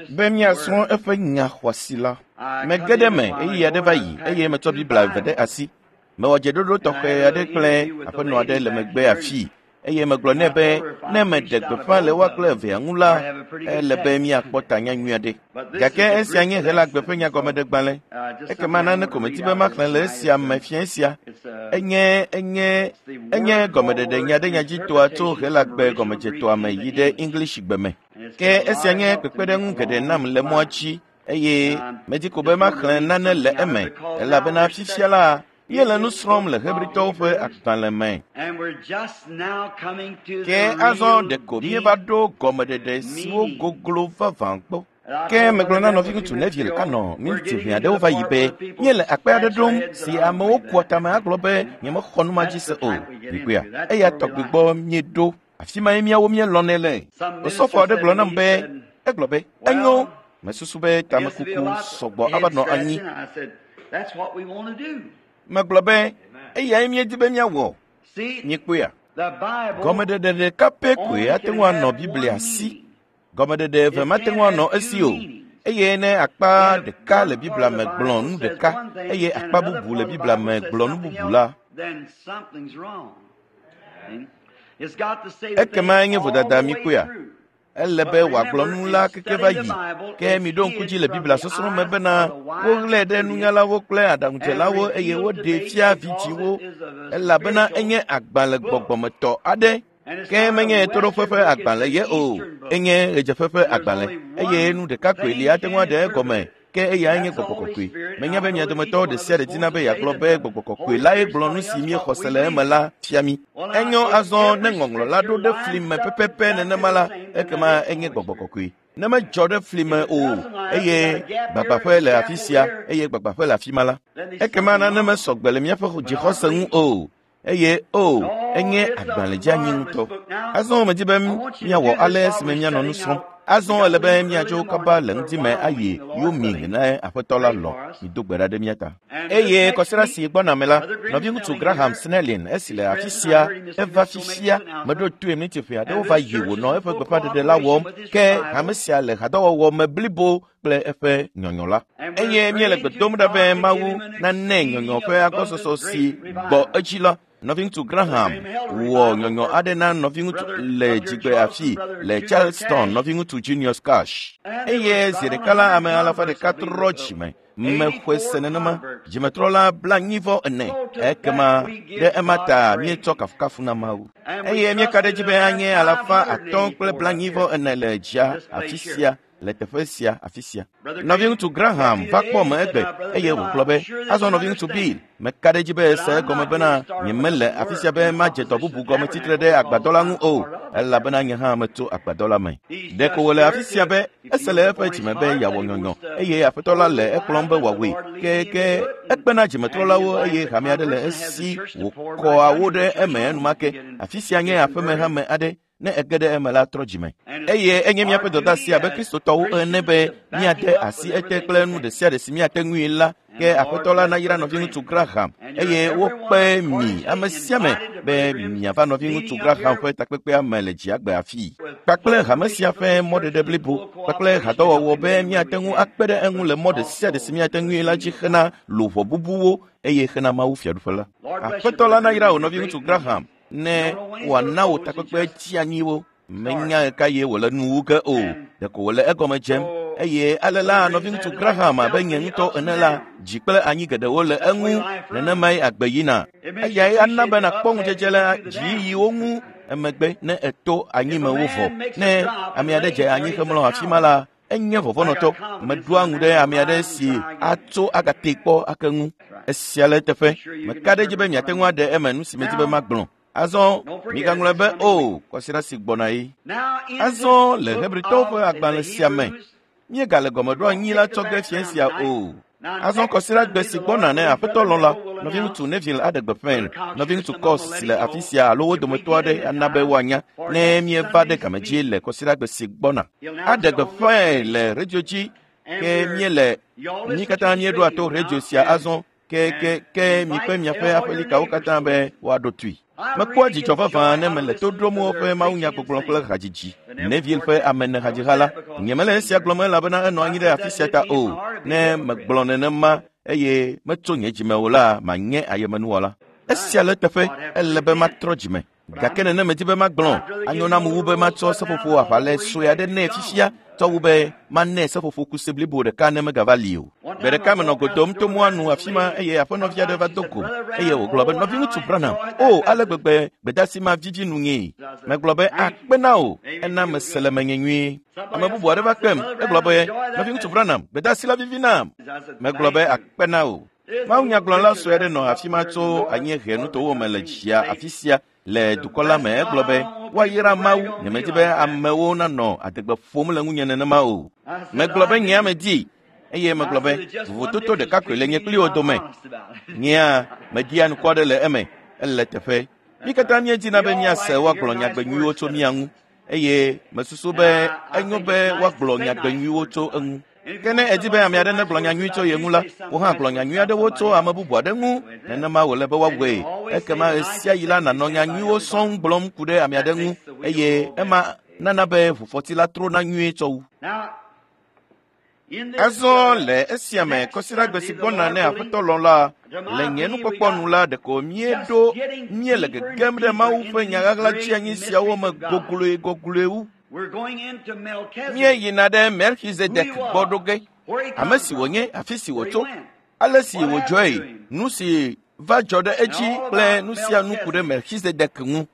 Be míasrɔ̃ eƒe nya xɔasi la. Mege ɖe eme ɣeyiɣi aɖe va yi eye metsɔ Biblia eve ɖe asi. Mewɔ dzeɖoɖo tɔxɛ aɖe kple aƒenɔ aɖe le megbe afii eye megblɔ nɛ be ne meɖe gbeƒã le woa kple evea ŋu la, ele be míakpɔ tanya nyui aɖe. Gake esia nye Helagbe ƒe nyagɔmeɖegbalẽ. Ekema nane ko medi be maxlẽ le esia me fiẽ sia. Enye enye enye gɔmeɖeɖe nyaɖenyadzitoa tso Helagbe gɔmedzetoa me yi ɖe Englishgbe me. Ke esia nye kpekpeɖeŋu geɖe nam le mɔa dzi eye medi ko be maxlẽ nane le eme elabena fifia la míele nu srɔ̃m le Hebritɔwo ƒe agbalẽ me. Ke azɔ ɖeko míeva ɖo gɔmeɖeɖe siwo goglo vavã gbɔ. Ke megblɔ na nɔviŋutsu Neville anɔ miniti ʋɛ aɖewo va yi be míele akpe aɖe ɖom si amewo kua tame agblɔ be nyemexɔ nu ma dzi se o. Mikpɔea? Eya tɔgbi gbɔ míeɖo. Afi mae míawo míelɔ̃nɛ le. Osɔfo aɖe gblɔ nam be, egblɔ be, enyo, mesusu be tamekuku sɔgbɔ ava nɔ anyi. Megblɔ be, eyae míedi be míawɔ. Míekpɔea? Gɔmeɖeɖe ɖeka pɛ koe ate ŋu anɔ Biblia si. Gɔmeɖeɖe eve mate ŋu anɔ esi o. Eye ne akpa ɖeka le Biblia me gblɔ nu ɖeka eye akpa bubu le Biblia me gblɔ nu bubu la, ekema enye vodada míkpɔea? Ele be wòagblɔ nu la keke va yi. Ke miɖo ŋku dzi le Biblia sɔsrɔ̃ me bena woɣlae ɖe nunyalawo kple aɖaŋudzelawo eye woɖee fia vidzĩwo elabena enye agbalẽ gbɔgbɔmetɔ aɖe. Ke menye ɣetoɖoƒe ƒe agbalẽ ye o, enye ɣedzeƒe ƒe agbalẽ eye nu ɖeka koe li ate ŋu aɖe egɔme ke eyae nye gbɔgbɔ kɔkɔe. Menya be mia dometɔ ɖe sia ɖe dina be yeagblɔ be gbɔgbɔ kɔkɔe lae gblɔ nu si míexɔ se le eme la fia mí. Enyo azɔ ne ŋɔŋlɔ la ɖo ɖe fli me pɛpɛpɛ nenema la, ekema enye gbɔgbɔ kɔkɔe. Ne medzɔ ɖe fli me o eye gbagbaƒe le afi sia eye gbagbaƒe le afi ma la, ekema nane mesɔgbe le míaƒe dzixɔse ŋu o. Eye o, enye agbalẽ dzeanyi ŋutɔ. Azɔ medi be míawɔ ale esime míanɔ nu srɔ̃m. Azɔ ele be míadzo kaba le ŋdi me ayi Yoming ne aƒetɔ la lɔ̃. Mido gbe ɖa ɖe mía ta. Eye kɔsiɖa si gbɔna me la, nɔviŋutsu Graham Snelling esi le afi sia eva fifia meɖo toe miniti ʋɛ aɖewo va yi wònɔ eƒe gbeƒãɖeɖe la wɔm ke hame sia le hadɔwɔwɔ me blibo kple eƒe nyɔnyɔ la. Eye míele gbe dom ɖa be Mawu nanae nyɔnyɔ ƒe agbɔsɔsɔ si gbɔ edzi la. Nɔviŋutsu Graham wɔ nyɔnyɔ aɖe na nɔviŋutsu le dzigbe afi le Charleston, nɔviŋutsu Junius Cash. Eye zi ɖeka la ame alafa ɖeka trɔ dzime. Mexɔe se nenema. Dzimetrɔla 49. Ekema ɖe ema ta míetsɔ kafukafu na Mawu. Eye míeka ɖe edzi be anye 544 le dzia afi sia le teƒe sia afi sia. Nɔviŋutsu Graham va kpɔ me egbe eye wògblɔ be, azɔ nɔviŋutsu Bill, meka ɖe edzi be ese egɔme bena nyemele afi sia be madze dɔ bubu gɔme tsitre ɖe agbadɔ la ŋu o, elabena nye hã metso agbadɔ la me. Ɖeko wòle afi sia be ese le eƒe dzime be yeawɔ nyɔnyɔ eye aƒetɔ la le ekplɔm be wòawɔe. Ke ke ekpena dzimetrɔlawo eye hame aɖe le esi wòkɔa wo ɖe eme enumake. Afi sia nye aƒemehame aɖe. Ne ege ɖe eme la trɔ dzime. Eye enye míaƒe dɔdeasi abe Kristotɔwo ene be míade asi ete kple nu ɖe sia ɖe si míate ŋui la. Ke aƒetɔ la nayra nɔviŋutsu Graham eye wokpe mi ame sia ame be miava nɔviŋutsu Graham ƒe takpekpea me le dziagbe afii. Kpakple hame sia ƒe mɔɖeɖe blibo kpakple hadɔwɔwɔ be míate ŋu akpe ɖe eŋu le mɔ ɖe sia ɖe si míate ŋui la dzi hena luʋɔ bubuwo eye hena Mawu fiaɖuƒe la. Aƒetɔ la nayra wò nɔviŋutsu Graham ne wòana wò takpekpe dzianyiwo. Menya ɣeka ye wòle nu wu ge o, ɖeko wòle egɔme dzem. Eye ale la nɔviŋutsu Graham abe nye ŋutɔ ene la, dzi kple anyi geɖewo le eŋu, nenemae agbe yina. Eyae ana be nàkpɔ ŋudzedze le dziyiyiwo ŋu emegbe ne èto anyimewo vɔ. Ne ame aɖe dze anyi hemlɔ afi ma la, enye vɔvɔ̃nɔtɔ. Meɖoa ŋu ɖe ame aɖe si atso agatee kpɔ ake ŋu. Esia le eteƒe. Meka ɖe edzi be miate ŋu aɖe eme nu si medi be magblɔ. Azɔ migaŋlɔe be o kɔsiɖa si gbɔna ye. Azɔ le Hebritɔwo ƒe agbalẽ sia me, míegale gɔmeɖoanyi la tsɔ ge fiẽ sia o. Azɔ kɔsiɖa gbe si gbɔna ne aƒetɔ lɔ̃ la, nɔviŋutsu Neville aɖe gbeƒãe. Nɔviŋutsu Cox si le afi sia alo wo dometɔ aɖe ana be woanya ne míeva ɖe game dzi le kɔsiɖa gbe si gbɔna. Aɖe gbeƒãe le redio dzi ke míele mí katã míeɖoa to redio sia azɔ ke ke ke mikpe miaƒe aƒelikawo katã be woaɖo tui. Mekpɔa dzidzɔ vavã ne mele to ɖom woƒe mawunyagbɔgblɔ kple hadzidzi. Neville ƒe ame ene hadziha la, nyemele esia gblɔm elabena enɔ anyi ɖe afi sia ta o. Ne megblɔ nenema eye metso nye dzime o la, manye ayemenuwɔla. Esia le teƒe, ele be matrɔ dzime. Gake nene medi be magblɔ, anyo nam wu be matsɔ seƒoƒo aʋalɛ sue aɖe nɛ fifia tsɔ wu be manɛ seƒoƒo kuse blibo ɖeka ne megava li o. Gbe ɖeka menɔ go dom to mɔa nu afi ma eye aƒenɔvi aɖe va do go eye wògblɔ be nɔviŋutsu Branham, o ale gbegbe gbedeasi ma vivi nunyee. Megblɔ be akpe na wò, ena mese le menye nyuie. Ame bubu aɖe va kpem, egblɔ be nɔviŋutsu Branham, gbedeasi la vivi nam. Megblɔ be akpe na wò. Mawunyagblɔla sue aɖe nɔ afi ma tso anyiehe nutowo me le dzia afi sia le dukɔ la me. Egblɔ be woayra Mawu, nyemedi be amewo nanɔ adegbe ƒom le ŋunye nenema o. Megblɔ be nye ame di eye megblɔ be vovototo ɖeka koe le nye kpli wo dome. Nyea media nukua ɖe le eme, ele teƒe. Mí katã míedina be míase woagblɔ nyagbe nyuiwo tso mía ŋu eye mesusu be enyo be woagblɔ nyagbe nyuiwo tso eŋu. Ke ne edi be ame aɖe negblɔ nya nyui tso ye ŋu la, wo hã gblɔ nya nyui aɖewo tso ame bubu aɖe ŋu. Nenema wòle be woawɔe. Ekema ɣe sia ɣi la nànɔ nya nyuiwo sɔŋ gblɔm ku ɖe ame aɖe ŋu eye ema nana be ʋufɔti la trona nyuie tsɔ wu. Azɔ le esia me kɔsiɖagbe si gbɔna ne Aƒetɔ lɔ̃ la, le nye nukpɔkpɔ nu la ɖeko míeɖo míele gegem ɖe Mawu ƒe nya ɣaɣla tsianyi siawo me gogloe gogloe wu. Míeyina ɖe Melchizedek gbɔ ɖo ge, ame si wònye, afi si wòtso, ale si wòdzɔe, nu si va dzɔ ɖe edzi kple nu sia nu ku ɖe Melchizedek ŋu.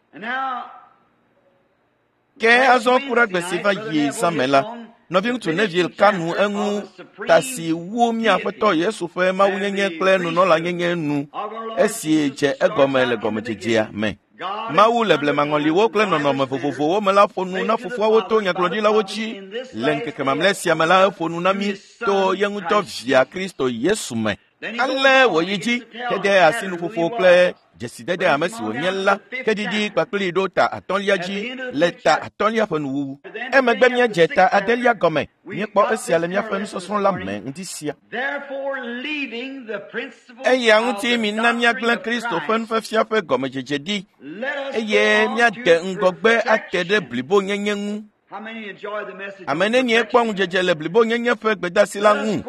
Ke azɔ ku ɖe gbe si va yi zã me la, nɔviŋutsu Neville ka nu eŋu ta si wu mía Aƒetɔ Yesu ƒe mawunyenye kple nunɔlanyenye nu esi dze egɔme le gɔmedzedzea me. Mawu le blemaŋɔliwo kple nɔnɔme vovovowo me la ƒo nu na fofoawo to nyagblɔɖilawo dzi. Le ŋkeke mamlɛ sia me la, eƒo nu na mí to ye ŋutɔ via Kristo Yesu me. Ale wòyi dzi hede asi nuƒoƒo kple dzesidede ame si wònye la ke didi kpakpli ɖo ta atɔ̃lia dzi le ta atɔ̃lia ƒe nuwuwu. Emegbe míedze ta adelia gɔme. Míekpɔ esia le míaƒe nusɔsrɔ̃ la me ŋdi sia. Eya ŋuti mina míagblẽ Kristo ƒe nufiafia ƒe gɔmedzedze ɖi eye míade ŋgɔgbe ate ɖe blibonyenye ŋu. Ame nenie kpɔ ŋudzedze le blibonyenye ƒe gbedeasi la ŋu?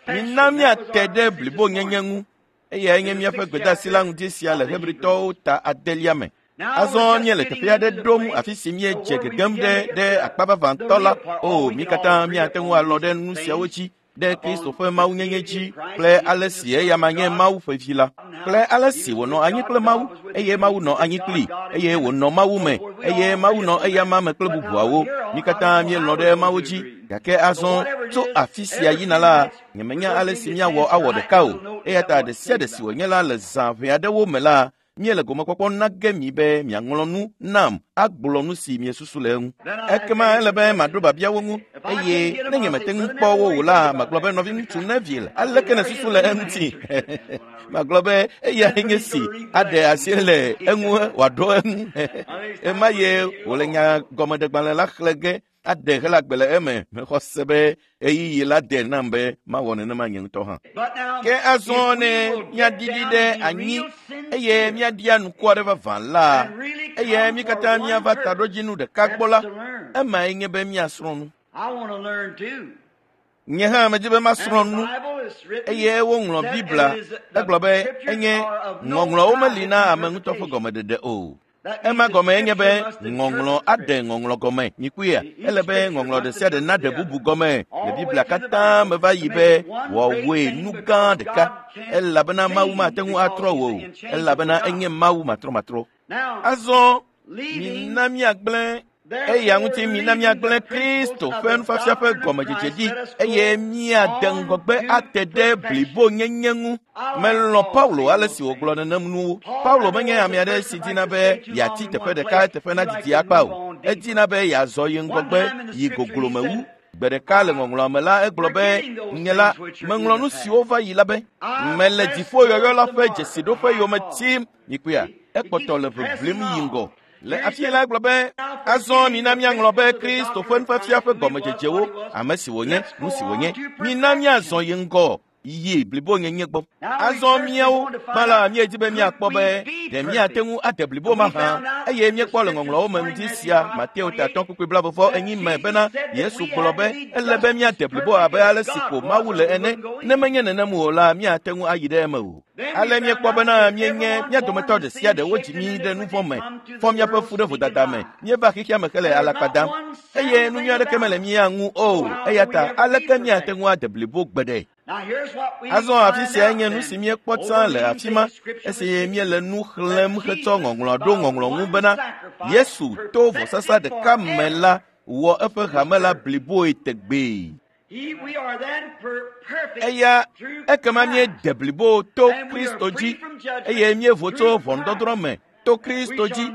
Mina míate ɖe blibonyenye ŋu. Eyae nye míaƒe gbedeasi la ŋdi sia le Hebritɔwo ta adelia me. Azɔ míele teƒe aɖe ɖom afi si míedze gegem ɖe ɖe akpa vavãtɔ la. O, mí katã míate ŋu alɔ̃ ɖe nu siawo dzi, ɖe Kristo ƒe mawunyenye dzi kple ale si eyama nye Mawu ƒe vi la, kple ale si wònɔ anyi kple Mawu, eye Mawu nɔ anyi kplii, eye wònɔ Mawu me, eye Mawu nɔ eyama me kple bubuawo. Mí katã míelɔ̃ ɖe Mawu dzi, gake azɔ tso afi sia yina la, nyemenya ale si míawɔ awɔ ɖeka o. Eya ta ɖe sia ɖe si wònye la le zã ʋɛ aɖewo me la, míele gomekpɔkpɔ na ge mi be miaŋlɔ nu nam agblɔ nu si miesusu le eŋu. Ekema ele be maɖo biabiawo ŋu eye ne nyemete ŋu kpɔ wo o la, magblɔ be nɔviŋutsu Neville, aleke nèsusu le eŋuti? Magblɔ be eyae nye si aɖe asi le eŋu wòaɖo eŋu. Ema ye wòle nyagɔmeɖegbalẽ la xlẽ ge aɖe Helagbe le eme. Mexɔ se be ɣeyiɣi la de nam be mawɔ nenema nye ŋutɔ hã. Ke azɔ ne míaɖiɖi ɖe anyi eye míaɖia nuku aɖe vavã la, eye mí katã míava taɖodzinu ɖeka gbɔ la, emae nye be míasrɔ̃ nu. Nye hã medi be masrɔ̃ nu eye woŋlɔ Biblia egblɔ be enye ŋɔŋlɔwo meli na ame ŋutɔ ƒe gɔmeɖeɖe o. Ema gɔme enye be ŋɔŋlɔ aɖe ŋɔŋlɔ gɔme. Mikpɔea, ele be ŋɔŋlɔ ɖe sia ɖe naɖe bubu gɔme le Biblia katã me va yi be wòawɔe nu gã ɖeka elabena Mawu mate ŋu atrɔ wò o elabena enye Mawu matrɔmatrɔ. Azɔ mina míagblẽ eya ŋuti mina míagblẽ Kristo ƒe nufiafia ƒe gɔmedzedze ɖi eye míade ŋgɔgbe ate ɖe blibonyenye ŋu. Melɔ̃ Paulo ale si wògblɔ nenem nuwo. Paulo menye ame aɖe si dina be yeati teƒe ɖeka teƒe nadidi akpa o. Edina be yeazɔ yi ŋgɔgbe yi goglome wu. Gbe ɖeka le ŋɔŋlɔa me la egblɔ be nye la meŋlɔ nu siwo va yi la be mele dziƒoyɔyɔ la ƒe dzesiɖoƒe yome tim. Mikpɔea, ekpɔtɔ le ʋeʋlim yi ŋgɔ. Le afi la egblɔ be azɔ mina míaŋlɔ be Kristo ƒe nufiafia ƒe gɔmedzedzewo, ame si wònye, nu si wònye. Mina míazɔ yi ŋgɔ. Yi blibonyenye gbɔ. Azɔ míawo gbã la míedi be míakpɔ be ɖe míate ŋu ade blibo mahã eye míekpɔ le ŋɔŋlɔawo me ŋdi sia Mateo ta 5:44 me bena Yesu gblɔ be ele be míade blibo abe ale si ko Mawu le ene. Ne menye nenem o la míate ŋu ayi ɖe eme o. Ale míekpɔ bena míenye mía dometɔ ɖe sia ɖe wodzi mí ɖe nu vɔ̃ me, fɔ míaƒe fu ɖe vodada me, míeva xexea me hele alakpa dam eye nu nyui aɖeke mele mía ŋu o. Eya ta aleke míate ŋu ade blibo gbeɖe? Azɔ afi sia nye nu si míekpɔ tsã le afi ma esi míele nu xlẽm hetsɔ ŋɔŋlɔ ɖo ŋɔŋlɔ ŋu bena Yesu to vɔsasa ɖeka me la wɔ eƒe hame la bliboe tegbee. Eya ekema míede blibo to Kristo dzi eye míevo tso ʋɔnudɔdrɔ̃ me to Kristo dzi.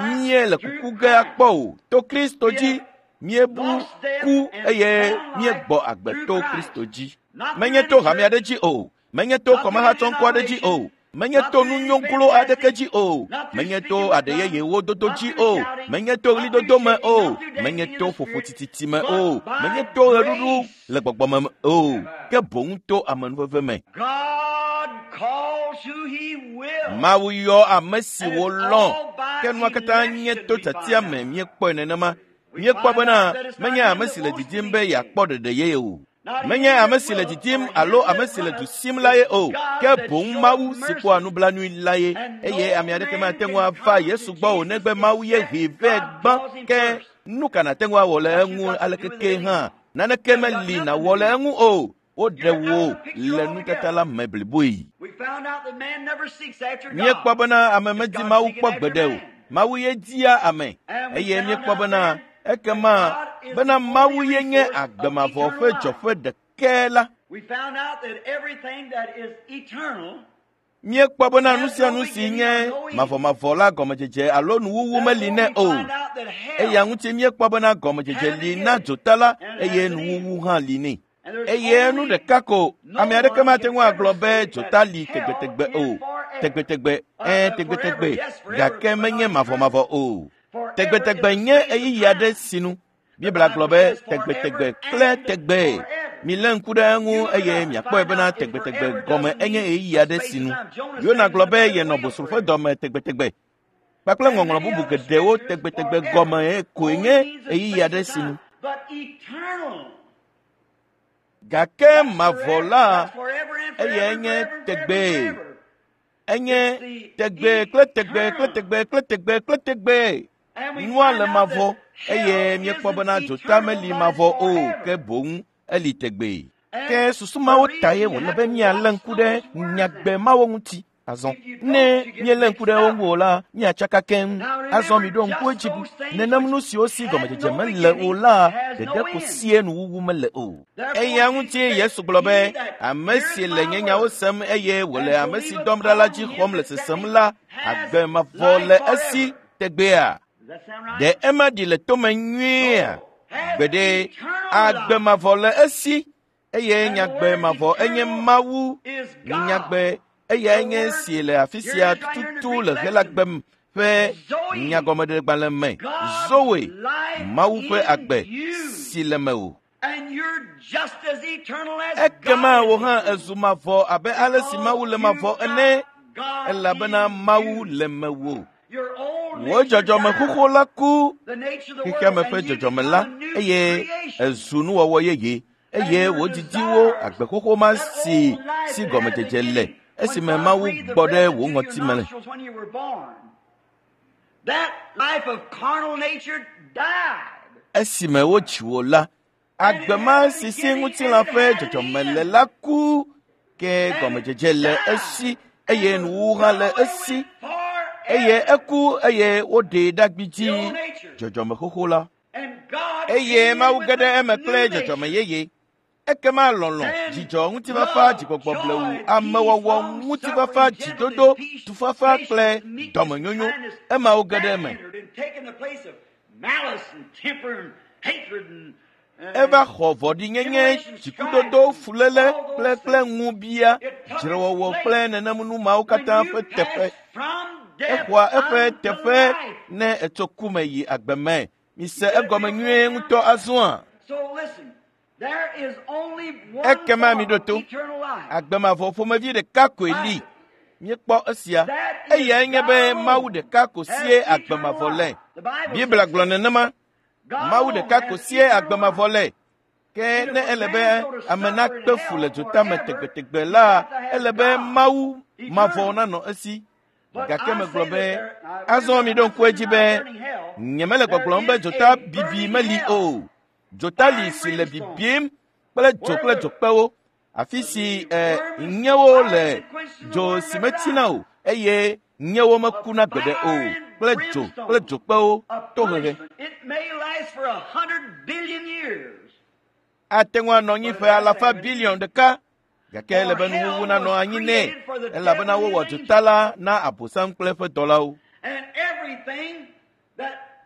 Míele kuku ge akpɔ o to Kristo dzi. Míebu ku eye míegbɔ agbe to Kristo dzi. Menye to hame aɖe dzi o, menye to kɔmahatsɔŋkɔ aɖe dzi o, menye to nunyoglo aɖeke dzi o, menye to aɖe yeyewo dodo dzi o, menye to ɣlidodo me o, menye to ƒoƒo tititi me o, menye to ɣeɖuɖu le gbɔgbɔ me o, ke boŋ to amenuveve me. Mawu yɔ ame si wòlɔ̃, ke nua katã nye to tiatia me míekpɔe nenema. Míekpɔ bena menye ame si le didim be yeakpɔ ɖeɖe ye o. Menye ame si le didim alo ame si le du sim la ye o, ke boŋ Mawu si kpɔa nublanui la ye. Eye ame aɖeke mate ŋu ava Yesu gbɔ o negbe Mawu ye hee vɛ gbã. Ke nu ka nàte ŋu awɔ le eŋu alekeke hã? Naneke meli nàwɔ le eŋu o. Woɖe wò le nutata la me bliboe. Míekpɔ bena ame medi Mawu kpɔ gbeɖe o. Mawu ye dia ame eye míekpɔ bena ekema bena Mawu ye nye agbe mavɔ ƒe dzɔƒe ɖekɛ la. Míekpɔ bena nu sia nu si nye mavɔmavɔ la gɔmedzedze alo nuwuwu meli nɛ o. Eya ŋuti míekpɔ bena gɔmedzedze li na dzota la eye nuwuwu hã li nɛ. Eye nu ɖeka ko ame aɖeke mate ŋu agblɔ be dzota li tegbetegbe o. Tegbetegbe, tegbetegbe, gake menye mavɔmavɔ o. Tegbetegbe nye ɣeyiɣi aɖe sinu. Biblia gblɔ be tegbetegbe kple tegbee. Milé ŋku ɖe eŋu eye miakpɔe bena tegbetegbe gɔme enye ɣeyiɣi aɖe sinu. Yona gblɔ be yenɔ bosro ƒe dɔme tegbetegbe. Kpakple ŋɔŋlɔ bubu geɖewo tegbetegbe gɔme koe nye ɣeyiɣi aɖe sinu. Gake mavɔ la eyae nye tegbee. Enye tegbee kple tegbee kple tegbee kple tegbee kple tegbee. Nua le mavɔ eye míekpɔ bena dzota meli mavɔ o ke boŋ eli tegbee. Ke susu mawo tae wòle be míalé ŋku ɖe nyagbe mawo ŋuti. Azɔ ne míelé ŋku ɖe wo ŋu o la, míatsaka keŋ. Azɔ miɖo ŋku edzi nenem nu siwo si gɔmedzedze mele o la ɖeɖe ko sie nuwuwu mele o. Eya ŋuti Yesu gblɔ be ame si le nye nyawo sem eye wòle ame si dɔm ɖa la dzi xɔm le sesem la, agbe mavɔ le esi tegbea. Ɖe ema ɖi le tome nyuiea? Gbeɖe, agbe mavɔ le esi eye nyagbe mavɔ enye Mawu nyagbe. Eyae nye si le afi sia tututu le Helagbe ƒe nyagɔmeɖegbalẽ me. Zoe, Mawu ƒe agbe si le mewò. Ekema wò hã ezu mavɔ abe ale si Mawu le mavɔ ene, elabena Mawu le mewò. Wò dzɔdzɔme xoxo la ku xexeame ƒe dzɔdzɔme la eye ezu nuwɔwɔ yeye eye wò didiwo agbe xoxo ma si si gɔmedzedze le esime Mawu gbɔ ɖe wò ŋɔti me le. Esime wodzi wò la, agbe ma si si ŋutilã ƒe dzɔdzɔme le la ku, ke gɔmedzedze le esi eye nuwuwu hã le esi eye eku eye woɖee ɖe agbidzi dzɔdzɔme xoxo la. Eye Mawu ge ɖe eme kple dzɔdzɔme yeye. Ekema lɔlɔ̃, dzidzɔ, ŋutifafa, dzigbɔgbɔ blewu, amewɔwɔ, ŋutifafa, dzidodo, tufafa kple dɔmenyonyo, emawo ge ɖe eme. Eva xɔ vɔ̃ɖinyenye, dzikudodo, fuléle kple ŋubia, dzrewɔwɔ kple nenem nu mawo katã ƒe teƒe. Exɔa eƒe teƒe ne etso ku me yi agbe me. Mise egɔme nyuie ŋutɔ azɔa. Ekema miɖo to. Agbe mavɔ ƒomevi ɖeka koe li. Míekpɔ esia. Eyae nye be Mawu ɖeka ko sie agbe mavɔ le. Biblia gblɔ nenema. Mawu ɖeka ko sie agbe mavɔ le. Ke ne ele be ame nakpe fu le dzotame tegbetegbe la, ele be Mawu mavɔ nanɔ esi. Gake megblɔ be, azɔ miɖo ŋku edzi be, nyemele gbɔgblɔm be dzota bibi meli o. Dzota li si le bibim kple dzo kple dzokpewo. Afi si nyewo le dzo si metsina o eye nyewo mekuna gbeɖe o kple dzo kple dzokpewo tohehe. Ate ŋu anɔ anyi ƒe alafa biliɔn ɖeka gake ele be nuwuwu nanɔ anyi nɛ elabena wowɔ dzota la na Abosam kple eƒe dɔlawo.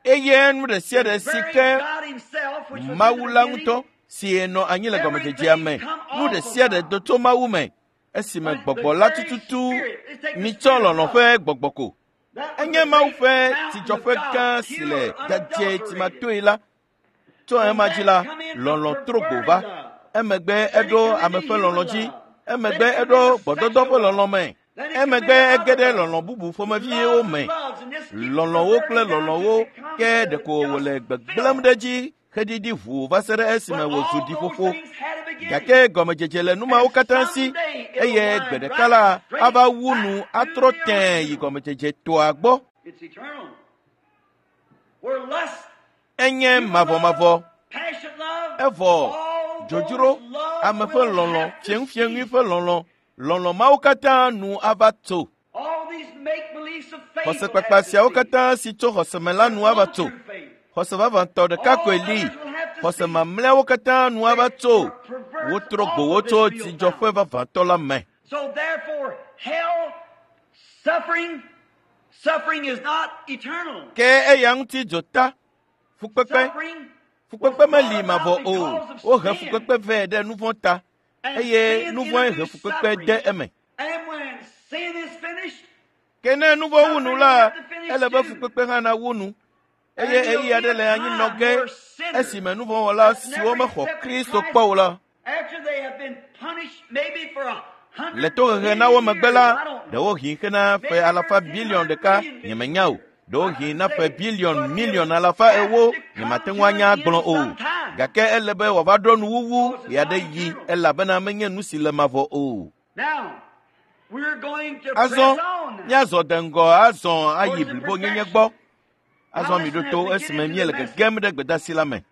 Eye nu ɖe sia ɖe si ke Mawu la ŋutɔ si nɔ anyi le gɔmedzedzea me, nu ɖe sia ɖe do tso Mawu me esime gbɔgbɔ la tututu mitsɔ lɔlɔ̃ ƒe gbɔgbɔ ko. Enye Mawu ƒe tsidzɔƒe gã si le dzadzɛ tsimatoe la. Tso ema dzi la, lɔlɔ̃ tro go va. Emegbe eɖo ame ƒe lɔlɔ̃ dzi. Emegbe eɖo gbɔdɔdɔ ƒe lɔlɔ̃ me. Emegbe ege ɖe lɔlɔ̃ bubu ƒomeviwo me. Lɔlɔ̃wo kple lɔlɔ̃wo ke ɖeko wòle gbegblẽm ɖe edzi heɖiɖi ʋuu va se ɖe esime wòzu ɖiƒoƒo. Gake gɔmedzedze le nu mawo katã si eye gbe ɖeka la ava wu nu atrɔ tẽe yi gɔmedzedze toa gbɔ. Enye mavɔmavɔ. Evɔ dzodzro, ame ƒe lɔlɔ̃, fiẽŋufiẽŋui ƒe lɔlɔ̃, lɔlɔ̃ mawo katã nu ava tso. Xɔsekpakpa siawo katã si tso xɔseme la nu ava tso. Xɔse vavãtɔ ɖeka koe li. Xɔse mamlɛawo katã nu ava tso. Wotrɔ gbo wo tso dzidzɔƒe vavãtɔ la me. Ke eya ŋuti dzota, fukpekpe, fukpekpe meli mavɔ o. Wohe fukpekpe vɛ ɖe nu vɔ̃ ta eye nu vɔ̃e he fukpekpe de eme. Ke ne nu vɔ̃ wu nu la, ele be fukpekpe hã nawu nu. Eye ɣeyiɣi aɖe le anyi nɔ ge esime nu vɔ̃wɔla siwo mexɔ Kristo kpɔ o la, le tohehe na wo megbe la, ɖewohĩ hena ƒe alafa biliɔn ɖeka nyemenya o. Ɖewohĩ na ƒe biliɔn miliɔn alafa ewo nyemate ŋu anya agblɔ o. Gake ele be wòava ɖo nuwuwu ɣeaɖeɣi elabena menye nu si le mavɔ o. Azɔ míazɔ de ŋgɔ azɔ ayi blibonyenye gbɔ. Azɔ miɖo to esime míele gegem ɖe gbedeasi la me.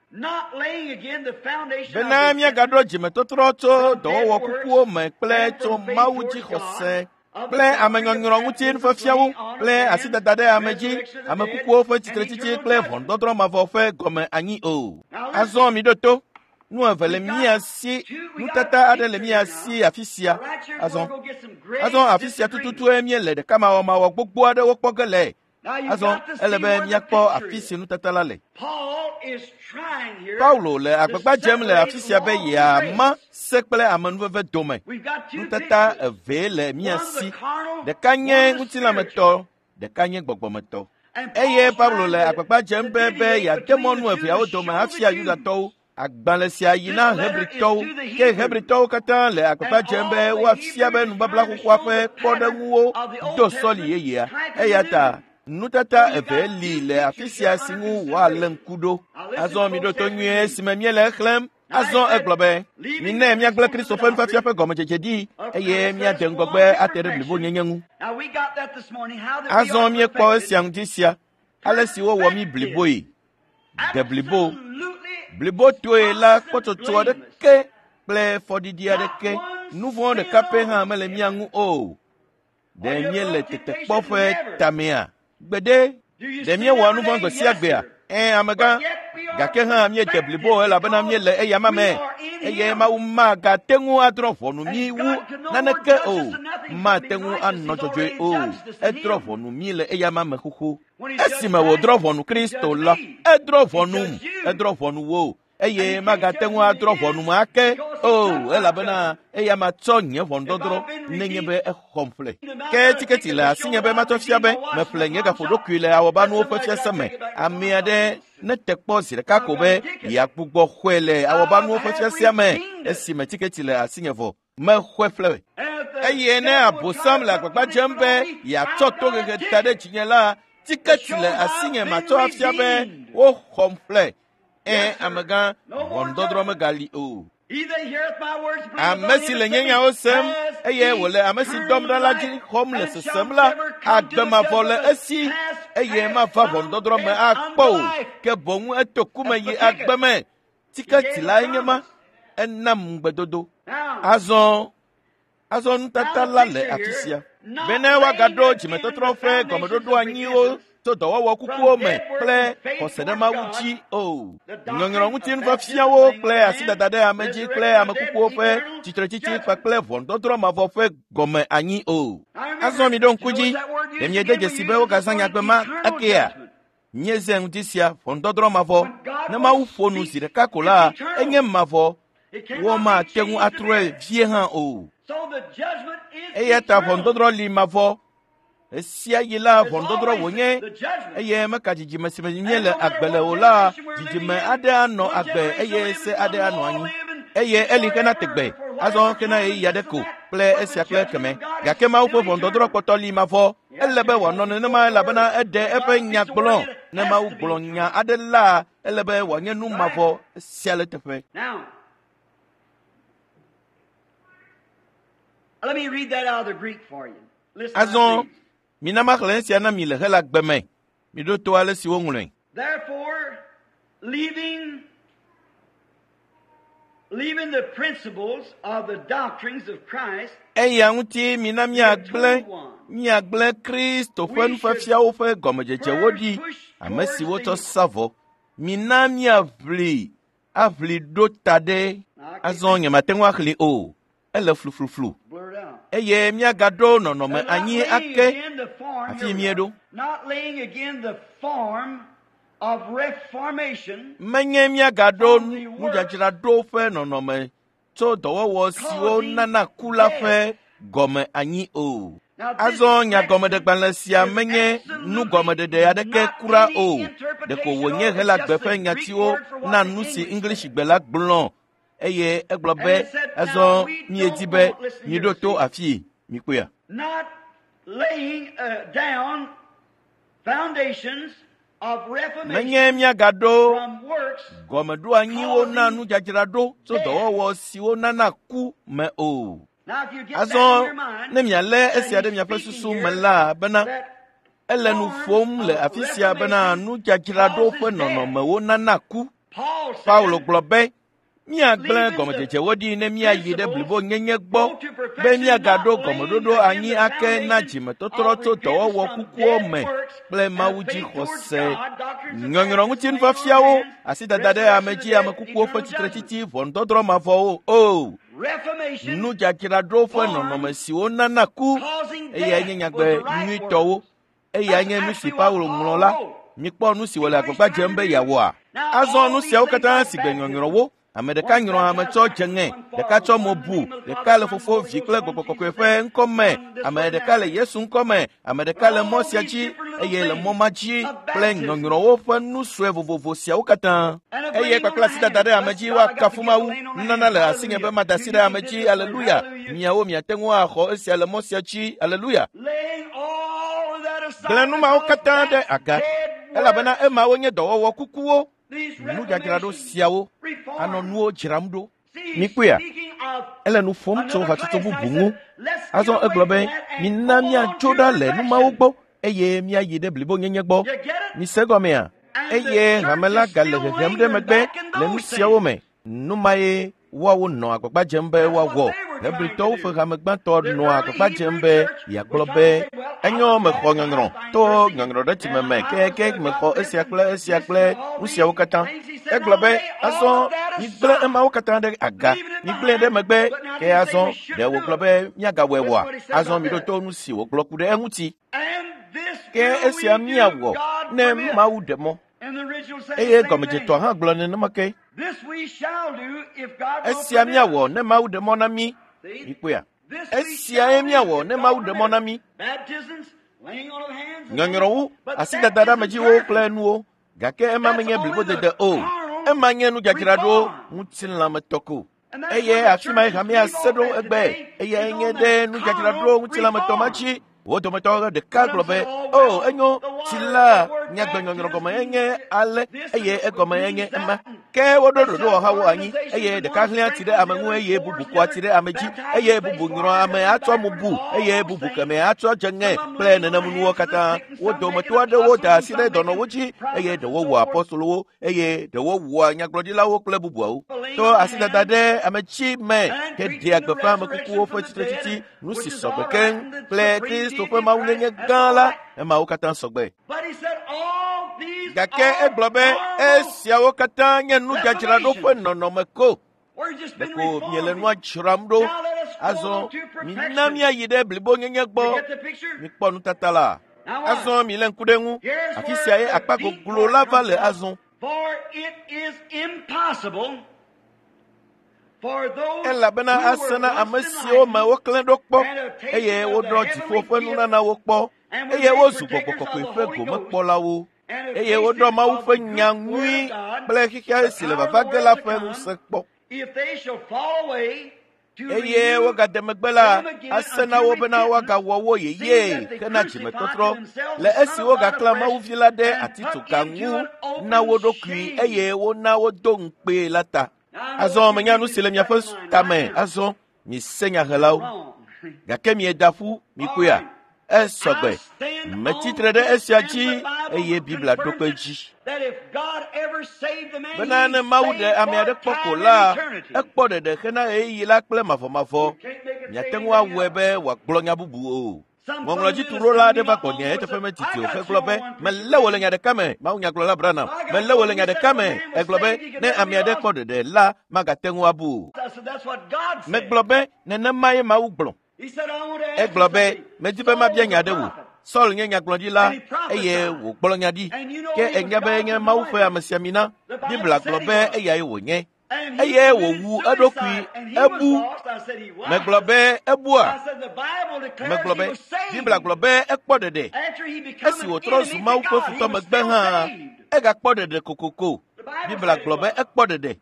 Bena míagaɖo dzimetɔtrɔ tso dɔwɔwɔ kukuwo me kple tso Mawu dzixɔse kple amenyɔnyrɔ ŋuti nufiafiawo kple asidada ɖe ame dzi, ame kukuwo ƒe tsitretsitsi kple ʋɔnudɔdrɔ̃ mavɔ ƒe gɔme anyi o. Azɔ miɖo to. Nu eve le mía si, nutata aɖe le mía si afi sia. Azɔ afi sia tututue míele ɖekamawɔmawɔ gbogbo aɖewo kpɔ ge le. Azɔ ele be míakpɔ afi si nutata la le. Paulo le agbagba dzem le afi sia be yeama se kple amenuveve dome. Nutata evee le mía si. Ɖeka nye ŋutilãmetɔ, ɖeka nye gbɔgbɔmetɔ. Eye Paulo le agbagba dzem be yeade mɔ nu eveawo dome afia Yudatɔwo. Agbalẽ sia yi na Hebritɔwo. Ke Hebritɔwo katã le agbagba dzem be woafia be nubabla xoxoa ƒe kpɔɖeŋuwo do sɔli yeyea. Eya ta nutata eve li le afi sia si ŋu woalé ŋku ɖo. Azɔ miɖo to nyuie esime míele exlẽm. Azɔ egblɔ be, minɛ míagblẽ Kristo ƒe nufiafia ƒe gɔmedzedze ɖi eye míade ŋgɔgbe ate ɖe blibonyenye ŋu. Azɔ míekpɔ esia ŋuti sia, ale si wowɔ mí bliboe. De blibo. Blibotoe la kpɔtsɔtsɔ aɖeke kple fɔɖiɖi aɖeke, nu vɔ̃ ɖeka pɛ hã mele mía ŋu o. Ɖe míele tetekpɔ ƒe tamea? Gbeɖe. Ɖe míewɔa nu vɔ̃ gbe sia gbea? Ɛ̃, amegã. Gake hã míede blibo elabena míele eyama me eye Mawu magate ŋu adrɔ̃ ʋɔnu mí wu naneke o. Mate ŋu anɔ dzɔdzɔe o. Edrɔ̃ ʋɔnu mí le eyama me xoxo. Esime wòdrɔ̃ ʋɔnu Kristo la, edrɔ̃ ʋɔnum, edrɔ̃ ʋɔnu wò. eye magate ŋu adrɔ̃ ʋɔnum ake o elabena eya matsɔ nye ʋɔnudɔdrɔ̃ nenye be exɔm ƒle. Ke tiketi le asinye be matsɔ fia be meƒle nye gaƒoɖokui le awɔbanuwo ƒe fiase me. Ame aɖe nete kpɔ zi ɖeka ko be yeagbugbɔ xɔe le awɔbanuwo ƒe fiasea me esime tiketi le asinye vɔ. Mexɔe ƒle. Eye ne abosam le agbagba dzem be yeatsɔ tohehe da ɖe dzinye la, tiketi le asinye matsɔ afia be woxɔm ƒle. Ẽ, amegã, ʋɔnudɔdrɔ̃ megali o. Ame si le nye nyawo sem eye wòle ame si dɔm ɖa la dzi xɔm le sesem la, agbe mavɔ le esi eye mava ʋɔnudɔdrɔ̃ me akpɔ o, ke boŋ eto ku me yi agbe me. Tiketi lae nye ma. Enam ŋugbedodo. Azɔ nutata la le afi sia. Bene woagaɖo dzimetɔtrɔ ƒe gɔmeɖoɖo anyiwo tso dɔwɔwɔ kukuwo me kple xɔse ɖe Mawu dzi o. Nyɔnyrɔ ŋuti nufiafiawo kple asidada ɖe ame dzi kple ame kukuwo ƒe tsitretsitsi kpakple ʋɔnudɔdrɔ̃ mavɔ ƒe gɔme anyi o. Azɔ mi ɖo ŋku dzi, ɖe miede dzesi be wogazã nyagbe ma akea? Míezã ŋuti sia ʋɔnudɔdrɔ̃ mavɔ. Ne Mawu ƒo nu zi ɖeka ko la, enye mavɔ. Womate ŋu atrɔe vie hã o. Eya ta ʋɔnudɔdrɔ̃ li mavɔ. Esia yi la ʋɔnudɔdrɔ̃ wònye eye meka dzidzime si me míele agbe le o la, dzidzime aɖe anɔ agbe eye se aɖe anɔ anyi. Eye eli xena tegbe, azɔ xena ɣeyiɣi aɖe ko kple esia kple ekeme. Gake Mawu ƒe ʋɔnudɔdrɔ̃ kpɔtɔ li mavɔ. Ele be wòanɔ nenema elabena eɖe eƒe nya gblɔ. Ne Mawu gblɔ nya aɖe la, ele be wòanye nu mavɔ sia le teƒe. Azɔ mina maxlẽ esia na mi le Helagbe me. Miɖo to ale si woŋlɔe. Therefore, leaving the principles of the doctrines of Christ, Eya ŋuti mina míagblẽ Kristo ƒe nufiafiawo ƒe gɔmedzedzewo ɖi, ame si wotsɔ sa vɔ. Mina míaʋli aʋli ɖo ta ɖe. Azɔ nyemate ŋu axlẽ o. Ele flufluflu. Eye míagaɖo nɔnɔme anyi ake afi míeɖo. Menye míagaɖo nudzadzraɖo ƒe nɔnɔme tso dɔwɔwɔ siwo nana ku la ƒe gɔme anyi o. Azɔ nyagɔmeɖegbalẽ sia menye nugɔmeɖeɖe aɖeke kura o. Ɖeko wònye Helagbe ƒe nyatiwo na nu si Englishgbe la gblɔ. Eye egblɔ be azɔ míedi be miɖo to afii mikpɔea. Not laying down foundations of reformation Menye míagaɖo from works gɔmeɖoanyiwo na nudzadzraɖo tso dɔwɔwɔ siwo nana ku me o. Now, if you get that in Azɔ your mind, ne mialé that esia ɖe he's miaƒe speaking susu here, me la bena that ele nu ƒom le afi sia bena nudzadzraɖo ƒe nɔnɔmewo nana ku. Paul said, Paulo gblɔ be míagblẽ gɔmedzedzewo ɖi ne míayi ɖe blibonyenye gbɔ be míagaɖo gɔmeɖoɖo anyi ake na dzimetɔtrɔ tso dɔwɔwɔ kukuwo me kple Mawu dzi xɔse. Nyɔnyrɔ ŋuti nufiafiawo, asidada ɖe ame dzi, ame kukuwo ƒe tsitretsitsi, ʋɔnudɔdrɔ̃ mavɔwo o. Reformation Nudzadzraɖo ƒe nɔnɔme siwo nana ku causing eyae death nye was nyagbe the right nyuitɔwo. word. Eyae nye nu si Paulo ŋlɔ la. Mikpɔ nu si wòle agbagba dzem be yeawɔa. Azɔ nu siawo katã si gbe nyɔnyrɔwo. Ame ɖeka nyrɔ ame tsɔ dze ŋe, ɖeka tsɔ mo bu, ɖeka le fofo, vi kple gbɔgbɔ kɔkɔe ƒe ŋkɔ me, ame ɖeka le Yesu ŋkɔ me, ame ɖeka le mɔ sia dzi eye le mɔ ma dzi kple nyɔnyrɔwo ƒe nu sue vovovo siawo katã. Eye kpakple asidada ɖe ame dzi woakafu Mawu. Nunana le asinye be mada asi ɖe ame dzi. Aleluya. Miawo miate ŋu axɔ esia le mɔ sia dzi. Aleluya. Laying all of that aside Gblẽ nu mawo because katã ɖe that's aga dead elabena works. emawo nye dɔwɔwɔ kukuwo. These Nudzadzraɖo reformations, siawo reform. anɔ nuwo dzram ɖo. See, he's Mikpɔea? speaking of Ele nu ƒom tso another hatsotso class. bubu I ŋu. said, let's get Azɔ away egblɔ from be that and mina go on míatso to ɖa le nu mawo perfection. gbɔ eye míayi ɖe blibonyenye gbɔ. You get it? Mise gɔmea? And the Eye hame church la is gale still hehem ɖe lingering megbe back in le nu those siawo things. me. Nu mae woawo nɔ agbagba dzem be That's what woawɔ. they were trying to Hebritɔwo do. ƒe hame gbãtɔ The nɔ early agbagba dzem Hebrew be church was yeagblɔ trying be to say, well, I enyo was mexɔ baptized nyɔnyrɔ by to mercy, nyɔnyrɔ ɖe tsime and me I ke was ke mexɔ got this esia and kple esia this kple and all nu these siawo katã. things. He said, Egblɔ now be lay all azɔ of that migblẽ aside. emawo katã ɖe aga, Leaving it migblẽe ɖe behind. megbe. But now Ke did he say azɔ we ɖe shouldn't do wògblɔ it? be míagawɔe Listen oa? what he said Azɔ about miɖo that. to nu si wògblɔ ku ɖe eŋuti. And this Ke will esia we do, míawɔ God ne permit. Mawu ɖe mɔ. And the original said the Eye same gɔmedzetɔa thing. hã gblɔ nenema ke. Esia míawɔ ne Mawu ɖe mɔ na mí. Mikpɔea? Esiae míawɔ ne Mawu ɖe mɔ na mí. Nyɔnyrɔwo, asidada ɖe amedziwo kple nuwo. Gake ema menye blibodede o. Ema nye nudzadzraɖo ŋutilãmetɔ ko. Eye afi ma hamea se ɖo egbe. Eyae nye ɖe nudzadzraɖo ŋutilãmetɔ ma dzi. Wo dometɔ ɖeka gblɔ be, o, enyo, tsi la nyagbe nyɔnyrɔ gɔme enye ale eye egɔme enye ema. Ke woɖo ɖoɖowɔhawo anyi eye ɖeka hlẽa tsi ɖe ame ŋu eye bubu kɔa tsi ɖe ame dzi eye bubu nyrɔa ame atsɔ mubu eye bubu kemɛ atsɔ dze ŋe kple nenemunuwo katã. Wo dometɔ aɖewo da asi ɖe dɔnɔwo dzi eye ɖewo wɔ apɔstolowo eye ɖewo wɔa nyagblɔɖilawo kple bubuawo. To asidada ɖe ame dzi me heɖea gbeƒã ame kukuwo ƒe tsitretsitsi nu si sɔgbe keŋ kple Kristo ƒe mawunyenye gã la, emawo katã sɔgbe. Gake egblɔ be esiawo katã nye nudzadzraɖo ƒe nɔnɔme ko. Ɖeko miele nua dzram ɖo. Azɔ mina míayi ɖe blibonyenye gbɔ. Mikpɔ nutata la. Azɔ milé ŋku ɖe ŋu. Afi sia ye akpa goglo la va le azɔ. Elabena ase na ame siwo me woklẽ ɖo kpɔ eye woɖɔ dziƒo ƒe nunanawo kpɔ eye wozu gbɔgbɔ kɔkɔe ƒe gomekpɔlawo eye woɖɔ Mawu ƒe nya nyui kple xexea si le vava ge la ƒe ŋusẽ kpɔ. Eye wogade megbe la, ase na wo bena woagawɔ wo yeyee hena dzimetɔtrɔ le esi wogaklã Mawuvi la ɖe atitsoga ŋu na wo ɖokui eye wona wodo ŋukpee la ta. Azɔ menya nu si le miaƒe tame azɔ mise nyahelawo. Gake mieda ƒu mikpɔea? Esɔgbe. Metsitre ɖe esia dzi eye Biblia ɖo kpe edzi. Bena ne Mawu ɖe ame aɖe kpɔ ko la, ekpɔ ɖeɖe hena ɣeyiɣi la kple mavɔmavɔ. Miate ŋu awɔe be wòagblɔ nya bubu o. Ŋɔŋlɔdzituɖola aɖe va gbɔnye eteƒe medidi o hegblɔ be, melé wò le nya ɖeka me, mawunyagblɔla Branham, melé wò le nya ɖeka me. Egblɔ be, ne ame aɖe kpɔ ɖeɖe la, magate ŋu abu o. Megblɔ be, nenemae Mawu gblɔ. Egblɔ be, medi be mabia nya ɖe wò. Saul nye nyagblɔɖila eye wògblɔ nya ɖi. Ke ènya be enye Mawu ƒe amesiamina. Biblia gblɔ be eyae wònye. Eye wòwu eɖokui, ebu. Megblɔ be ebua. Megblɔ be Biblia gblɔ be ekpɔ ɖeɖe. Esi wòtrɔ zu Mawu ƒe futɔ megbe hã, egakpɔ ɖeɖe kokoko. Biblia gblɔ be ekpɔ ɖeɖe.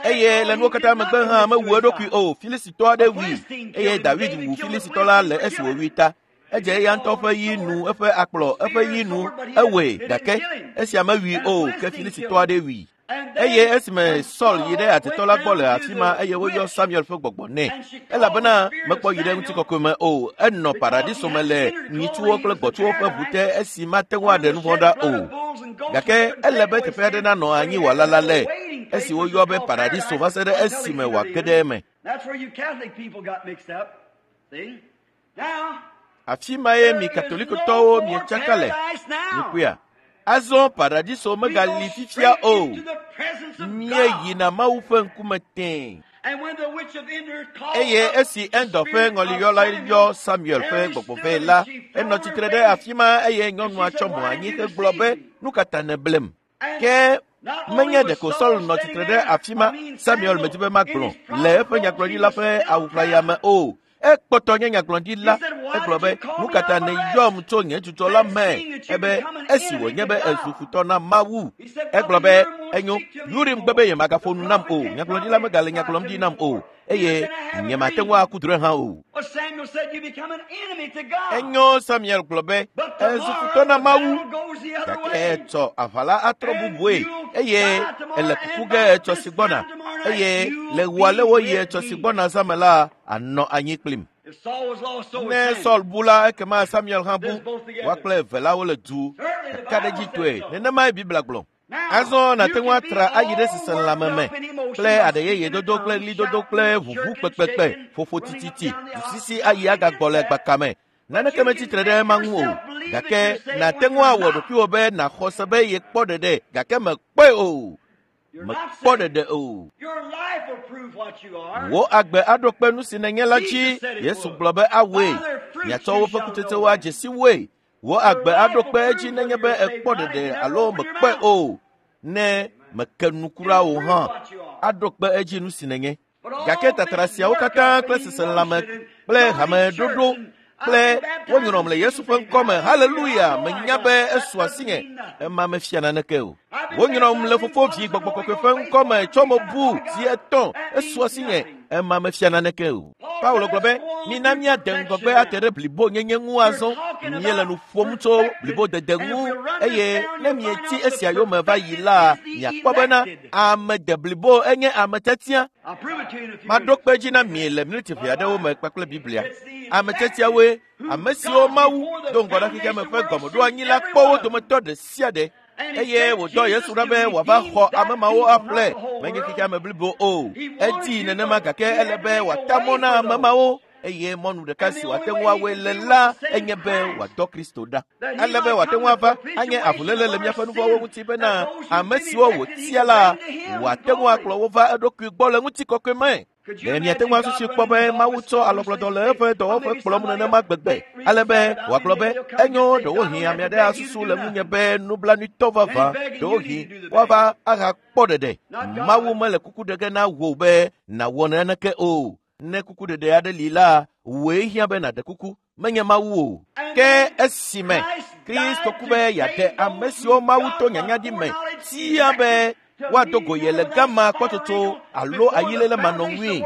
Eye le nuwo katã megbe hã mewu eɖokui o. Filistitɔ aɖe wui eye David wu Filistitɔ la le esi wòwui ta. Edze eya ŋutɔ ƒe yi nu, eƒe akplɔ, eƒe yi nu, ewɔe gake esia mewui o ke Filistitɔ aɖe wui. Eye esime Saul yi ɖe atetɔ la gbɔ le afi ma eye woyɔ Samuel ƒe gbɔgbɔ nɛ. Elabena mekpɔ yi ɖe ŋutikɔkɔe me o, enɔ paradiso me le nyitsuwo kple gbɔ̃tsuwo ƒe ʋu te esi mate ŋu aɖe nu vɔ̃ ɖa o. Gake ele be teƒe aɖe nanɔ anyi wòalala le esi woyɔ be paradiso va se ɖe esime wòage ɖe eme. Afi mae mi Katolikotɔwo mietsaka le. Mikpɔea? Azɔ paradiso megali fifia o. Míeyina Mawu ƒe ŋkume tẽe. Eye esi Endor ƒe ŋɔliyɔla yɔ Samuel ƒe gbɔgbɔ vɛ la, enɔ tsitre ɖe afi ma eye nyɔnua tsɔ mo anyi hegblɔ be, nu ka ta nèblem? Ke menye ɖeko Saul nɔ tsitre ɖe afi ma, Samuel medi be magblɔ le eƒe nyagblɔɖila ƒe awu ʋlaya me o. Ekpɔtɔ nye nyagblɔɖila. Egblɔ be, nu ka ta nèyɔm tso nye dzudzɔ la me? Ebe esi wònye be ezu futɔ na Mawu. Egblɔ be, enyo, Urim gbe be yemagaƒo nu nam o. Nyagblɔɖila megale nya gblɔm ɖi nam o. Eye nyemate ŋu aku drɔ̃e hã o. Enyo, Samuel gblɔ be, ezu futɔ na Mawu. Gake etsɔ aʋa la atrɔ bubue eye ele kuku ge etsɔ si gbɔna. Eye le ɣua le woyi etsɔ si gbɔna zã me la, anɔ anyi kplim. Ne Saul bu la, ekema Samuel hã bu. Woa kple eve la wole du ɖekaɖedzitɔe. Nenemae Biblia gblɔ. Azɔ nàte ŋu atra ayi ɖe seselãme me kple aɖe yeye dodo kple ɣlidodo kple ʋuʋu kpekpekpe, ƒoƒo tititi, dusisi ayi agagbɔ le gbaka me. Naneke metsitre ɖe ema ŋu o. Gake nàte ŋu awɔ ɖokuiwò be nàxɔ se be yekpɔ ɖeɖe gake mekpɔe o. Mekpɔ ɖeɖe o. Wò agbe aɖo kpe nu si nènye la dzi. Yesu gblɔ be awɔe. Miatsɔ woƒe kutsetsewo adze si woe. Wò agbe aɖo kpe edzi nenye be èkpɔ ɖeɖe alo mekpɔe o. Ne meke nu kura o hã. aɖo kpe edzi nu si nènye. Gake tatra siawo katã kple seselelãme kple hameɖoɖo kple wonyrɔm le Yesu ƒe ŋkɔ me, haleluya, menya be esu asinye, ema mefia naneke o. Wonyrɔm le Fofo, Vi, Gbɔgbɔ Kɔkɔe ƒe ŋkɔ me tsɔ me bu zi etɔ̃, esu asinye, ema mefia naneke o. Paulo gblɔ be, mina míade ŋgɔgbe ate ɖe blibonyenye ŋu azɔ. Míele nu ƒom tso blibodede ŋu eye ne mietsi esia yome va yi la, miakpɔ bena ame de blibo enye ame tiatia. Maɖo kpe dzi na mi le miniti ʋɛ aɖewo me kpakple Biblia. Ame tiatiawoe, ame siwo Mawu do ŋgɔ na xexeame ƒe gɔmeɖoanyi la kpɔ wo dometɔ ɖe sia ɖe. Eye wòdɔ Yesu ɖa be wòava xɔ ame mawo aƒle, menye xexeame blibo o. Edii nenema gake ele be wòata mɔ na ame mawo eye mɔnu ɖeka si wòate ŋu awɔe le la enye be wòadɔ Kristo ɖa. Ele be wòate ŋu ava anye avuléle le míaƒe nuvɔ̃wo ŋuti bena ame siwo wòtia la wòate ŋu akplɔ wo va eɖokui gbɔ le ŋutikɔkɔe me. Ɖe miate ŋu asusui kpɔ be Mawu tsɔ alɔgblɔdɔ le eƒe dɔwɔƒe kplɔm nenema gbegbe ale be wòagblɔ be enyo ɖewohĩ ame aɖe asusu le ŋunye be nublanuitɔ vavã, ɖewohĩ woava ahakpɔ ɖeɖe. Mawu mele kuku ɖe ge na wò be nàwɔ naneke o. Ne kukuɖeɖe aɖe li la, wòe hiã be nàɖe kuku, menye Mawu o. Ke esime Kristo ku be yeaɖe ame siwo Mawu to nyanyaɖi me tia be woado go ye le gama kpɔtsotso alo ayiléle manɔŋui.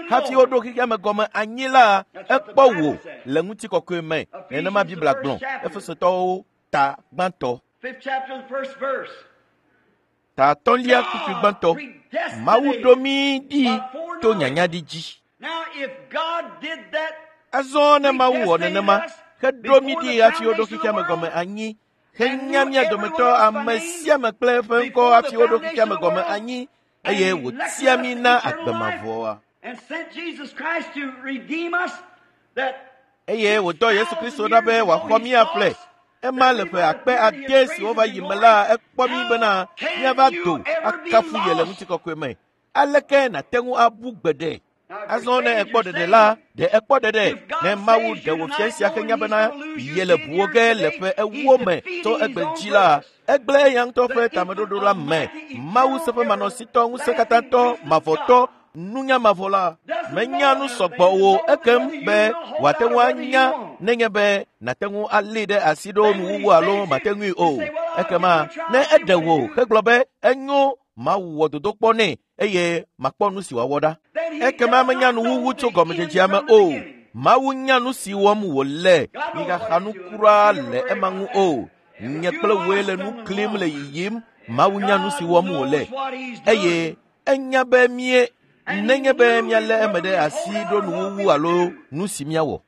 Hafi woɖo xexeame gɔme anyi la, ekpɔ wò le ŋutikɔkɔe me. Nenema Biblia gblɔ. Efesotɔwo ta gbãtɔ. Ta atɔ̃lia kpukpui gbãtɔ. Mawu ɖo mí ɖi to nyanyaɖi dzi. Azɔ ne Mawu wɔ nenema, heɖo mí ɖi hafi woɖo xexeame gɔme anyi, henya mía dometɔ ame sia ame kple eƒe ŋkɔ hafi woɖo xexeame gɔme anyi, eye wòtia mí na agbe mavɔa. Eye wòdɔ Yesu Kristo ɖa be wòaxɔ mí aƒle. Ema le ƒe akpe ade siwo va yi me la, ekpɔ mí bena míava do akafu ye le ŋutikɔkɔe me. Aleke nàte ŋu abu gbeɖe? Azɔ ne ekpɔ ɖeɖe la, ɖe ekpɔ ɖeɖe. Ne Mawu ɖe wò fia sia henya bena yele ʋuwo ge le ƒe ewo me tso egbe dzi la, egblẽ eya ŋutɔ ƒe tameɖoɖo la me. Mawu seƒemanɔsitɔ, ŋusẽkatãtɔ, mavɔtɔ, nunya mavɔ la, menya nu sɔgbɔ o ekem be wòate ŋu anya nenye be nàte ŋu alée ɖe asi ɖo nuwuwu alo mate ŋui o. Ekema ne eɖe wò hegblɔ be enyo, Mawu wɔ dodokpɔ nɛ eye makpɔ nu si wòawɔ ɖa. Ekema menya nuwuwu tso gɔmedzedzea me o. Mawu nya nu si wɔm wòle. Migaxa nu kura le ema ŋu o. Nye kple wòe le nu klim le yiyim. Mawu nya nu si wɔm wòle eye enya be mie nenye be míalé eme ɖe asi ɖo nuwuwu alo nu si míawɔ.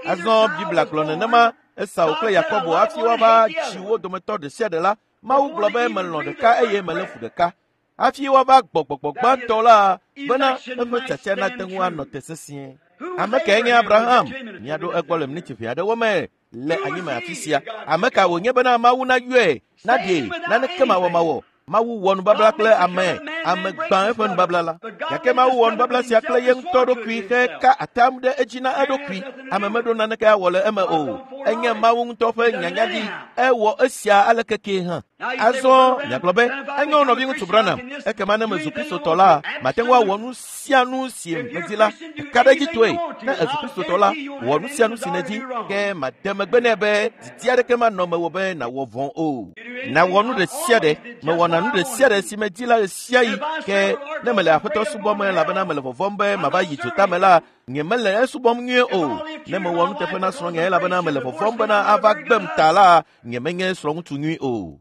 Azɔ Biblia gblɔ nenema Esau kple Yakobo hafi woava tsi wo dometɔ ɖe sia ɖe la, Mawu gblɔ be melɔ̃ ɖeka eye melé fu ɖeka. Hafi woava gbɔ gbɔgbɔ gbãtɔ la bena eƒe tiatia nate ŋu anɔ te sesĩe. Ame kae nye Abraham? Míaɖo egbɔ le miniti ʋɛ aɖewo me le anyime afi sia. Ame ka wònye bena Mawu nayɔe, naɖee, naneke mawɔmawɔ. Mawu wɔ nubabla kple ame, ame gbã eƒe nubabla la. Gake Mawu wɔ nubabla sia kple ye ŋutɔ ɖokui heka atam ɖe edzi na eɖokui. Ame meɖo naneke awɔ le eme o. Enye Mawu ŋutɔ ƒe nyanyaɖi. Ewɔ esia aleke kee hã. Azɔ miagblɔ be enyo nɔviŋutsu Branham, ekema ne mezu Kristotɔ la, mate ŋu awɔ nu sia nu si medi la. Ka ɖe edzi toe, ne èzu Kristotɔ la, wɔ nu sia nu si nèdi, ke made megbe nɛ be didi aɖeke manɔ mewò be nàwɔ vɔ̃ o. Nàwɔ nu ɖe sia ɖe, mewɔna nu ɖe sia ɖe si medi la ɣesiaɣi, ke ne mele Aƒetɔ subɔm elabena mele vɔvɔ̃m be mava yi dzotame la, nye mele esubɔm nyuie o. Ne mewɔ nuteƒe na srɔ̃nye elabena mele vɔvɔ̃m bena ava gbem ta la, nye menye srɔ̃ŋutsu nyui o.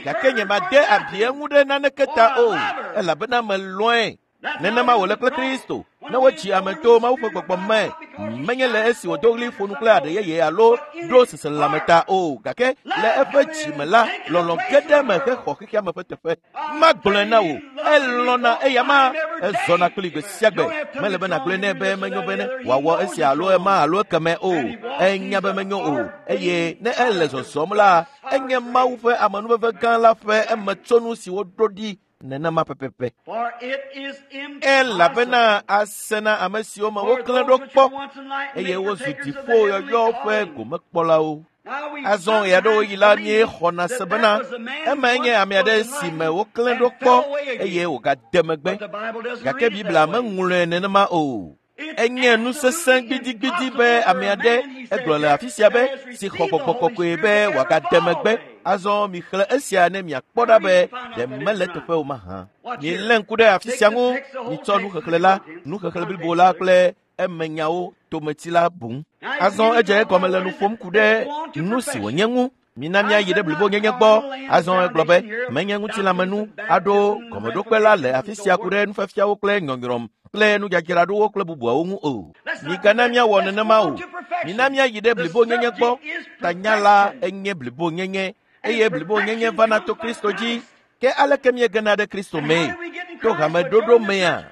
Gake nye made abi eŋu ɖe naneke ta o, elabena melɔ̃e. Nenema wòle kple Kristo. Ne wotsi ame to Mawu ƒe gbɔgbɔ me, menye le esi wòdo ɣli ƒo nu kple aɖe yeye alo ɖo seselelãme ta o, gake le eƒe dzi me la, lɔlɔ̃ ge ɖe eme hexɔ xexeame ƒe teƒe. Magblɔe na wò, elɔ̃na eya ma, ezɔna kpli gbe sia gbe. Mele be nàgblɔe nɛ be menyo be ne wòawɔ esia alo ema alo ekeme o. Enya be menyo o, eye ne ele zɔzɔm la, enye Mawu ƒe amenuveve gã la ƒe emetsonu si woɖo ɖi nenema pɛpɛpɛ. Elabena ase na ame siwo me woklẽ ɖo kpɔ eye wozu dziƒo yɔyɔ ƒe gomekpɔlawo. Azɔ ɣeaɖewoɣi la míexɔna se bena emae nye ame aɖe si me woklẽ ɖo kpɔ eye wògade megbe. Gake Biblia meŋlɔe nenema o. Enye nu sesẽ gbidigbidi be ame aɖe egblɔ le afi sia be si xɔ gbɔgbɔ kɔkɔe be wòagade megbe. Azɔ mixlẽ esia ne miakpɔ ɖa be ɖe mele teƒe o mahã. Milé ŋku ɖe afi sia ŋu, mitsɔ nuxexlẽ la, nuxexlẽ blibo la kple emenyawo tometsi la boŋ. Azɔ edze egɔme le nu ƒom ku ɖe nu si wònye ŋu. Mina míayi ɖe blibonyenye gbɔ. Azɔ egblɔ be menye ŋutilãmenu aɖo gɔmeɖokpe la le afi sia ku ɖe nufiafiawo kple nyɔnyrɔm kple nudzadzraɖowo kple bubuawo ŋu o. Migana míawɔ nenema o. Mina míayi ɖe blibonyenye gbɔ. Tanya la enye blibonyenye eye blibonyenye vana to Kristo dzi. Ke aleke míegena ɖe Kristo mee? To hameɖoɖo mea?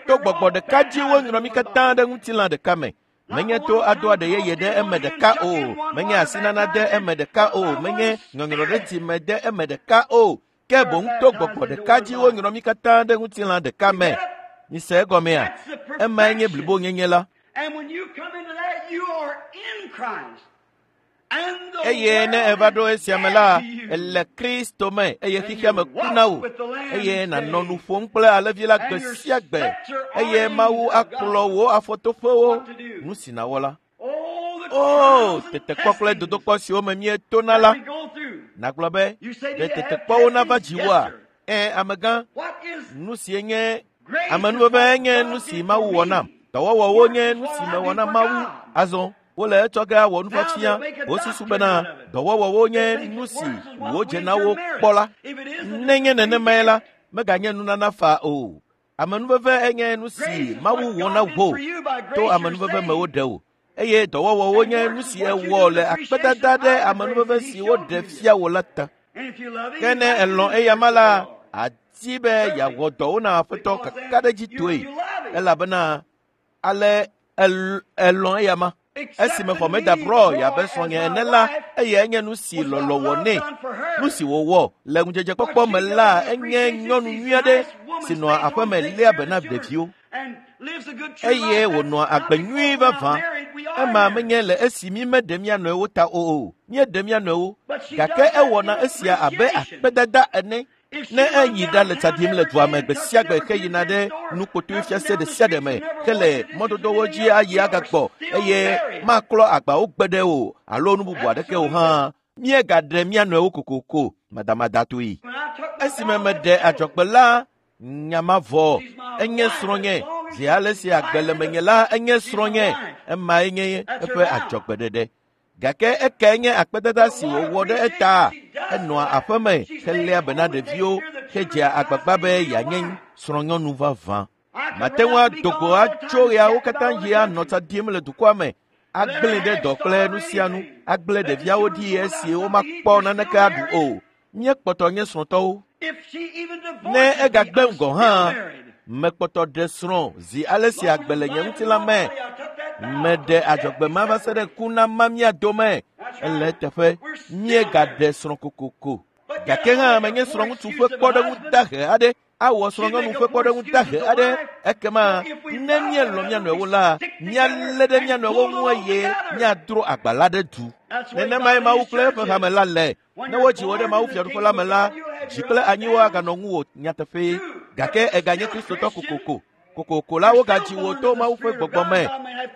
To gbɔgbɔ ɖeka dzi wonyrɔ mí katã ɖe ŋutilã ɖeka me. Menye to ado aɖe yeye ɖe eme ɖeka o, menye asinana ɖe eme ɖeka o, menye nyɔnyrɔ ɖe dzime ɖe eme ɖeka o, ke boŋ to gbɔgbɔ ɖeka dzi wonyrɔ mí katã ɖe ŋutilã ɖeka me. Mise egɔmea? Emae nye blibonyenye la. Eye ne eva ɖo esia me la, èle Kristo me eye xexea me ku na wò eye nànɔ nu ƒom kple alẽvi la gbe sia gbe eye Mawu akplɔ wò afɔtoƒewo nu si nàwɔ la. O, tetekpɔ kple dodokpɔ siwo me míetona la, nàgblɔ be ɖe tetekpɔwo nava dziwòa? Ẽ, amegã, nu sie nye amenuveve nye nu si Mawu wɔ nam. Dɔwɔwɔwo nye nu si mewɔ na Mawu. Azɔ wole etsɔ ge awɔ nufiafia wosusu bena dɔwɔwɔwo nye nu si wodze na wo kpɔ la. Nenye nenemae la, meganye nunana faa o. Amenuveve enye nu si Mawu wɔ na wò to amenuveve me woɖe wò eye dɔwɔwɔwo nye nu si ewɔ le akpedada ɖe amenuveve si woɖe fia wò la ta. Ke ne èlɔ̃ eyama la, àdi be yeawɔ dɔwo na Aƒetɔ kakaɖedzitɔe elabena ale elɔ̃ eyama. Esime xɔ meda brɔ yabe srɔ̃nye ene la, eyae nye nu si lɔlɔ̃ wɔ nɛ. Nu si wòwɔ le ŋudzedzekpɔkpɔ me la enye nyɔnu nyui aɖe si nɔa aƒeme léa be na ɖeviwo eye wònɔa agbe nyui vavã. Ema menye le esi mi meɖe mía nɔewo ta o, míeɖe mía nɔewo, gake ewɔna esia abe akpedada ene. Ne eyi ɖa le tsa ɖim le dua me gbe sia gbe heyina ɖe nukpotoe fiase ɖe sia ɖe me hele mɔdodowo dzi ayi agagbɔ eye maklɔ agbawo gbe ɖe o alo nu bubu aɖeke o hã, míegaɖe mía nɔewo kokoko madamadatɔe. Esime meɖe adzɔgbe la, nya ma vɔ. Enye srɔ̃nye. Zi ale si agbe le menye la, enye srɔ̃nye. Emae nye eƒe adzɔgbeɖeɖe. Gake ekae nye akpedada si wòwɔ ɖe eta. Enɔa aƒeme heléa be na ɖeviwo hedzea agbagba be yeanye srɔ̃nyɔnu vavã. Mate ŋu ado go atso ɣeawo katã ɣi anɔ tsa ɖim le dukɔa me, agblẽ ɖe dɔ kple nu sia nu, agblẽ ɖeviawo ɖi esi womakpɔ naneke aɖu o. Míekpɔtɔ nye srɔ̃tɔwo. Ne egagbe ŋgɔ hã, mekpɔtɔ ɖe srɔ̃ zi ale si agbe le nye ŋutilã me. Meɖe adzɔgbe ma va se ɖe ku na ma mía dome. Ele eteƒe, míegaɖe srɔ̃ kokoko. Gake hã menye srɔ̃ŋutsu ƒe kpɔɖeŋu dahe aɖe awɔ srɔ̃nyɔnu ƒe kpɔɖeŋu dahe aɖe. Ekema ne míelɔ̃ mía nɔewo la, míalé ɖe mía nɔewo ŋu eye míadro agba la ɖe du. Nenemae Mawu kple eƒe hame la le. Ne wodzi wò ɖe Mawu fiaɖuƒe la me la, dzi kple anyiwo aganɔ ŋuwò nyateƒee. Gake èganye Kristotɔ kokoko. Kokoko la wogadzi wò to Mawu ƒe gbɔgbɔ me.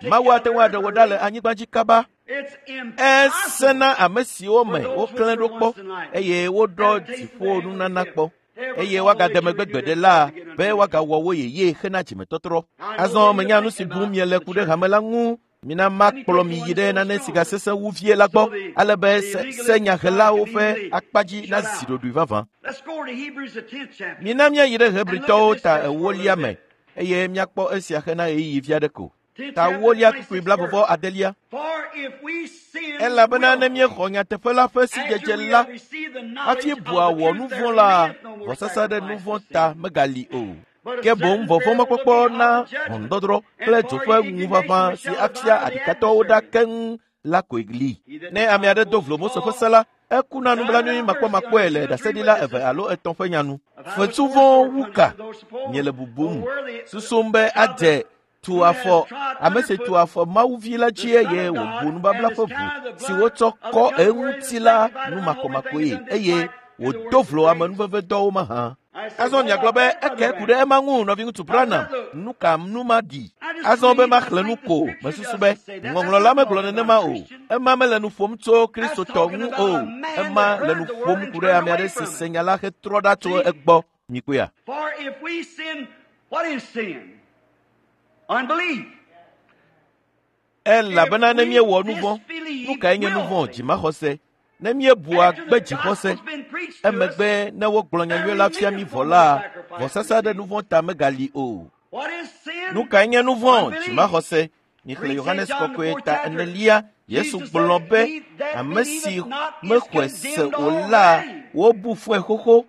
Mawu ate ŋu aɖe wò ɖa le anyigba dzi kaba. Esẽ na ame siwo me woklẽ ɖo kpɔ eye woɖɔ dziƒo nunana kpɔ eye woagade megbe gbeɖe la be woagawɔ wo yeye hena dzimetɔtrɔ. Azɔ menya nu si bum miele ku ɖe hame la ŋu. Mina makplɔ mi yi ɖe nane si gasesẽ wu vie la gbɔ ale be senyahelawo ƒe akpa dzi nazi ɖoɖoe vavã. Mina míayi ɖe Hebritɔwo ta ewolia me eye míakpɔ esia hena ɣeyiɣi vi aɖe ko. Ta ewolia kpukpui blavɔvɔ adelia. Elabena ne míexɔ nyateƒe la ƒe sidzedze la hafi bua wɔ nu vɔ̃ la, vɔsasa ɖe nu vɔ̃ ta megali o. Ke boŋ vɔvɔ̃makpɔkpɔ na ʋɔnudɔdrɔ̃ kple dzo ƒe ŋuʋaʋã si afia aɖikatɔwo ɖa keŋ la koe li. Ne ame aɖe do vlo Mose ƒe se la, ekuna nublanui makpɔmakpɔe le ɖaseɖila eve alo etɔ̃ ƒe nya nu. Fetu vɔ̃ wu ka miele bubum, susum be adze Tu afɔ ame si tu afɔ Mawuvi la dzi eye wòbu nubabla ƒe ʋu si wotsɔ kɔ eŋuti la nu makɔmakɔe eye wòdo vlo amenuvevedɔwo mahã. Azɔ miagblɔ be eke ku ɖe ema ŋu nɔviŋutsu Branham nu ka nu ma ɖi. Azɔ be maxlẽ nu ko mesusu be ŋɔŋlɔ la megblɔ nenema o. Ema mele nu ƒom tso Kristotɔ ŋu o. Ema le nu ƒom ku ɖe ame aɖe si se nya la hetrɔ ɖa tso egbɔ. Mikpɔea? For if we sin, what is sin? Unbelief. Elabena ne míewɔ nu vɔ̃, nu kae nye nu vɔ̃ dzimaxɔse? Ne míebua gbe dzixɔse, emegbe ne wogblɔ nyanyui la fia mí vɔ la, vɔsasa ɖe nu vɔ̃ ta megali o. What is sin? Nu kae nye nu vɔ̃ dzimaxɔse? Mixlẽ Yohanes kɔkɔe ta enelia, Yesu gblɔ be ame si mexɔe se o la, wobu fɔe xoxo.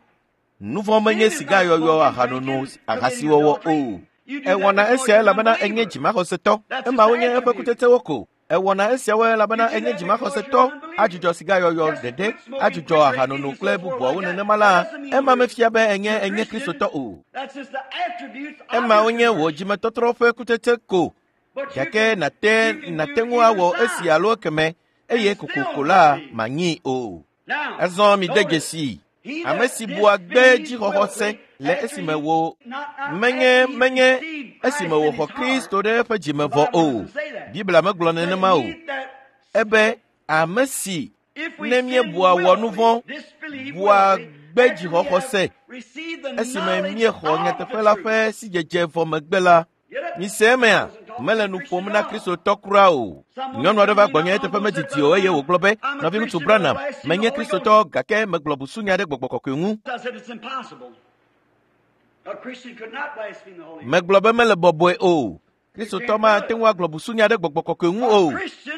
Nu vɔ̃ menye sigayɔyɔ, ahanono, ahasiwɔwɔ o. Ewɔna esia elabena enye dzimaxɔsetɔ. Emawo nye eƒe kutsetsewo ko. Ewɔna esiawo elabena enye dzimaxɔsetɔ, adzudzɔ sigayɔyɔ ɖeɖe, adzudzɔ ahanono kple bubuawo nenema la, ema mefia be enye enye Kristotɔ o. That's just the attributes of Emawo your nye wò dzimetɔtrɔ ƒe kutsetse ko. But you Gake can- nàte you can nàte do ŋu awɔ either esi side. alo ekeme eye kokoko la manyii o. Now, Azɔ mi de notice, dzesi he ame that si bua gbe disbelieves dzixɔxɔse willfully le after esime he- wo not- not menye after he menye received Christ esime in wòxɔ his heart, Kristo ɖe eƒe dzime the vɔ Bible o. doesn't say that. Biblia megblɔ nenema o. He that- Ebe ame si if we ne sin míebua wɔ nu vɔ̃, willfully, disbelieve bua willfully, gbe after we dzixɔxɔse have received the esime knowledge míexɔ of the nyateƒe la truth. ƒe sidzedze vɔ megbe la, Get it? mise emea mele nu ƒom na Kristotɔ kura o. Nyɔnu aɖe va gbɔnye eteƒe medidi o eye wògblɔ be nɔviŋutsu Branham, menye Kristotɔ gake megblɔ busunya ɖe gbɔgbɔ kɔkɔe ŋu. I said it's impossible. A Christian could not blaspheme the Holy Ghost. Megblɔ be mele bɔbɔe o. Kristotɔ mate ŋu agblɔ busunya ɖe gbɔgbɔ kɔkɔe ŋu o.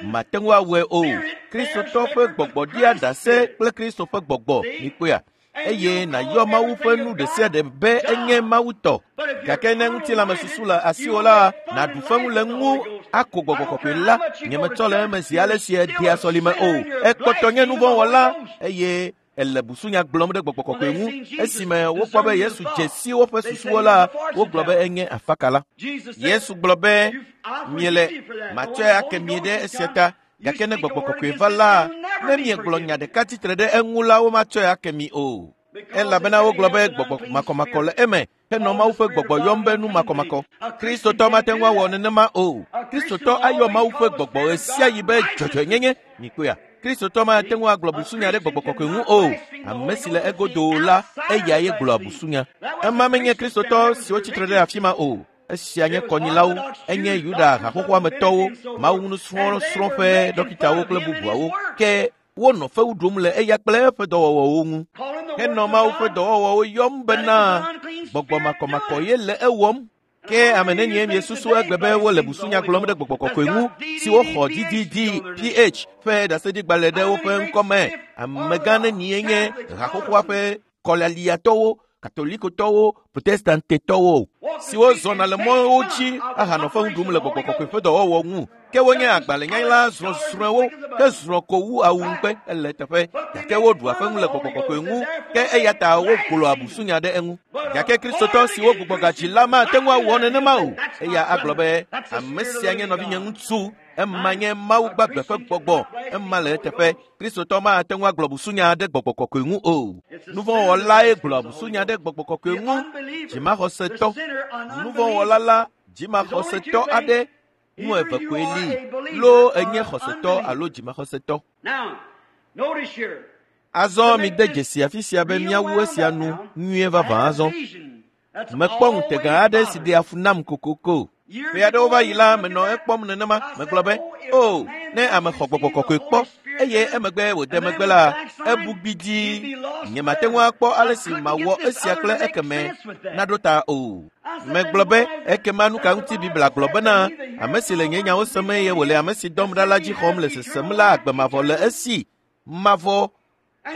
Mate ŋu awɔe o. Kristotɔ ƒe gbɔgbɔ ɖia ɖase kple Kristo ƒe gbɔgbɔ. Mikpɔea? Eye nàyɔ Mawu ƒe nu ɖe sia ɖe be enye Mawu tɔ. Gake ne ŋutilãmesusu le asiwò la, nàɖu fewu le ŋu ako gbɔgbɔ kɔkɔe la. Nyemetsɔ le eme zi ale si edea sɔlime o. Ekpɔtɔ nye nuvɔ̃wɔla eye ele busunya gblɔm ɖe gbɔgbɔ kɔkɔe ŋu. Esime wokpɔ be Yesu dze si woƒe susuwo la, wogblɔ be enye afakala. Jesus said, Yesu gblɔ be I'll forgive miele you for that. But matsɔe when the ake Holy mi Ghost ɖe has esia come, ta. you Gake ne speak a gbɔgbɔ word kɔkɔe against va it, la, it'll never ne be miegblɔ forgiven. nya ɖeka tsitre ɖe eŋu la, womatsɔe ake mi o. Elabena wogblɔ be gbɔgbɔ makɔmakɔ le eme henɔ Mawu ƒe gbɔgbɔ yɔm be nu makɔmakɔ. Kristotɔ mate ŋu awɔ nenema o. Kristotɔ ayɔ Mawu ƒe gbɔgbɔ ɣe sia ɣi be dzɔdzɔenyenye. Mikpɔea? Kristotɔ mate ŋu agblɔ busunya ɖe gbɔgbɔ kɔkɔe ŋu o. Ame si le egodo la, eyae gblɔa busunya. Ema menye Kristotɔ siwo tsitre ɖe afi ma o. Esia nye kɔnyilawo, enye Yuda haxɔxɔa me tɔwo, Mawu nusrɔ̃srɔ̃ ƒe ɖɔkitawo kple bubuawo. Ke wonɔ fewu ɖum le eya kple eƒe dɔwɔwɔwo ŋu. Calling the Henɔ works of Mawu ƒe God, dɔwɔwɔwo yɔm that it bena is an unclean gbɔgbɔ spirit makɔmakɔ doing it. ye le ewɔm. Ke ame nenie miesusu egbe be wole busunya gblɔm ɖe gbɔgbɔ kɔkɔe ŋu si woxɔ DDDPH ƒe ɖaseɖigbalẽ ɖe woƒe ŋkɔ me. Amegã nenie nye haxoxoa ƒe kɔlialiatɔwo, katolikotɔwo, protestantetɔwo siwo zɔna le mɔwo dzi ahanɔ fewu ɖum le gbɔgbɔ kɔkɔe ƒe dɔwɔwɔ ŋu. Ke wonye agbalẽnyala zrɔ̃zrɔ̃ewo ke zrɔ̃ ko wu awu ŋukpe ele teƒe gake woɖua fewu le gbɔgbɔ kɔkɔe ŋu ke eya ta wogblɔa busunya ɖe eŋu. Gake Kristotɔ siwo gbugbɔ gadzi la mate ŋu awɔ nenema o. Eya agblɔ be ame sia nye nɔvinye ŋutsu, ema nye Mawu gbagbe ƒe gbɔgbɔ, ema le eteƒe. Kristotɔ mate ŋu agblɔ busunya ɖe gbɔgbɔ kɔkɔe ŋu o. Nuvɔ̃wɔlae gblɔa busunya ɖe gbɔgbɔ kɔkɔe The ŋu. unbeliever, Dzimaxɔsetɔ, the sinner, an nuvɔ̃wɔla unbeliever. la, dzimaxɔsetɔ aɖe nu eve koe li. Loo enye xɔsetɔ alo dzimaxɔsetɔ. Now, notice here. Azɔ mide dzesi afi sia be míawu esia nu nyuie vavã azɔ. Mekpɔ ŋutega aɖe si ɖea fu nam kokoko. Ƒe aɖewo va yi la, menɔ ekpɔm nenema. Megblɔ be, o, ne ame xɔ gbɔgbɔ kɔkɔe kpɔ eye emegbe wòde megbe la, ebu gbidii. Nyemate ŋu akpɔ ale si mawɔ esia kple ekeme naɖo ta o. Megblɔ be, ekema nu ka ŋuti Biblia gblɔ bena, ame si le nye nyawo sem eye wòle ame si dɔm ɖa la dzi xɔm le sesem la agbe mavɔ le esi mavɔ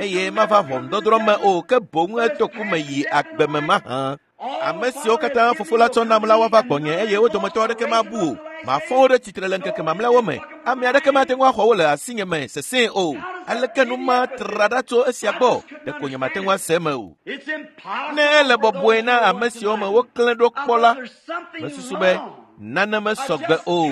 eye mava ʋɔnudɔdrɔ̃ me o ke boŋ eto ku me yi agbe me mahã. Ame siwo katã fofo la tsɔ nam la woava gbɔnye eye wo dometɔ aɖeke mabu o. Mafɔ wo ɖe tsitre le ŋkeke mamlɛawo me. Ame aɖeke mate ŋu axɔ wo le asinye me sesẽe o. Aleke nu ma tra ɖa tso esia gbɔ? Ɖeko nyemate ŋu ase eme o. It's impossible Ne ele for bɔbɔe those na who ame want siwo me to woklẽ ɖo I kpɔ la, thought there's something mesusu be wrong. Nane mesɔgbe o.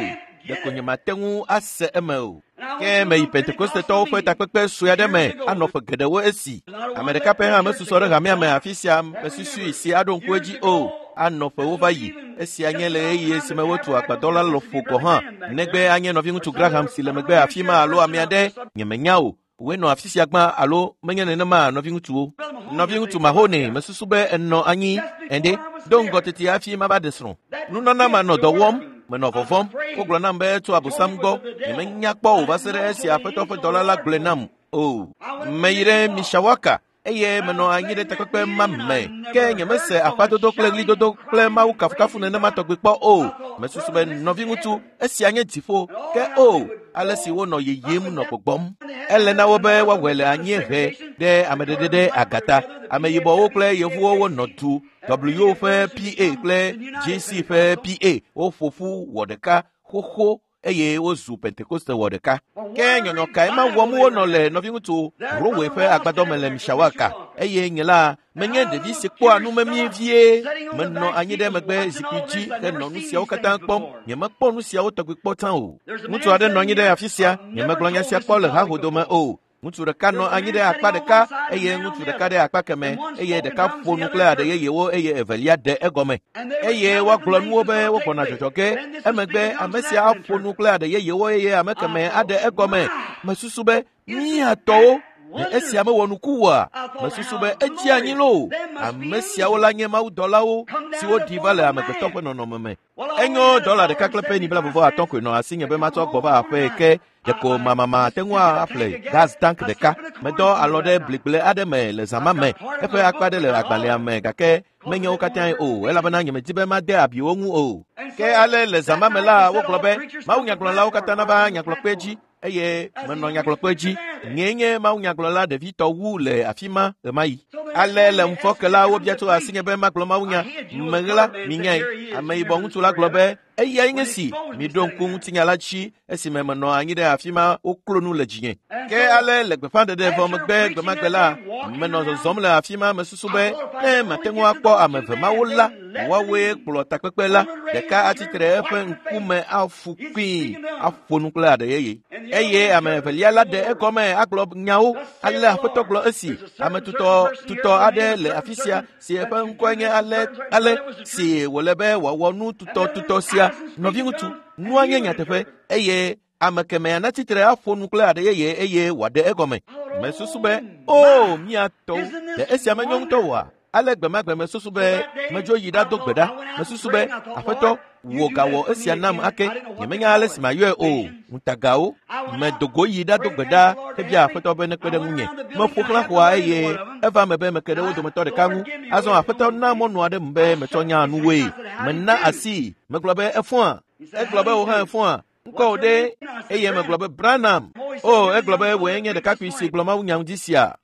Ɖeko nyemate ŋu ase eme o. Ke meyi Pentekostetɔwo ƒe takpekpe sue aɖe me anɔ ƒe geɖewo esi. Ame ɖeka pɛ hã mesusɔ ɖe hamea me afi sia mesusui si aɖo ŋku edzi o. Anɔ ƒewo va yi. Esia nye le ɣeyiɣi esime wotu agbadɔ la lɔƒo gɔ̃ hã. Negbe anye nɔviŋutsu Graham si le megbe afi ma alo ame aɖe, nyemenya o. Wòe nɔ afi sia gbã alo menye nenema nɔviŋutsuwo. Nɔviŋutsu Mahone mesusu be enɔ anyi ene do ŋgɔ teti hafi mava ɖe srɔ̃. Nunana ma nɔ dɔ wɔm, menɔ vɔvɔ̃m. Wogblɔ nam be tso Abosam gbɔ. Nyemenya kpɔ o va se ɖe esi Aƒetɔ ƒe dɔla la gblɔe nam o. Meyi ɖe Mishawaka eye menɔ anyi ɖe takpekpe ma me. Ke nyemese aƒadodo kple ɣlidodo kple Mawu kafukafu nenema tɔgbi kpɔ o. Mesusu be nɔviŋutsu, esia nye dziƒo. Ke o, ale si wonɔ yiyim nɔ gbɔgbɔm. Ele na wo be woawɔe le anyiehe ɖe ameɖeɖe ɖe agata. Ameyibɔwo kple yevuwo wonɔ du. W ƒe PA kple GC ƒe PA woƒo ƒu wɔ ɖeka xoxo eye wozu Pentekoste wɔ ɖeka. Ke nyɔnyɔ kae ma wɔm wonɔ le nɔviŋutsu Rowe ƒe agbadɔ me le Mishawaka eye nye la menye ɖevi si kpɔa nu memie vie. Menɔ anyi ɖe megbe zikpui dzi henɔ nu siawo katã kpɔm. Nyemekpɔ nu siawo tɔgbi kpɔ tsã o. Ŋutsu aɖe nɔ anyi ɖe afi sia. Nyemegblɔ nya sia kpɔ le hahodome o. Ŋutsu ɖeka nɔ anyi ɖe akpa ɖeka eye ŋutsu ɖeka ɖe akpa keme eye ɖeka ƒo nu kple aɖe yeyewo eye evelia ɖe egɔme. Eye woagblɔ nuwo be wogbɔna dzɔdzɔ ge. Emegbe ame sia aƒo nu kple aɖe yeyewo eye ame keme aɖe egɔme. Mesusu be míatɔwo ɖe esia mewɔ nuku oa? Mesusu be edzi anyi loo. Ame siawo la nye mawudɔlawo siwo ɖi va le amegbetɔ ƒe nɔnɔme me. Enyo dɔla ɖeka kple peni 95 koe nɔ asinye be matsɔ gbɔ va aƒee ke ɖeko mamama ate ŋu aƒle gas tank ɖeka. Medɔ alɔ ɖe bligble aɖe me le zã ma me. Eƒe akpa ɖe le agbalẽa me gake menye wo katãe o elabena nyemedi be made abi wo ŋu o. Ke ale le zã ma me la wogblɔ be mawunyagblɔlawo katã nava nyagblɔkpe dzi eye menɔ nyagblɔkpe dzi. Nyee nye mawunyagblɔla ɖevitɔ wu le afi ma ɣemaɣi. Ale le ŋufɔke la wobia tso asinye be magblɔ mawunya. Meɣla minyae. Ameyibɔ ŋutsu la gblɔ be eyae nye si miɖo ŋku ŋutinya la dzi esime menɔ anyi ɖe afi ma woklo nu le dzinye. Ke ale le gbeƒãɖeɖe vɔ megbe gbemagbe la menɔ zɔzɔm le afi ma mesusu be ne mate ŋu akpɔ ame eve mawo la woawoe kplɔ takpekpe la. Ɖeka atsitre eƒe ŋkume afu kpii aƒo nu kple aɖe yeye. Eye ame evelia la ɖe egɔme agblɔ nyawo. Ale Aƒetɔ gblɔ esi ame tutɔ aɖe le afi sia si eƒe ŋkɔe nye ale ale si wòle be wòawɔ nu tutɔtutɔ sia. Nɔviŋutsu, nua nye nyateƒe eye ame kemea natsitre aƒo nu kple aɖe yeye eye wòaɖe egɔme. Mesusu be o míatɔwo ɖe esia menyo ŋutɔ oa? Ale gbemagbe mesusu be medzo yi ɖado gbe ɖa. Mesusu be Aƒetɔ wò gawɔ esia nam ake. Nyemenya ale si mayɔe o. Ŋutagawo. Medo go yi ɖado gbe ɖa hebia Aƒetɔ be nekpe ɖe ŋunye. Meƒo xlã xɔa eye eva me be meke ɖe wo dometɔ ɖeka ŋu. Azɔ Aƒetɔ na mɔnu aɖe m be metsɔ nya nuwoe. Mena asii. Megblɔ be efɔa. Egblɔ be wò hã efɔa. Ŋkɔ wò ɖe? Eye megblɔ be Branham. O, egblɔ be wòe nye ɖekakpui si gblɔ mawunya ŋdi sia.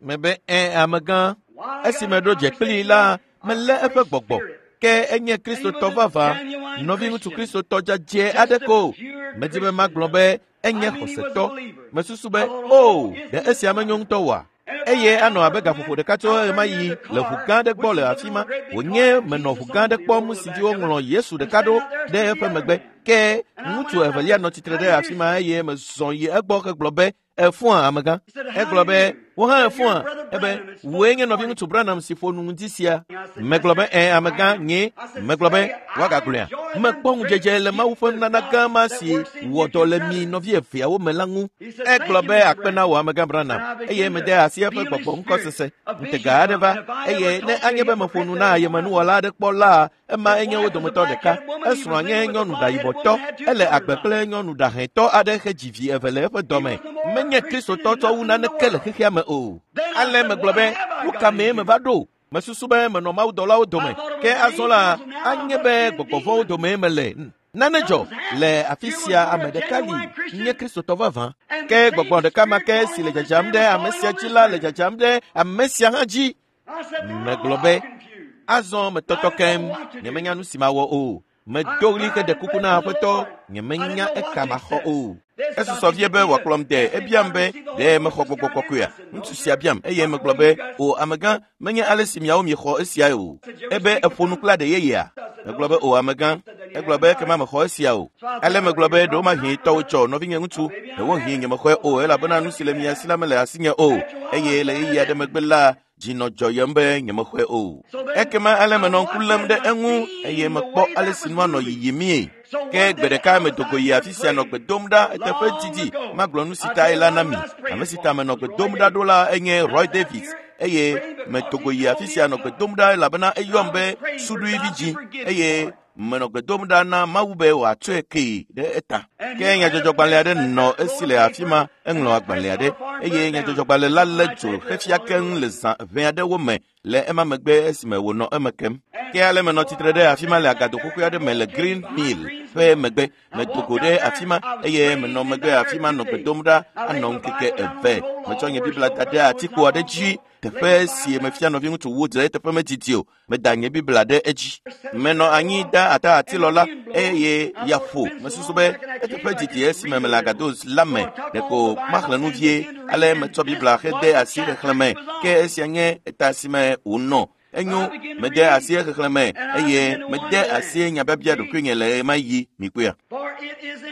Mebe ẽ amegã. Esi meɖo dze kplii la, melé eƒe gbɔgbɔ. Ke enye Kristotɔ vavã, nɔviŋutsu Kristotɔ dzadzɛ aɖe ko. Medi be magblɔ be enye xɔsetɔ. Mesusu be o, ɖe esia menyo ŋutɔ oa? Eye anɔ abe gaƒoƒo ɖeka tso ɣemaɣi le ʋu gã aɖe gbɔ le afi ma. Wònye menɔ ʋu gã aɖe kpɔm si dzi woŋlɔ Yesu ɖeka ɖo ɖe eƒe megbe. Ke ŋutsu evelia nɔ tsitre ɖe afi ma eye mezɔ yi egbɔ hegblɔ be efɔa amegã. Egblɔ be wò hã efɔa. Ebe wòe nye nɔviŋutsu Branham si ƒo nu ŋdi sia. Megblɔ be ẽ amegã nye. Megblɔ be woagagblɔea. Mekpɔ ŋudzedze le Mawu ƒe nunana gã ma si wɔ dɔ le mi nɔvi eveawo me la ŋu. Egblɔ be akpe na wò amegã Branham eye mede asi eƒe gbɔgbɔ ŋkɔsese. Ŋutega aɖe va eye ne anye be meƒo nu na ayemenuwɔla aɖe kpɔ la ema enye wo dometɔ ɖeka. Esrɔ̃a nye nyɔnu ɖayibɔtɔ. Ele agbe kple nyɔnu ɖahɛtɔ aɖe hedzi vi eve le eƒe dɔme. Menye Kristotɔ tsɔ wu naneke le xexea me o. Ale megblɔ be nu ka mee meva ɖo? Mesusu be menɔ mawudɔlawo dome. Ke azɔ la anye be gbɔgbɔvɔ̃wo domee mele. Nane dzɔ le afi sia ame ɖeka li nye Kristotɔ vavã. Ke gbɔgbɔ ɖeka ma ke si le dzadzam ɖe ame sia dzi la le dzadzam ɖe ame sia hã dzi. Megblɔ be azɔ metɔtɔ keŋ nyemenya nu si mawɔ o. Medo ɣli heɖe kuku na Aƒetɔ nyemenya eka maxɔ o. Esusɔ vie be wòakplɔm de ebiam be ɖe mexɔ gbɔgbɔ kɔkɔea. Ŋutsu sia biam eye megblɔ be o amegã menye ale si miawo miexɔ esiae o. Ebe eƒo nu kple aɖe yeyea. Megblɔ be o amegã. Egblɔ be ekema mexɔ esia o. Ale megblɔ be ɖewomahi tɔwò tsɔ nɔvinye ŋutsu, ɖewohĩ nyemexɔe o elabena nu si le mia si la mele asinye o eye le ɣeyiɣi aɖe megbe la dzi nɔ dzɔyem be nyemexɔe o. Ekema ale menɔ ŋku lém ɖe eŋu eye mekpɔ ale si nua nɔ yiyimie. Ke gbe ɖeka medo go yi afi sia nɔ gbe dom ɖa eteƒe didi magblɔ nu si tae la na mi. Ame si ta menɔ gbe dom ɖa ɖo la enye Roy Davis eye medo go yi afi sia nɔ gbe dom ɖa elabena eyɔm be suɖui vidzĩ eye menɔ gbe dom ɖa na Mawu be wòatsɔe kee ɖe eta. Ke nyadzɔdzɔgbalẽ aɖe nɔ esi le afi ma, eŋlɔ agbalẽ aɖe eye nyadzɔdzɔgbalẽ la lé dzo xefia keŋ le zã ʋɛ aɖewo me le ema megbe esime wònɔ eme kem. Ke ale menɔ tsitre ɖe afi ma le agado xoxoe aɖe me le Green Mill ƒe megbe. Medo go ɖe afi ma eye menɔ megbe afi ma nɔ gbe dom ɖa anɔ ŋkeke eve. Metsɔ nye Biblia da ɖe atikpo aɖe dzi teƒe si mefia nɔviŋutsu Woods le eteƒe medidi o. Meda nye Biblia ɖe edzi. Menɔ anyi da ata atilɔ la eye ya ƒo. Mesusu be eteƒe didi esime mele agado la me ɖeko maxlẽ nu vie. Ale metsɔ Biblia hede asi xexlẽ me ke esia nye eta si me wònɔ. Enyo, mede asi xexlẽ me eye mede asi nyabiabia ɖokuinye le ɣemaɣi mikpɔea.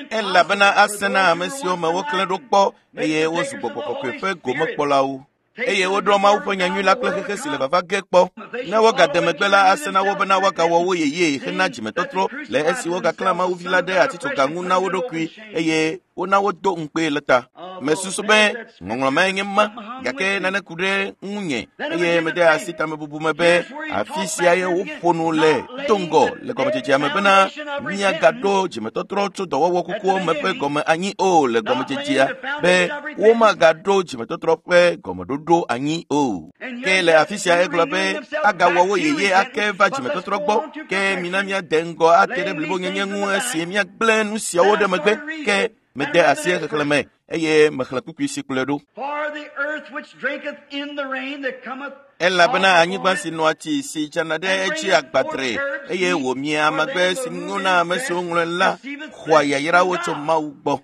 Elabena ase na ame siwo me woklẽ ɖo kpɔ eye wozu gbɔgbɔ kɔkɔe ƒe gomekpɔlawo. Eye woɖɔ Mawu ƒe nyanyui la kple xexe si le vava ge kpɔ. Ne wogade megbe la, ase na wo bena woagawɔ wo yeyee hena dzimetɔtrɔ le esi wogaklã Mawu vi la ɖe atitsoga ŋu na wo ɖokui eye wona wodo ŋukpee le ta. Mesusu be ŋɔŋlɔ mae nye ma, gake nane ku ɖe ŋunye eye mede asi tamebubu me be afi sia ye woƒo nu le do ŋgɔ le gɔmedzedzea me bena míagaɖo dzimetɔtrɔ tso dɔwɔwɔ kukuwo me ƒe gɔme anyi o le gɔmedzedzea be womagaɖo dzimetɔtrɔ ƒe gɔmeɖoɖo anyi o. Ke le afi sia egblɔ be agawɔ wo yeye ake va dzimetɔtrɔ gbɔ ke mina míade ŋgɔ ate ɖe blibonyenye ŋu esi míagblẽ nu siawo ɖe megbe ke mede asi xexlẽ me eye mexlẽ kpukpui si kplɔe ɖo. Elabena anyigba si nɔa tsi si dzana ɖe edzi agbadre eye wòmia amagbe si nyo na ame siwo ŋlɔe la xɔa yayrawo tso Mawu gbɔ.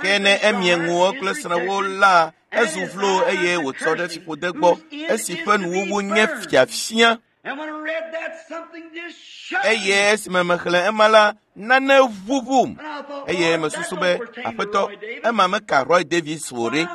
Ke ne emie ŋuwo kple srẽwo la, ezu vlo eye wòtsɔ ɖe fiƒode gbɔ esi ƒe nuwuwu nye fiafia. Eye esime mexlẽ ema la, nane ʋuʋum eye mesusu be aƒetɔ ema meka Roy Davis o ɖe.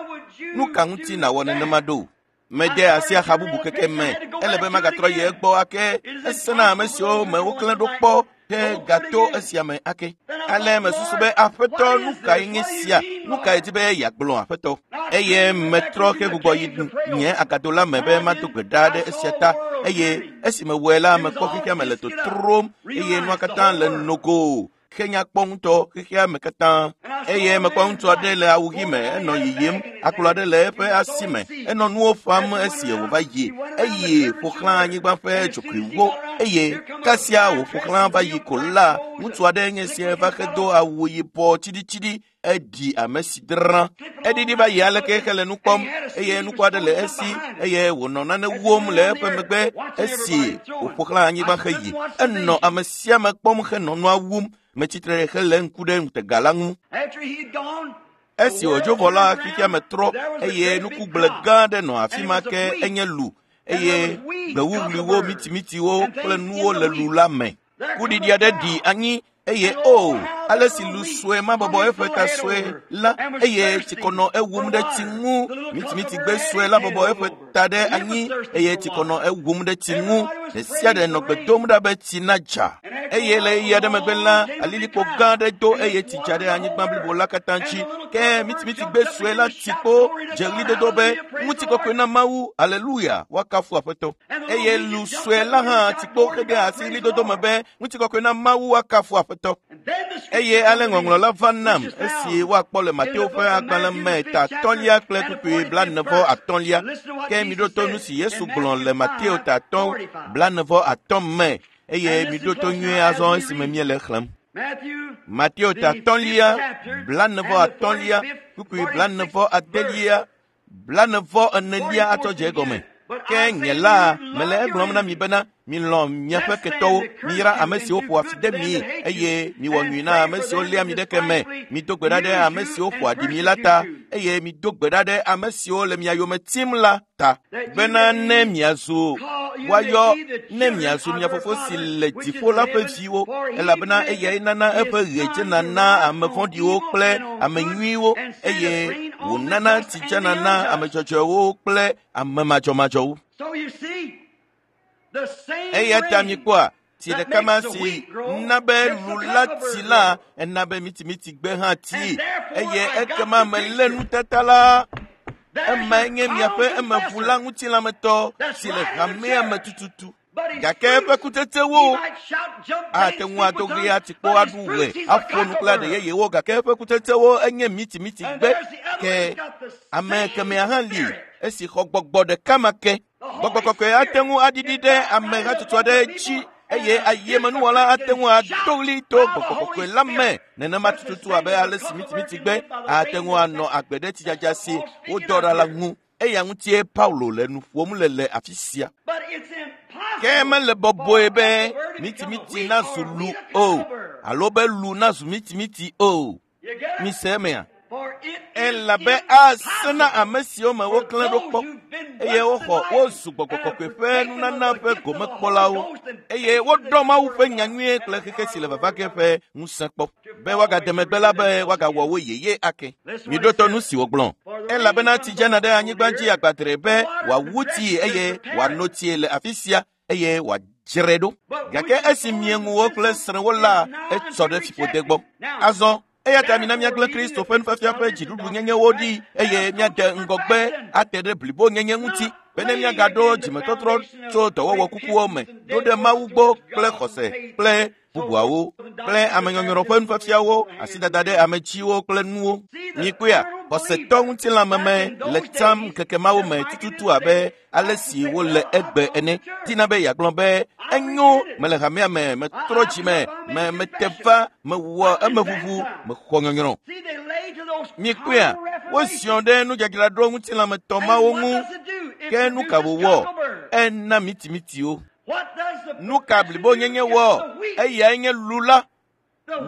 Nu ka ŋuti nàwɔ nenema ɖo? Mede asi axa bubu keke me. Ele be magatrɔ yi egbɔ ake. Ese na ame siwo me woklẽ ɖo kpɔ ke gato esia me ake. Ale mesusu be aƒetɔ nu kae nye sia? Nu kae di be yeagblɔ aƒetɔ? Eye metrɔ ke gbugbɔ yi nye agado la me be mado gbe ɖa ɖe esia ta. Eye esi mewɔe la, mekpɔ xexea me le totrom eye nua katã le nogo. Xe nyakpɔ ŋutɔ xexea me katã. Eye mekpɔ ŋutsu aɖe le awu ɣi me enɔ yiyim, akplɔ aɖe le eƒe asi me, enɔ nuwo ƒam esi wòva yi. Eye ƒo xlã anyigba ƒe dzogoewo eye kasia wòƒo xlã va yi ko la, ŋutsu aɖe nye esia va hedo awu yibɔ tsiɖitsiɖi eɖi ame si drã. Eɖiɖi va yi aleke hele nu kpɔm eye nukpɔ aɖe le esi eye wònɔ nane wom le eƒe megbe esi wòƒo xlã anyigba heyi. Enɔ ame sia ame kpɔm henɔ nua wum. Metsitre hele ŋku ɖe ŋutega la ŋu. Esi wòdzo vɔ la, xexea me trɔ eye nukugble gã aɖe nɔ afi ma ke enye lu eye gbewuwluiwo, mitimitiwo kple nuwo le lu la me. Kuɖiɖi aɖe ɖi anyi eye o ale si lu sue ma bɔbɔ eƒe ta sue la eye tsikɔ nɔ ewum ɖe tsi ŋu. Mitimitigbe sue la bɔbɔ eƒe ta ɖe anyi eye tsikɔ nɔ ewum ɖe tsi ŋu. Ɖe sia ɖe nɔ gbe dom ɖa be tsi nadza. Eye le ɣeyiɣi aɖe megbe la, alilikpo gã aɖe do eye tsi dza ɖe anyigba blibo la katã dzi. Ke mitimitigbe sue la tsi kpo dze ɣlidodo be ŋutikɔkɔe na Mawu, aleluya, woakafu Aƒetɔ. Eye lu sue la hã tsi kpo hede asi ɣlidodo me be ŋutikɔkɔe na Mawu, woakafu Aƒetɔ. Eye ale ŋɔŋlɔ la va nam esi woakpɔ le Mateo ƒe agbalẽ me ta atɔ̃lia kple kpukpui 45. Ke miɖo to nu si Yesu gblɔ le Mateo ta 5, 45 me eye miɖo to nyuie azɔ esime míele xlẽm. Mateo ta 5, 45, kpukpui 46, 44 atsɔ dze egɔme. Ke nye la, mele egblɔm na mi bena, milɔ̃ miaƒe ketɔwo, miyra ame siwo ƒoa fi de mi eye miwɔ nyui na ame siwo léa mi ɖe ke me. Mido gbe ɖa ɖe ame siwo ƒoa ɖi mi la ta eye mido gbe ɖa ɖe ame siwo le mia yome tim la ta bena ne miazu Woayɔ ne miazu mia fofo si le dziƒo la ƒe viwo, elabena eyae nana eƒe ɣe dzena na ame vɔ̃ɖiwo kple ame nyuiwo eye wònana tsi dzena na ame dzɔdzɔewo kple ame madzɔmadzɔwo. Eya ta mikpɔa tsi ɖeka ma si na be lu la tsi la ena be mitimitsi-gbe hã tsi eye ekema melé nutata la. Emae nye miaƒe emeʋula ŋutilãmetɔ si le hamea me tututu. Gake eƒe kutsetsewo ate ŋu ado ɣli atikpo aɖu ɣe aƒo nu kple aɖe yeyewo gake eƒe kutsetsewo enye mitimitsi-gbe. Ke ame kemɛa hã li esi xɔ gbɔgbɔ ɖeka ma ke. Gbɔgbɔ kɔkɔe ate ŋu aɖiɖi ɖe ame hatsotso aɖe dzi eye ayemenuwɔla ate ŋu ado ɣli to gbɔgbɔ kɔkɔe la me nenema tututu abe ale si mitimitsigbe ate ŋu anɔ agbe ɖe tsidzadza si wodɔ ɖa la ŋu. Eya ŋutie Paulo le nu ƒom le le afi sia. Ke mele bɔbɔe be mitimitsi nazu lu o alo be lu nazu mitimitsi o. Mise emea? Elabe ase na ame siwo me woklẽ ɖo kpɔ eye woxɔ wozu gbɔgbɔ kɔkɔe ƒe nunana ƒe gomekpɔlawo eye woɖɔ Mawu ƒe nyanyuie kple xexe si le vava ge ƒe ŋusẽ kpɔ be woagade megbe la be woagawɔ wo yeye ake. Miɖo to nu si wògblɔ. Elabena tsi dzena ɖe anyigba dzi agbadre be wòawu tsi eye wòano tsie le afi sia eye wòadzrae ɖo. Gake esi mieŋuwo kple srẽwo la, etsɔ ɖe fiƒode gbɔ. Azɔ eya ta mina míagblẽ Kristo ƒe nufiafia ƒe dziɖuɖunyenyewo ɖi eye míade ŋgɔgbe ate ɖe blibonyenye ŋuti bene míagaɖo dzimetɔtrɔ tso dɔwɔwɔ kukuwo me ɖo ɖe Mawu gbɔ kple xɔse kple bubuawo kple amenyɔnyrɔ ƒe nufiafiawo, asidada ɖe ame dziwo kple nuwo. Mikpɔea, xɔsetɔ ŋutilãmeme le tsam ŋkeke mawo me tututu abe ale si wole egbe ene. Dina be yeagblɔ be enyo mele hamea me, metrɔ dzime, me mete va, mewɔ emeʋuʋu, mexɔ nyɔnyrɔ. Mikpɔea, woziɔ ɖe nudzadzraɖo ŋutilãmetɔ mawo ŋu. Ke nu ka wòwɔ? Ena mitimitiwo. Nu ka blibonyenye wɔ? Eyae nye lu la.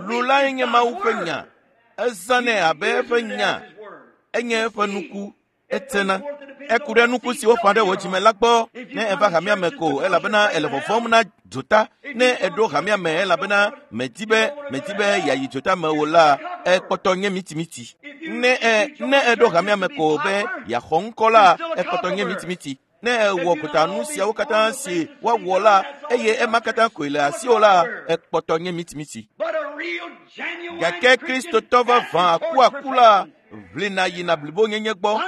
Lu lae nye Mawu ƒe nya. Ezãnɛ abe eƒe nya. Enye eƒe nuku. Etsena. Eku ɖe nuku si woƒã ɖe wò dzime la gbɔ ne eva hamea me ko elabena ele vɔvɔ̃m na dzota. Ne eɖo hamea me elabena medi be medi be yeayi dzota me o la, ekpɔtɔ nye mitimiti. Ne ne eɖo hamea me ko be yeaxɔ ŋkɔ la, ekpɔtɔ nye mitimiti. Ne ewɔ gotanu siawo katã si woawɔ la eye ema katã koe le asiwò la, ekpɔtɔ nye mitimiti. Gake Kristotɔ vavã akuaku la ʋlina yina blibonyenye gbɔ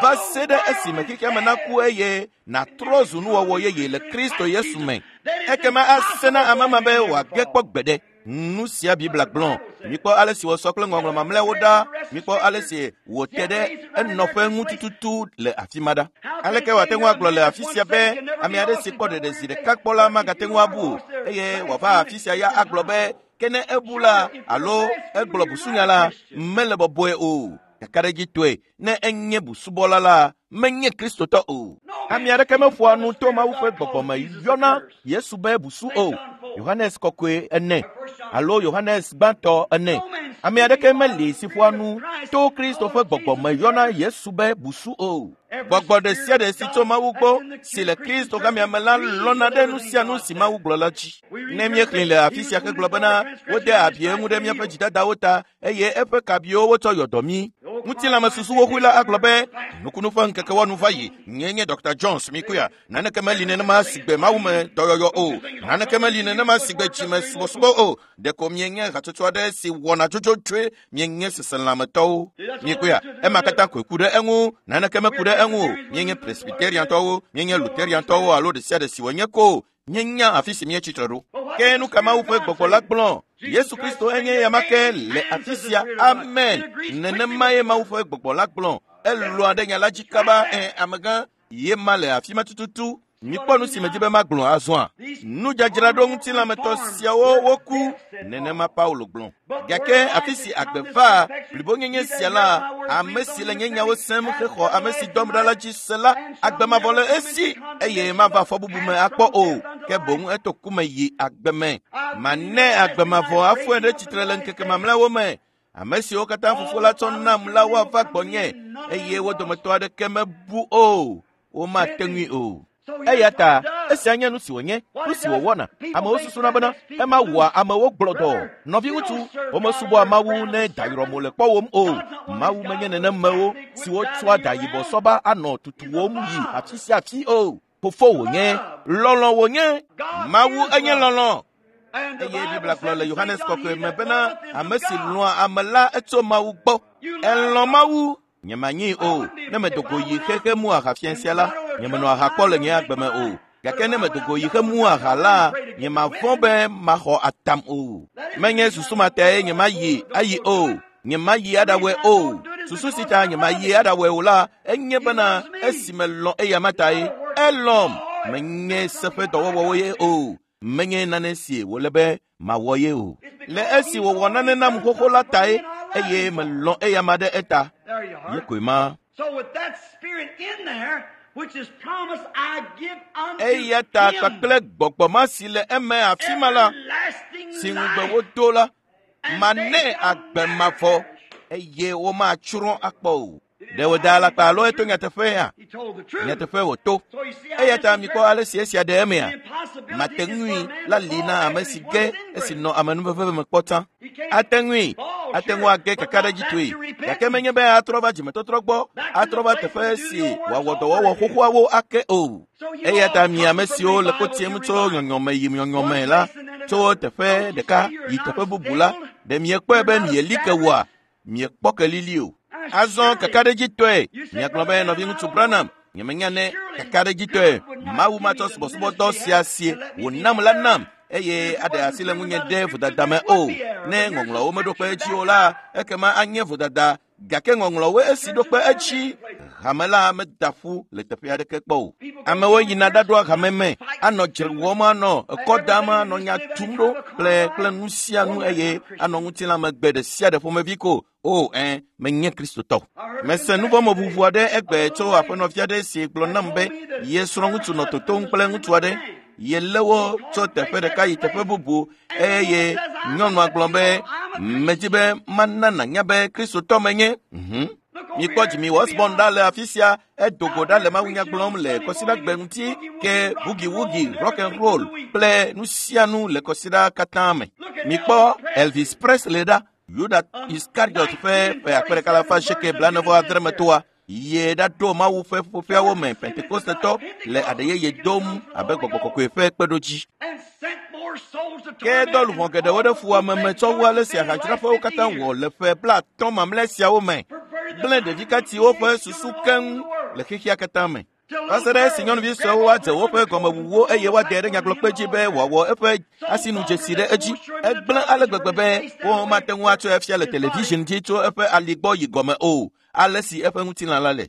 va se ɖe esime xexea me naku eye nàtrɔ zu nuwɔwɔ yeye le Kristo Yesu me. Ekema ase na ame ma be wòage kpɔ gbeɖe. Nu sia Biblia gblɔ. Mikpɔ ale si wòsɔ kple ŋɔŋlɔ mamlɛawo ɖa. Mikpɔ ale si wòte ɖe enɔƒe ŋu tututu le afi ma ɖa. Aleke wòate ŋu agblɔ le afi sia be ame aɖe si kpɔ ɖeɖe zi ɖeka kpɔ la magate ŋu abu o eye wòava afi sia ya agblɔ be ke ne ebu la alo egblɔ busunya la mele bɔbɔe o. Kakaɖedzitɔe ne enye busubɔla la menye Kristotɔ o. Ame aɖeke meƒoa nu to Mawu ƒe gbɔgbɔ me yɔna Yesu be busu o. Yohanes kɔkɔe ene alo Yohanes gbãtɔ ene. Ame aɖeke meli si ƒoa nu to Kristo ƒe gbɔgbɔ me yɔna Yesu be busu o. Gbɔgbɔ ɖe sia ɖe si tso Mawu gbɔ si le Kristo hamea me la lɔ̃na ɖe nu sia nu si Mawu gblɔ la dzi. Ne míexlẽ le afi sia hegblɔ bena wode abi eŋu ɖe míaƒe dzidadawo ta eye eƒe kabiwo wotsɔ yɔ dɔ mí. Ŋutilãmesusuwo ƒui la agblɔ be nukunu ƒe ŋkeke wɔnu va yi. Nyee nye Dr. Jones Mikuya. Naneke meli nenema si gbe Mawu me dɔyɔyɔ o. Naneke meli nenema si gbe dzime subɔsubɔ o. Ɖeko mienye hatsotso aɖe si wɔna dzodzodzoe mienye seselãmetɔwo. Mikuya, ema katã koe ku ɖe eŋu. Naneke meku ɖe eŋu o. Mienye Presbyteriantɔwo, mienye Lutheriantɔwo alo ɖe sia ɖe si wònye ko. Míenya afi si míetsi tre ɖo. Ke nu ka Mawu ƒe gbɔgbɔ la gblɔ? Yesu Kristo enye ya ma ke le afi sia. Amen. Nenemae Mawu ƒe gbɔgbɔ la gblɔ. Elɔ̃a ɖe nya la dzi kaba. Ẽ, amegã, ye ma le afi ma tututu. Mikpɔ nu si medi be magblɔ azɔa. Nudzadzraɖo ŋutilãmetɔ siawo woku, nenema Paulo gblɔ. Gake afi si agbe va blibonyenye sia la, ame si le nye nyawo sem hexɔ ame si dɔm ɖa la dzi se la, agbe mavɔ le esi eye mava fɔbubu me akpɔ o, ke boŋ eto ku me yi agbe me. Mane agbe mavɔ afɔe ɖe tsitre le ŋkeke mamlɛawo me. Ame siwo katã Fofo la tsɔ nam la woava gbɔnye eye wo dometɔ aɖeke mebu o. Womate ŋui o. Eya ta Esia nye nu si wònye, nu si wòwɔna. Amewo susuna bena ema wɔa amewo gblɔdɔ. Nɔviŋutsu, womesubɔa Mawu ne dayrɔmo le kpɔwòm o. Mawu menye nenemewo siwo tsɔa dayibɔ sɔba anɔ tutuwòm yi afi sia afi o. Fofo wònye, lɔlɔ̃ wònye. Mawu enye lɔlɔ̃. Eye Biblia gblɔ le Yohanes kɔkɔe me bena ame si lɔ̃a ame la etso Mawu gbɔ. Elɔ̃ Mawu. Nyemanyi o. Ne medo go yi xexe mu aha fia sia la, nyemenɔ aha kpɔ le nye agbe me o. Gake ne medo go yi xe mu aha la, nyemavɔ̃ be maxɔ atam o. Menye susu ma tae nyemayi ayi o. Nyemayi aɖawɔe o. Susu si ta nyemayi aɖawɔe o la, enye bena esi melɔ̃ eya ma tae. Elɔ̃m. Menye se ƒe dɔwɔwɔwo ye o. Menye nane si wòle be mawɔ ye o. Le esi wòwɔ nane nam xoxo la tae eye melɔ̃ eya ma ɖe eta. Ye koe ma. Eya ta kpakple gbɔgbɔ ma si le eme afi ma la, si ŋugbe wodo la, manɛ agbe mavɔ eye womatsrɔ̃ akpɔ o. Ɖe wòda alakpa alo eto nyateƒea? Nyateƒe wòto. Eya ta mikpɔ ale si esia ɖe emea. Mate ŋui la li na ame si ge esi nɔ amenuveve me kpɔ tsã. Ate ŋui, ate ŋu age kakaɖedzitɔe, gake menye be atrɔ va dzimetɔtrɔ gbɔ, atrɔ va teƒe si wòawɔ dɔwɔwɔ xoxoawo ake o. Eya ta mi ame siwo le ko tiem tso nyɔnyɔme yi nyɔnyɔme la, tso teƒe ɖeka yi teƒe bubu la, ɖe miekpɔe be mieli ke woa? Miekpɔ kelili o. Azɔ kakaɖedzitɔe, miagblɔ be nɔviŋutsu Branham, nyemenya ne kakaɖedzitɔe Mawu matsɔ subɔsubɔdɔ sia si wònam la nam eye aɖe asi le ŋunye ɖe vodada me o. Ne ŋɔŋlɔwo meɖo kpe edzi o la, ekema anye vodada gake ŋɔŋlɔwoe esi ɖo kpe edzi. Hame la meda ƒu le teƒe aɖeke kpɔ o. Amewo yina ɖaɖoa hame me, anɔ dzre wɔm, anɔ ekɔ dam, anɔ nya tum ɖo kple kple nu sia nu eye anɔ ŋutilãmegbe ɖe sia ɖe ƒomevi ko. O, ɛ, menye Kristotɔ. Mese nuvɔ̃meʋuʋu aɖe egbe tso aƒenɔvi aɖe si gblɔ nam be ye srɔ̃ŋutsu nɔ totom kple ŋutsu aɖe. Yelé wo tso teƒe ɖeka yi teƒe bubu eye nyɔnua gblɔ be medi be mana nànya be Kristotɔ menye. Mikpɔ Jimmy Osborne ɖa le afi sia, edo go ɖa le mawunya gblɔm le kɔsiɖagbe ŋuti ke boogie-woogie, rock and roll kple nu sia nu le kɔsiɖa katã me. Mikpɔ Elvis Presley ɖa, Yuda Iskariot ƒe ƒe akpe ɖeka alafa asieke blaene-vɔ-adre me toa, ye ɖaɖo Mawu ƒe ƒuƒoƒeawo me Pentekostetɔ le aɖe yeye dom abe gbɔgbɔ kɔkɔe ƒe kpeɖodzi. Ke dɔ luʋɔ geɖewo ɖe fuwɔame me tsɔ wu ale si ahadzraƒewo katã wɔ le ƒe 50 mamlɛ siawo me, gblẽ ɖevikatiwo ƒe susu keŋ le xexea katã me. Va se ɖe esi nyɔnuvi suewo adze woƒe gɔmewuwo eye woade ɖe nyagblɔkpe dzi be wòawɔ eƒe asinudzesi ɖe edzi. Egblẽ ale gbegbe be womate ŋu atsɔe afia le television dzi tso eƒe ali gbɔ yi gɔme o, ale si eƒe ŋutilã la le.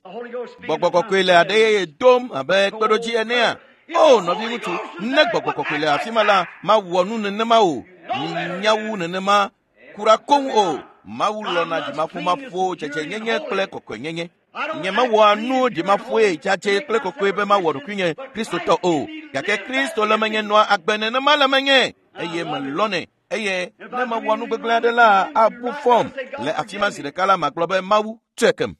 Gbɔgbɔ kɔkɔe le aɖe yeye dom abe kpeɖodzi enea? O, nɔviŋutsu, ne gbɔgbɔ kɔkɔe le afi ma la, mawɔ nu nenema o. Nya wu nenema kura koŋ o. Mawu lɔ̃na dzimaƒomaƒo, dzedzenyenye kple kɔkɔenyenye. Nyemewɔa nu dzimaƒoe, dzadzɛ kple kɔkɔe be mawɔ ɖokuinye Kristotɔ o. Gake Kristo le menye nɔa agbe nenema le menye eye melɔ̃nɛ. Eye ne mewɔ nu gbegblẽ aɖe la, abu fɔm le afi ma zi ɖeka la, magblɔ be Mawu tsɔe kem.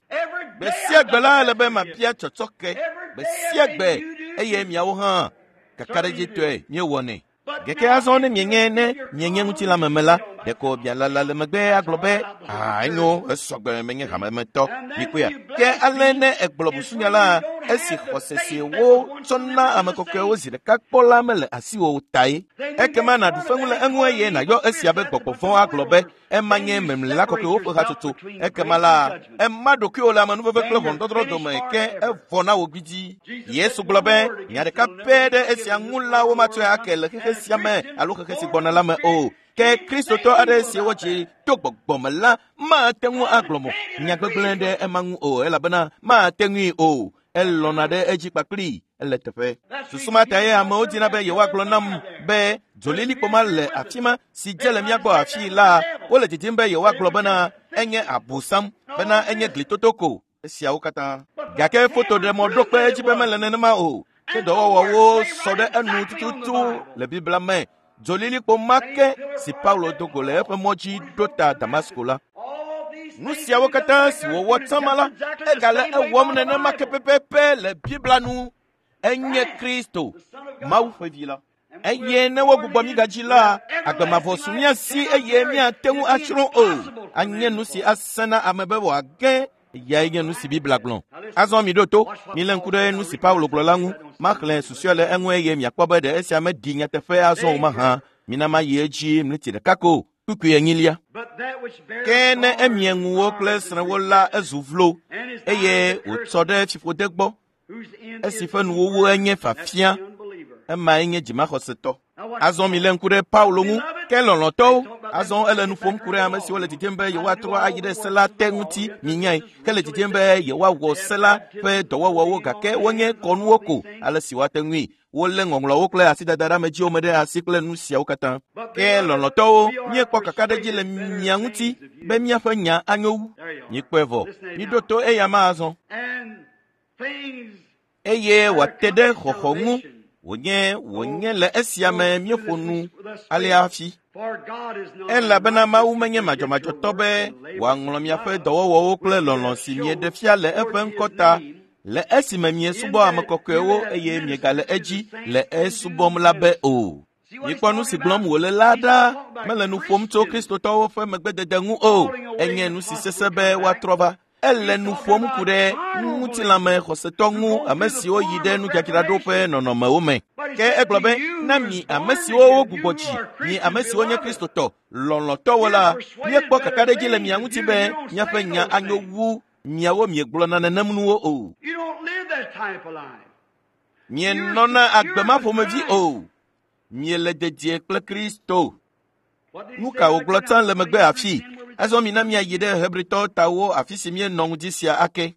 Gbe sia gbe la, ele be mabia tsɔtsɔke gbe sia gbe eye miawo hã kakaɖedzitɔe míewɔnɛ. Gake azɔ ne mienye ne mienye ŋutilãmeme la, ɖeko mialala le megbe agblɔ be, aa, enyo, esɔgbe menye hamemetɔ. Mikpɔea? Ke ale ne egblɔ busunya la, esi xɔse si wotsɔ na ame kɔkɔewo zi ɖeka kpɔ la mele asiwò tae. Ekema nàɖu feŋu le eŋu eye nàyɔ esia be gbɔgbɔ vɔ̃ agblɔ be ema nye memlela kɔkɔewo ƒe hatsotso. Ekema la, ema ɖokuiwò le amenuveve kple ʋɔnudɔdrɔ̃ dome ke evɔ na wò gbidzi. Yesu gblɔ be nya ɖeka pɛ ɖe esia ŋu la womatsɔe ake le xexe sia me alo xexe si gbɔna la me o. Ke Kristotɔ aɖe si wodzi to gbɔgbɔ me la mate ŋu agblɔ mo nya gbegblẽ ɖe ema ŋu o elabena mate ŋui o. Elɔ̃na ɖe edzi kpakpli ele teƒe. Susu ma tae amewo dina be yewoagblɔ nam be dzolilikpo ma le afi ma si dze le mía gbɔ afii la, wole didim be yewoagblɔ bena enye abosam, bena enye glitoto ko. Esiawo katã. Gake fotoɖemɔ ɖo kpe edzi be mele nenema o. Ke dɔwɔwɔwo sɔ ɖe enu tututu le Biblia me. Dzolilikpo ma ke si Paulo do go le eƒe mɔ dzi ɖo ta Damasko la. Nu siawo katã si wòwɔ tsã ma la, egale ewɔm nenema ke pɛpɛpɛ le Biblia nu. Enye Kristo, Mawu ƒe vi la. Eye ne wogbugbɔ mí gadzi la, agbe mavɔ su mía si eye míate ŋu atsrɔ̃ o. Anye nu si asẽ na ame be wòage. Eyae nye nu si Biblia gblɔ. Azɔ miɖo to, milé ŋku ɖe nu si Paulo gblɔ la ŋu. Maxlẽ susɔe le eŋu eye miakpɔ be ɖe esia meɖi nyateƒe azɔ o mahã. Mina mayi edzi mleti ɖeka ko, kpukpui enyilia. Ke ne emie ŋuwo kple srẽwo la, ezu vlo eye wòtsɔ ɖe fiƒode gbɔ. Esi ƒe nuwuwu enye fafia, emae nye dzimaxɔsetɔ. Azɔ milé ŋku ɖe Paulo ŋu, ke lɔlɔ̃tɔwo. Azɔ ele nu ƒom ku ɖe ame siwo le didim be yewoatrɔ ayi ɖe se la te ŋuti minyae, hele didim be yewoawɔ se la ƒe dɔwɔwɔwo gake wonye kɔnuwo ko ale si woate ŋui. Wolé ŋɔŋlɔwo kple asidadaɖeamedziwo me ɖe asi kple nu siawo katã. Ke lɔlɔ̃tɔwo, míekpɔ kakaɖedzi le mia ŋuti be míaƒe nya anyo wu. Míekpɔe vɔ. Míɖo to eya ma azɔ. Eye wòate ɖe xɔxɔ ŋu wònye wònye le esia me míeƒo nu alea hafi. Elabena Mawu menye madzɔmadzɔtɔ be wòaŋlɔ miaƒe dɔwɔwɔwo kple lɔlɔ̃ si mieɖe fia le eƒe ŋkɔ ta le esime miesubɔ ame kɔkɔewo eye miegale edzi le esubɔm la be o. Mikpɔ nu si gblɔm wòle la ɖa. Mele nu ƒom tso Kristotɔwo ƒe megbedede ŋu o. Enye nu si sesẽ be woatrɔ va. Ele nu ƒom ku ɖe ŋutilãme xɔsetɔ ŋu, ame siwo yi ɖe nudzadzraɖo ƒe nɔnɔmewo me. Ke egblɔ be, na mi ame siwo wogbugbɔ dzi, mi ame siwo nye Kristotɔ lɔlɔ̃tɔwo la, míekpɔ kakaɖedzi le mia ŋuti be miaƒe nya anyo wu miawo miegblɔna nenem nuwo o. Mienɔna agbe ma ƒomevi o. Miele dedie kple Kristo. Nu ka wògblɔ tsã le megbe afi? Azɔ mina míayi ɖe Hebritɔwo tawo afi si míenɔ ŋdi sia ake.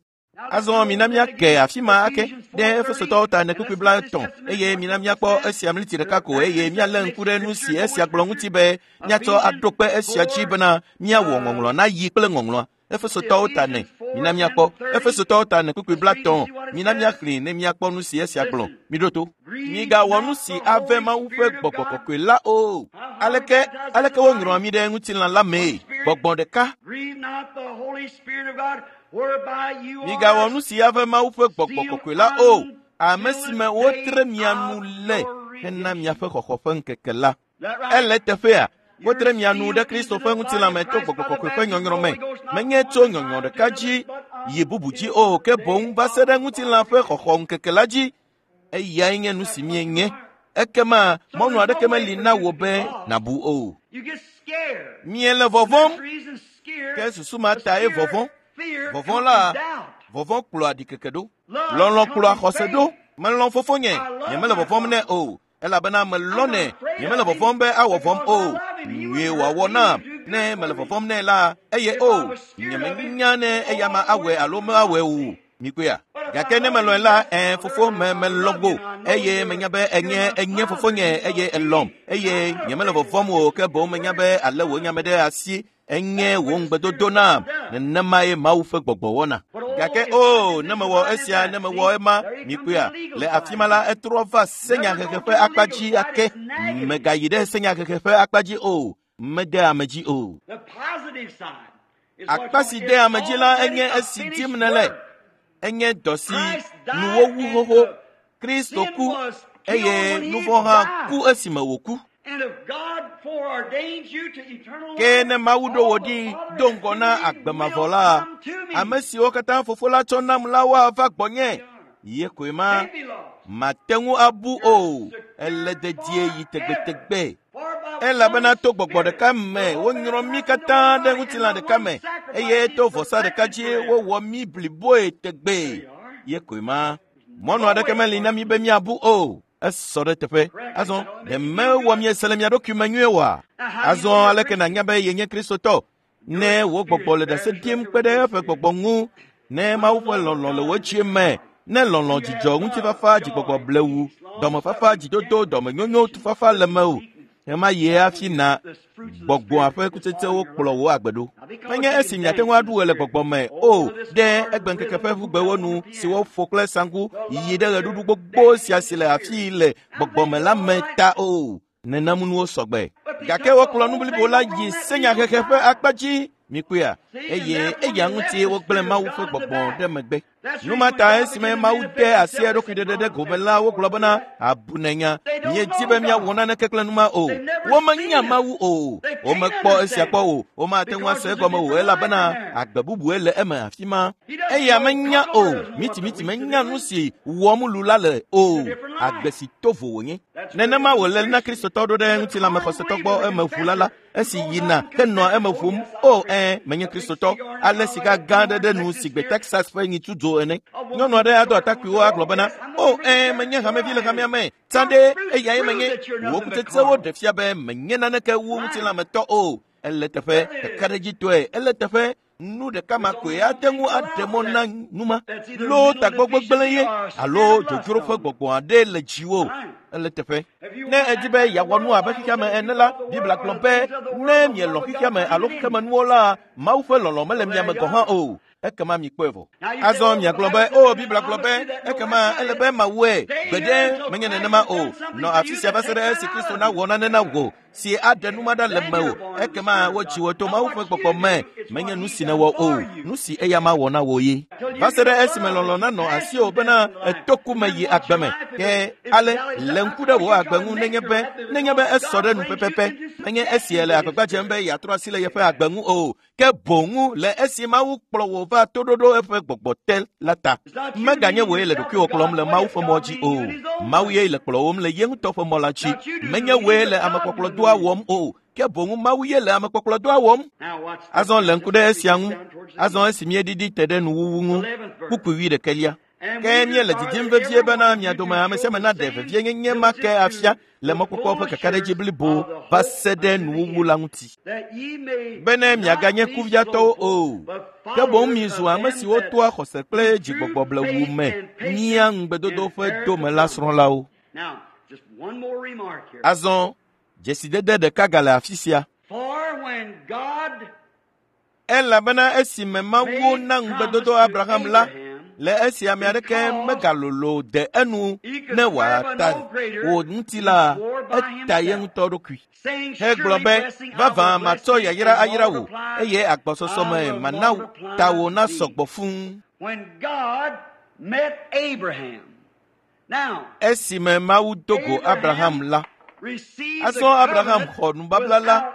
Azɔ mina míake afi ma ake ɖe Efesotɔwo ta ene kpukpui 13 eye mina míakpɔ esia mliti ɖeka ko eye míalé ŋku ɖe nu si esia gblɔ ŋuti be míatsɔ aɖo kpe esia dzi bena míawɔ ŋɔŋlɔ nayi kple ŋɔŋlɔa. Efesotɔwo ta ene, mina míakpɔ. Efesotɔwo ta ene kpukpui 13, mina míaxlẽe ne míakpɔ nu si esia gblɔ. Miɖo to. Migawɔ nu si ave Mawu ƒe gbɔgbɔ kɔkɔe la o. Aleke aleke woŋlɔa mí ɖe ŋutilã la mee? Gbɔgbɔ ɖeka. Migawɔ nu si ave Mawu ƒe gbɔgbɔ kɔkɔe la o, ame si me wotre mia nu le hena miaƒe xɔxɔ ƒe ŋkeke la. Ele teƒea, wotre mia nu ɖe Kristo ƒe ŋutilã me to gbɔgbɔ kɔkɔe ƒe nyɔnyrɔ me. Menye tso nyɔnyrɔ ɖeka dzi yi bubu dzi o, ke boŋ va se ɖe ŋutilã ƒe xɔxɔ ŋkeke la dzi. Eyae nye nu si mienye. Ekema mɔnu aɖeke meli na wò be nàbu o. Miele vɔvɔ̃m, ke susu ma tae vɔvɔ̃. Vɔvɔ̃ la, vɔvɔ̃ kplɔa ɖikeke ɖo. Lɔlɔ̃ kplɔa xɔse ɖo. Melɔ̃ fofonye, nyemele vɔvɔ̃m nɛ o. Elabena melɔ̃nɛ, nyemele vɔvɔ̃m be awɔ vɔ̃m o. Nyuie wòawɔ nam ne mele vɔvɔ̃m nɛ la, eye o, nyemenya ne eya ma awɔe alo mawɔe o. Mikpɔea? Gake ne melɔ̃e la, ẽ, fofo me melɔ̃ go eye menya be enye enye fofonye eye elɔ̃m eye nyemele vɔvɔ̃m o ke boŋ menya be ale wò nya me ɖe asi enye wò ŋugbedodo nam. Nenemae Mawu ƒe gbɔgbɔ wɔna. Gake o, ne mewɔ esia, ne mewɔ ema, mikpɔea, le afi ma la, etrɔ va senyahehe ƒe akpa dzi ake. Megayi ɖe senyahehe ƒe akpa dzi o. Mede ame dzi o. Akpa si de ame dzi la enye esi dim nèle. Enye dɔ si nu wowu xoxo. Kristo ku eye nu vɔ̃ hã ku esime wòku. Ke ne Mawu ɖo wò ɖi do ŋgɔ na agbe mavɔ la, ame siwo katã fofo la tsɔ nam la woava gbɔnye. Ye koe ma mate ŋu abu o. Ele dedie yi tegbetegbe. Elabena to gbɔgbɔ ɖeka me wonyrɔ mí katã ɖe ŋutilã ɖeka me eye to vɔsa ɖeka dzi wowɔ mí bliboe tegbee. Ye koe ma. Mɔnu aɖeke meli na mí be míabu o. Esɔ ɖe teƒe. Azɔ, ɖe mewɔ miese le mia ɖokui me nyuie oa? Azɔ aleke nànya be yenye Kristotɔ? Ne wò gbɔgbɔ le ɖase ɖim kpe ɖe eƒe gbɔgbɔ ŋu, ne Mawu ƒe lɔlɔ̃ le wò dzi me, ne lɔlɔ̃, dzidzɔ, ŋutifafa, dzigbɔgbɔ blewu, dɔmefafa, dzidodo, dɔmenyonyo, tufafa le mewò, ɣemaɣie hafi na gbɔgbɔa ƒe kutsetsewo kplɔ wò agbe ɖo. Menye esi miate ŋu aɖu ɣe le gbɔgbɔ me o ɖe egbeŋkeke ƒe ʋugbewo nu si woƒo kple saŋku yi ɖe ɣeɖuɖu gbogbo sia si le afii le gbɔgbɔ me la me ta o. Nenem nuwo sɔgbe. Gake wokplɔ nu blibo la yi senyahehe ƒe akpa dzi. Mikpɔea? Eye eya ŋuti wogblẽ Mawu ƒe gbɔgbɔ ɖe megbe. Nu ma ta esime Mawu de asi eɖokui ɖeɖe ɖe gome la, wogblɔ bena abunenya. Míedi be míawɔ naneke kple nu ma o. Womenya Mawu o. Womekpɔ esia kpɔ o. Womate ŋu ase egɔme o elabena agbe bubue le eme afi ma. Eya menya o. Mitimiti menya nu si wɔm lu la le o. Agbe si to vo wònye. Nenema wòle na Kristotɔ ɖo ɖe ŋutilãmexɔsetɔ gbɔ eme ʋula la esi yina henɔa eme ʋum. O ɛ, menye Kristotɔ. Ale sika gã aɖe ɖe nu si gbe Texas ƒe nyitsu dzo ene. Nyɔnu aɖe ado atakpuiwo agblɔ bena, o ɛ, menye hamevi le hamea me. Tsã ɖe eyae menye. Wò kutsetsewo ɖe fia be menye naneke wu ŋutilãmetɔ o. Ele teƒe kakaɖedzitɔe. Ele teƒe nu ɖeka ma koe ate ŋu aɖe mɔ na nu ma. Loo tagbɔ gbegblẽ ye alo dzodzro ƒe gbɔgbɔ aɖe le dziwò. Ele teƒe. Ne èdi be yeawɔ nu abe xexeame ene la, Biblia gblɔ be ne mielɔ̃ xexeame alo xexemenuwo la, Mawu ƒe lɔlɔ̃ mele mia me gɔ̃ hã o. Ekema mikpɔe vɔ. Azɔ miagblɔ be, o Biblia gblɔ be, ekema ele be mawɔe. Gbeɖe menye nenema o. Nɔ afi sia va se ɖe esi Kristo nawɔ nane na wò si aɖe nu ma ɖa le mewò. Ekema wotsi wò to Mawu ƒe gbɔgbɔ me. Menye nu si nèwɔ o, nu si eya ma wɔ na wò ye. Va se ɖe esime lɔlɔ̃ nanɔ asiwò bena èto ku me yi agbe me. Ke ale lé ŋku ɖe wò agbe ŋu nenye be esɔ ɖe nu pɛpɛpɛ. Menye esi èle agbagba dzem be yeatrɔ asi le yeƒe agbe ŋu o. Ke boŋ le esi Mawu kplɔ wò va toɖoɖo eƒe gbɔgbɔ te la ta. Meganye wòe le ɖokuiwò kplɔm le Mawu ƒe mɔ dzi o. Mawu ye le kplɔwòm le ye ŋutɔ ƒe mɔ la dzi. Menye wòe le amekpɔkplɔdɔa wɔm o. Ke boŋ Mawu ye le amekpɔkplɔdɔa wɔm. Azɔ le ŋku ɖe esia ŋu. Azɔ esi míeɖiɖi te ɖe nuwuwu ŋu. Kpukpui wuiɖekɛlia. Ke míele didim vevie bena mia dome ame sia ame naɖe vevienyenye ma ke afia le mɔkpɔkpɔ ƒe kakaɖedzi blibo va se ɖe nuwuwu la ŋuti. Bene miaganye kuviatɔwo o, ke boŋ mizu ame siwo toa xɔse kple dzigbɔgbɔ blewu me nyia ŋugbedodo ƒe dome la srɔ̃lawo. Azɔ dzesidede ɖeka gale afi sia. Elabena esime Mawu na ŋugbedodo Abraham la, le esi ame aɖeke megalolo de enu ne wòata wò ŋuti la, eta ye ŋutɔ ɖokui. Hegblɔ be, vavã matsɔ yayra ayra wò, eye agbɔsɔsɔ me mana tawò nasɔ gbɔ fũu. Esime Mawu do go Abraham la, azɔ Abraham xɔ nubabla la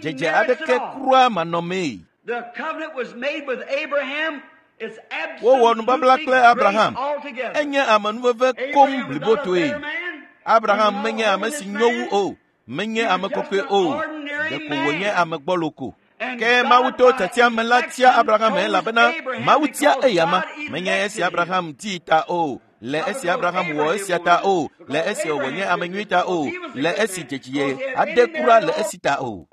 dzedze aɖeke kura manɔmee. Wowɔ nubabla kple Abraham. Enye amenuveve koŋ blibotoe. Abraham menye ame si nyo wu o, menye ame kɔkɔe o, ɖeko wònye ame gbɔlo ko. Ke Mawu to tiatia me la tia Abraham elabena Mawu tia eyama. Menye esi Abraham dii ta o, le esi Abraham wɔ esia ta o, le esi wònye ame nyui ta o, le esi dzedzie aɖe kura le esi ta o.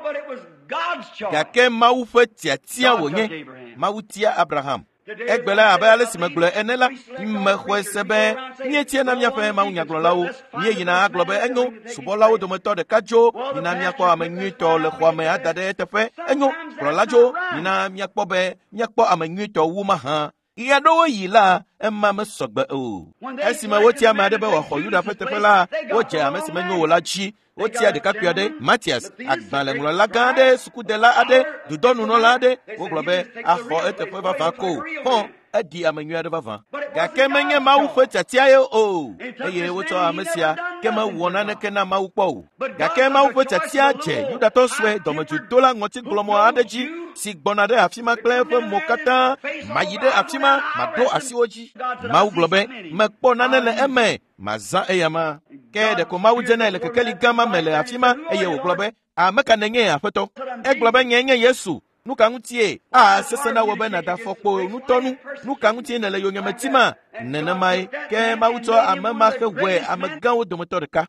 Gake Mawu ƒe tiatia wònye. Mawu tia Abraham. Egbe la abe ale si megblɔe ene la, mexɔe se be míetiana míaƒe mawunyagblɔlawo. Míeyina agblɔ be enyo, subɔlawo dometɔ ɖeka dzo, mina míakpɔ ame nyuitɔ le xɔa me ada ɖe eteƒe. Enyo, kplɔla dzo, mina míakpɔ be míakpɔ ame nyuitɔ wu mahã. Ɣeaɖewo yi la, ema mesɔgbe o. Esime wotia ame aɖe be wòaxɔ Yuda ƒe teƒe la, wodze ame si menyo o la dzi. Wotia ɖekakpui aɖe, Matias, agbalẽŋlɔla gã aɖe, sukudela aɖe, dudɔnunɔla aɖe. Wogblɔ be axɔ eteƒe vavã ko. Hɔn, eɖi ame nyui aɖe vavã. Gake menye Mawu ƒe tiatia ye o. Eye wotsɔ ame sia ke mewɔ naneke na Mawu kpɔ o. Gake Mawu ƒe tiatia dze Yudatɔ sue dɔmedzoedola ŋɔtigblɔmɔ aɖe dzi si gbɔna ɖe afi ma kple eƒe mo katã. Mayi ɖe afi ma, maɖo asi wo dzi. Mawu gblɔ be, mekpɔ nane le eme. Mazã eyama. Ke ɖeko Mawu dze nɛ le kekeli gã ma me le afi ma eye wògblɔ be, ame ka nènye aƒetɔ? Egblɔ be nye nye Yesu. Nu ka ŋutie? A sesẽ na wò be nàda afɔkpo ŋutɔ nu. Nu ka ŋutie nèle yonyeme tima? Nenemae. Ke Mawu tsɔ ame ma hewɔe amegãwo dometɔ ɖeka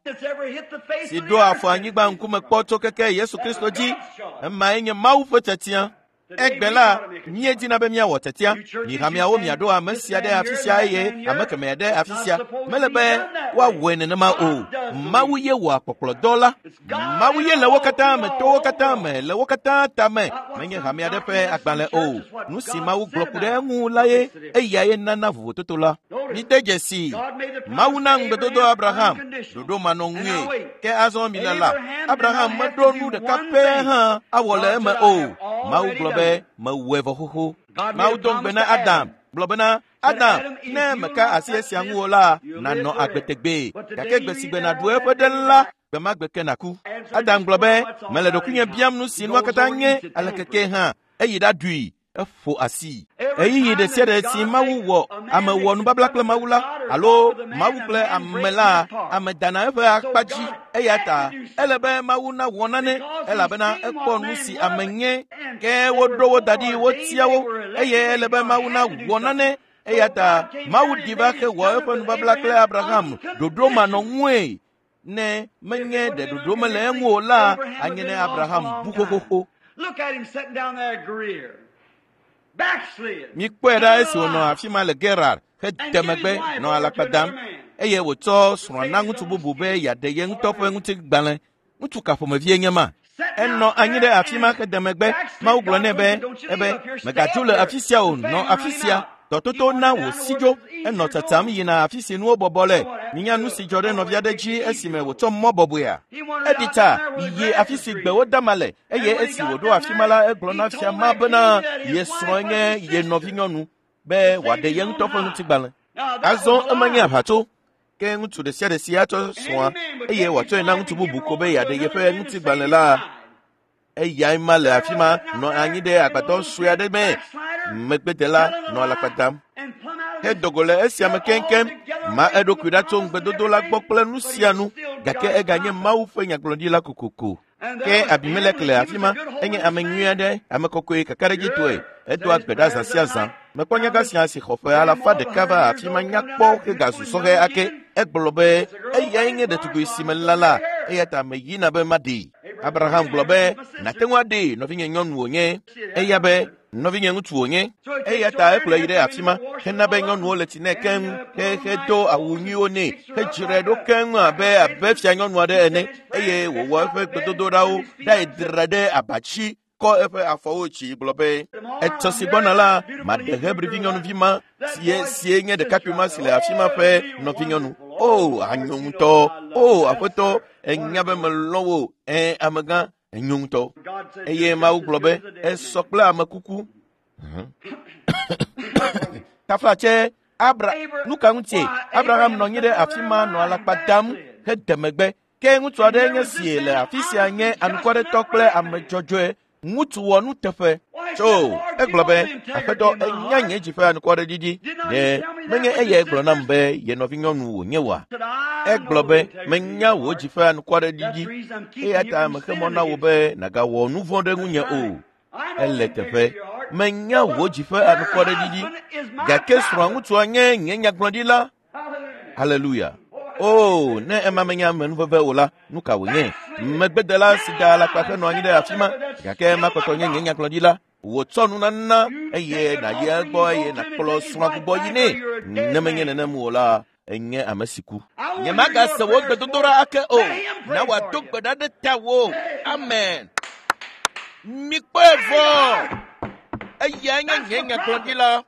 si ɖo afɔ anyigba ŋkume kpɔ tso keke Yesu Kristo dzi. Emae nye Mawu ƒe tiatia. Egbe la, míedina be míawɔ tiatia. Mi hameawo miaɖo ame sia ɖe afi sia eye ame kemɛ ɖe afi sia. Mele be woawɔe nenema o. Mawu ye wɔa kpɔkplɔdɔ la. Mawu ye le wo katã me, to wo katã me, le wo katã tame. Menye hame aɖe ƒe agbalẽ o. Nu si Mawu gblɔ ku ɖe eŋu la ye, eyae nana vovototo la. Mide dzesi, Mawu na ŋugbedodo Abraham, ɖoɖo manɔŋue. Ke azɔ milala, Abraham meɖo nu ɖeka pɛ hã awɔ le eme o. Mawu gblɔ be, be mewɔe vɔ xoxo. Mawu do ŋugbe na Adam gblɔ bena, Adam, ne meka asi esia ŋu o la, nànɔ agbe tegbee, gake gbe si gbe nàɖu eƒe ɖe la, gbe ma gbe ke nàku. Adam gblɔ be, mele ɖokuinye biam nu si nua katã nye alekeke hã, eyi ɖaɖui. Eƒo asi. Ɣeyiɣi ɖe sia ɖe si Mawu wɔ ame wɔ nubabla kple Mawu la alo Mawu kple ame la, ame dana eƒe akpa dzi. Eya ta ele be Mawu nawɔ nane elabena ekpɔ nu si ame nye. Ke woɖo wo da ɖi, wotia wo eye ele be Mawu nawɔ nane. Eya ta Mawu ɖi va ke wɔ eƒe nubabla kple Abraham ɖoɖo manɔŋue. Ne menye ɖe ɖoɖo mele eŋu o la, anye ne Abraham bu xoxoxo. Look at him sitting down there at Gerar. Backslid. Mikpɔe ɖa esi wònɔ afi ma le Gerar hede megbe nɔ alakpa dam eye wòtsɔ srɔ̃a na ŋutsu bubu be yeaɖe ye ŋutɔ ƒe ŋutigbalẽ. Ŋutsu ka ƒomevie nye ma? Enɔ anyi ɖe afi ma hede megbe. Mawu gblɔ nɛ be, ebe megadzo le afi sia o, nɔ afi sia. Dɔtoto na wòsi dzo. Enɔ tsatsam yina afi si nuwo bɔbɔ le. Minya nu si dzɔ ɖe nɔvia aɖe dzi esime wòtsɔ mɔ bɔbɔea? Eɖi tsa yi afi si gbewo dama le eye esi wòɖo afi ma la, egblɔ na fia ma bena ye srɔ̃e nye ye nɔvinyɔnu be wòaɖe ye ŋutɔ ƒe ŋutigbalẽ. Azɔ ema nye aʋatso. Ke ŋutsu ɖe sia ɖe si atsɔ srɔ̃a eye wòatsɔe na ŋutsu bubu ko be yeaɖe yeƒe ŋutigbalẽ la, eyae ma le afi ma nɔ anyi ɖe agbadɔ sue aɖe me. Megbedela nɔ alakpa dam. Hedo go le esia me keŋkeŋ, ma eɖokui ɖa tso ŋugbedodo la gbɔ kple nu sia nu, gake eganye Mawu ƒe nyagblɔɖila kokoko. Ke Abimelek le afi ma, enye ame nyui aɖe, ame kɔkɔe kakaɖedzitɔe, edoa gbe ɖa zã sia zã. Mekpɔ nyagã sia si xɔ ƒe alafa ɖeka va afi ma nyakpɔ hegazu sɔhɛ ake. Egblɔ be, eyae nye ɖetugbui si melala la, eya ta meyina be maɖee. Abraham gblɔ be, nàte ŋu aɖee, nɔvinye nyɔnu wònye. Eya be, nɔvinye ŋutsu wònye. Eya ta ekplɔe yi ɖe afi ma hena be nyɔnuwo le tsi nɛ keŋ hedo awu nyuiwo nɛ hedzrae ɖo keŋ abe abe fia nyɔnu aɖe ene eye wòwɔ eƒe gbedodoɖawo ɖae dzra ɖe abatsi kɔ eƒe afɔwo dzi gblɔ be etsɔ si gbɔna la maɖe Hebrivi nyɔnuvi ma sie nye ɖekakpui ma si le afi ma ƒe nɔvinyɔnu. O anyo ŋutɔ. O aƒetɔ, enya be melɔ̃ wò. Ẽ amegã, enyo ŋutɔ. Eye Mawu gblɔ be esɔ kple ame kuku. Taflatse Abra nu ka ŋutie Abraham nɔ anyi ɖe afi ma nɔ alakpa dam hede megbe. Ke ŋutsu aɖe nye sie le afi sia nye anukwaretɔ kple ame dzɔdzɔe. Ŋutsu wɔ nuteƒe. Tso egblɔ be aƒetɔ enya nye dzi ƒe anukwareɖiɖi. Ɖe menye eyae gblɔ nam be ye nɔvinyɔnu wònye oa? Egblɔ be menya wò dzi ƒe anukwareɖiɖi eya ta mexe mɔ na wò be nàgawɔ nu vɔ̃ ɖe ŋunye o. Ele teƒe. Menya wò dzi ƒe anukwareɖiɖi gake srɔ̃a ŋutsua nye nye nyagblɔɖila. Haleluya. O, ne ema menye amenuveve o la, nu ka wònye? Megbedela si da alakpa henɔ anyi ɖe afi ma, gake ema kpɔtɔ nye nye nyagblɔɖila. Wòtsɔ nunana eye nàyi egbɔ eye nàkplɔ srɔ̃a gbugbɔ yi nɛ. Ne menye nenem o la, enye ame si ku. Nyemagase wò gbedodoɖa ake o. Na wòado gbe ɖa ɖe tawò. Amen. Mikpɔe vɔ. Eyae nye nye nyagblɔɖila.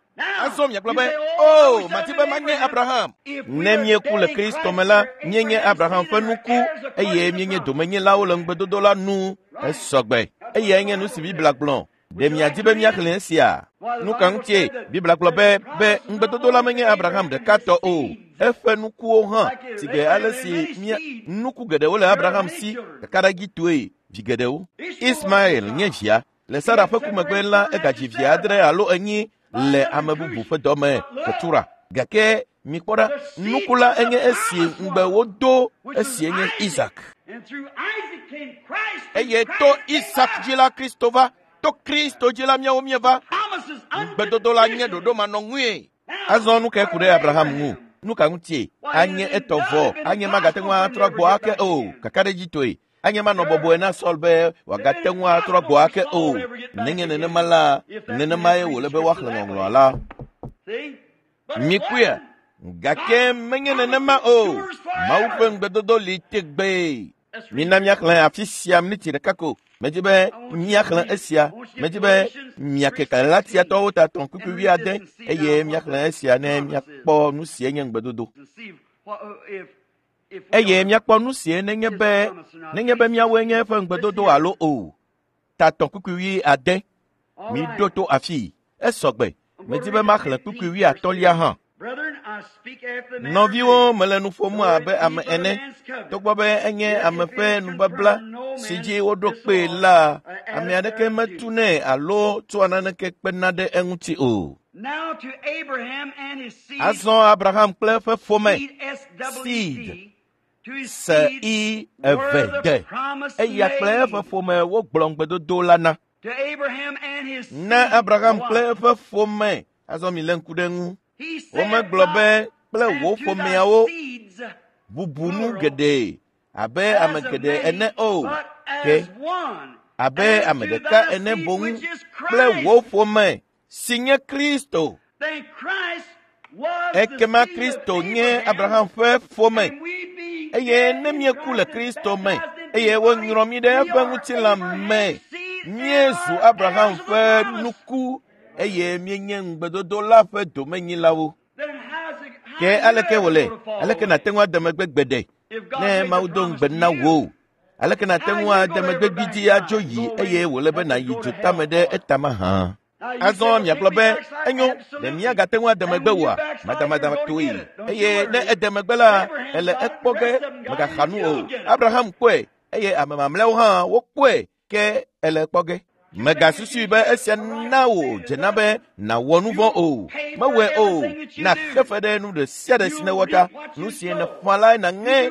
Azɔ miagblɔ be, o, madi be manye Abraham. Ne míeku le Kristo me la, míenye Abraham ƒe nuku eye míenye domenyilawo le ŋugbedodo la nu. Esɔgbe. Eyae nye nu si Biblia gblɔ. Ɖe miadi be míaxlẽ esia? Nu ka ŋutie Biblia gblɔ be be ŋugbedodo la menye Abraham ɖeka tɔ o. Eƒe nukuwo hã, si gbe ale si mía nuku geɖewo le Abraham si kakaɖedzitɔe vi geɖewo. Ismael nye via. Le Sara ƒe ku megbe la, egadzi vi adre alo enyi le ame bubu ƒe dɔme, Ketura. Gake mikpɔ ɖa, nuku la enye esi ŋugbe wodo, esie nye Isak. Eye to Isak dzi la Kristo va, to Kristo dzi la míawo míeva. Ŋugbedodo la nye ɖoɖo manɔŋui. Azɔ nu kae ku ɖe Abraham ŋu? Nu ka ŋutie? Anye etɔ vɔ, anye magate ŋu atrɔ gbɔ ake o, kakaɖedzitɔe. Anye manɔ bɔbɔe na Saul be wòagate ŋu atrɔ gbɔ ake o. Nenye nenema la, nenemae wòle be woaxlẽ ŋɔŋlɔa la. Mikpɔea? Gake menye nenema o. Mawu ƒe ŋugbedodo li tegbee. Mina míaxlẽ afi sia miniti ɖeka ko. Medi be míaxlẽ esia. Medi be miake Galatiatɔwo ta 3 kpukpui 7 eye míaxlẽ esia ne míakpɔ nu sie nye ŋugbedodo. Eye míakpɔ nu sie nenye be míawoe nye eƒe ŋugbedodo alo o. Ta 3 kpukpui 7. Miɖo to afii. Esɔgbe. Medi be maxlẽ kpukpui wuiatɔ̃lia hã. Nɔviwo, mele nu ƒom abe ame ene. Togbɔ be enye ame ƒe nubabla si dzi woɖo kpee la, ame aɖeke metunɛ alo tsɔa naneke kpena ɖe eŋuti o. Azɔ Abraham kple eƒe ƒome seed se i eve de eya kple eƒe ƒome wogblɔ ŋugbedodo la na. Na Abraham kple eƒe ƒome azɔ mi lé ŋku ɖe eŋu. Womegblɔ be kple wò ƒomeawo bubu nu geɖe abe ame geɖe ene o, ke abe ame ɖeka ene boŋ kple wò ƒome si nye Kristo. Ekema Kristo nye Abraham ƒe ƒome eye ne míeku le Kristo me eye wonyrɔ mí ɖe eƒe ŋutilã me, míezu Abraham ƒe nuku eye míenye ŋugbedodo la ƒe domenyilawo. Ke aleke wòle? Aleke nàte ŋu ade megbe gbeɖe ne Mawu do ŋugbe na wò? Aleke nàte ŋu ade megbe gbidzi adzo yi eye wòle be nàyi dzotame ɖe etama hã? Azɔ miagblɔ be enyo ɖe miagate ŋu ade megbe oa? Madamadatɔe. Eye ne ede megbe la, ele ekpɔ ge megaxa nu o. Abraham kpɔe eye ame mamlɛawo hã wokpɔe ke ele ekpɔ ge. Megasusui be esia na wò dzena be nàwɔ nu vɔ̃ o. Mewɔe o. Nàxe fe ɖe nu ɖe sia ɖe si nèwɔ ta. Nu si nèƒã lae nàŋe.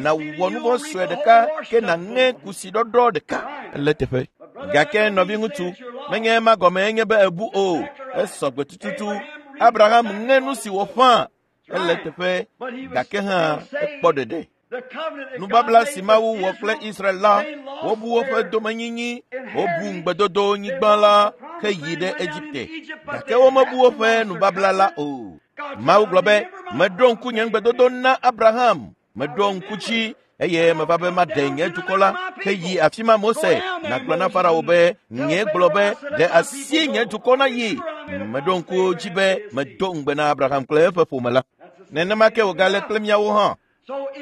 Nàwɔ nu vɔ̃ sue ɖeka ke nàŋe kusi ɖɔɖɔ ɖeka le teƒe. Gake nɔviŋutsu, menye ema gɔme enye be ebu o. Esɔgbe tututu. Abraham ŋe nu si wòƒã ele teƒe gake hã ekpɔ ɖeɖe. Nubabla si Mawu wɔ kple Israel la, wobu woƒe domenyinyi, wobu ŋugbedodo nyigba la heyi ɖe Egipte, gake womebu woƒe nubabla la o. Mawu gblɔ be, meɖo ŋku nye ŋugbedodo na Abraham, meɖo ŋku dzi eye meva be maɖe nye dukɔ la heyi afi ma Mose nàgblɔ na Farao be nye gblɔ be ɖe asi nye dukɔ na yi. Meɖo ŋku dzi be medo ŋugbe na Abraham kple eƒe ƒome la. Nenema ke wògale kple míawo hã.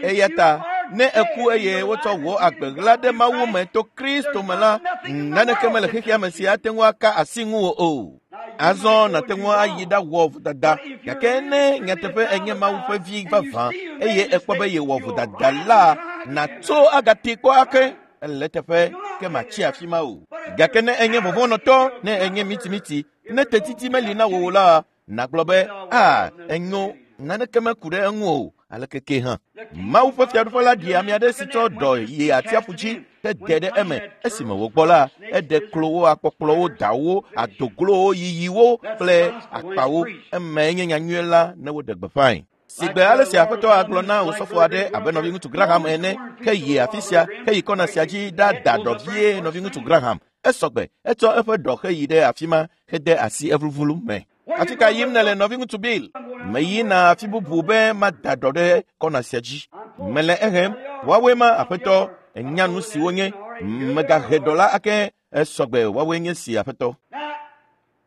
Eya ta ne eku eye wotsɔ wò agbe ɣla ɖe Mawu me to Kristo me la, naneke mele xexea me si ate ŋu aka asi ŋuwò o. Azɔ nàte ŋu ayi ɖawɔ vodada gake ne nyateƒe enye Mawu ƒe vi vavã eye ekpɔ be yewɔ vodada la, nàtso agate kpɔ ake ele teƒe ke màtsi afi ma o. Gake ne enye vɔvɔ̃nɔtɔ, ne enye mitimiti, ne tetiti meli na wò o la, nàgblɔ be a enyo naneke meku ɖe eŋu o aleke ke hã. Mawu ƒe fiaɖuƒe la ɖi ame aɖe si tsɔ ɖɔ yi atsiaƒu dzi hede ɖe eme. Esime wògbɔ la, eɖe klowo, akpɔkplɔwo, dawo, adoglowo, yiyiwo kple akpawo. Emae nye nyanyui la ne woɖe gbeƒãe. Sigbe ale si aƒetɔ agblɔ na osɔfo aɖe abe nɔviŋutsu Graham ene, ke yi afi sia, ke yi kɔna sia dzi ɖada ɖɔ vie nɔviŋutsu Graham. Esɔgbe, etsɔ eƒe ɖɔ heyi ɖe afi ma hede asi evluvlu me. Afi ka yim nèle nɔviŋutsu Bill? Meyina afi bubu be mada ɖɔ ɖe kɔna sia dzi. Mele ehem. Woawoe ma aƒetɔ, enya nu si wonye. Megahe ɖɔ la ake esɔgbe woawoe nye si aƒetɔ.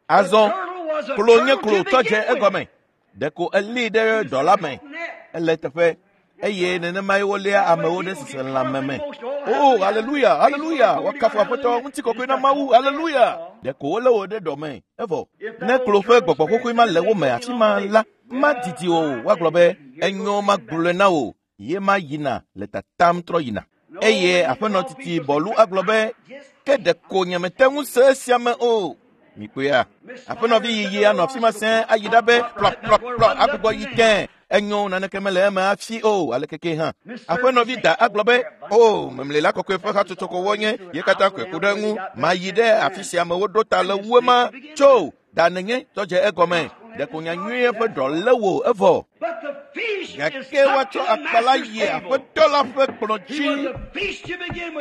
Azɔ klo nye klo tɔ dze egɔme. Ɖeko elée ɖe ɖɔ la me. Ele teƒe eye nenemae woléa amewo ɖe seselãme me. O, aleluya, aleluya, woakafu aƒetɔ, ŋutikɔkɔe na Mawu, aleluya. Ɖeko wolé wo ɖe ɖɔ me, evɔ. Ne klo ƒe gbɔgbɔ xoxoe ma le wo me afi ma la, madidi o, woagblɔ be, enyo magblɔe na wò, ye ma yina le tatam trɔ yina. Eye aƒenɔ titi bɔlu agblɔ be, ke ɖeko nyemete ŋu se esia me o. Mikpɔea? Aƒenɔvi yiyi anɔ afi ma sẽe ayi ɖa be plɔplɔplɔ agbugbɔ yi tẽ. Enyo naneke mele eme hafi o aleke ke hã. Aƒenɔvi da agblɔ be, o memlela kɔkɔe ƒe hatsotso ko wonye, ye katã koe ku ɖe eŋu. Mayi ɖe afi sia me woɖo ta le wu ema. Tso, da nenye tɔ dze egɔme. Ɖeko nyanyuie ƒe ɖɔ lé wò evɔ. Gake woatsɔ akpa la yi aƒetɔ la ƒe kplɔ̃ dzi.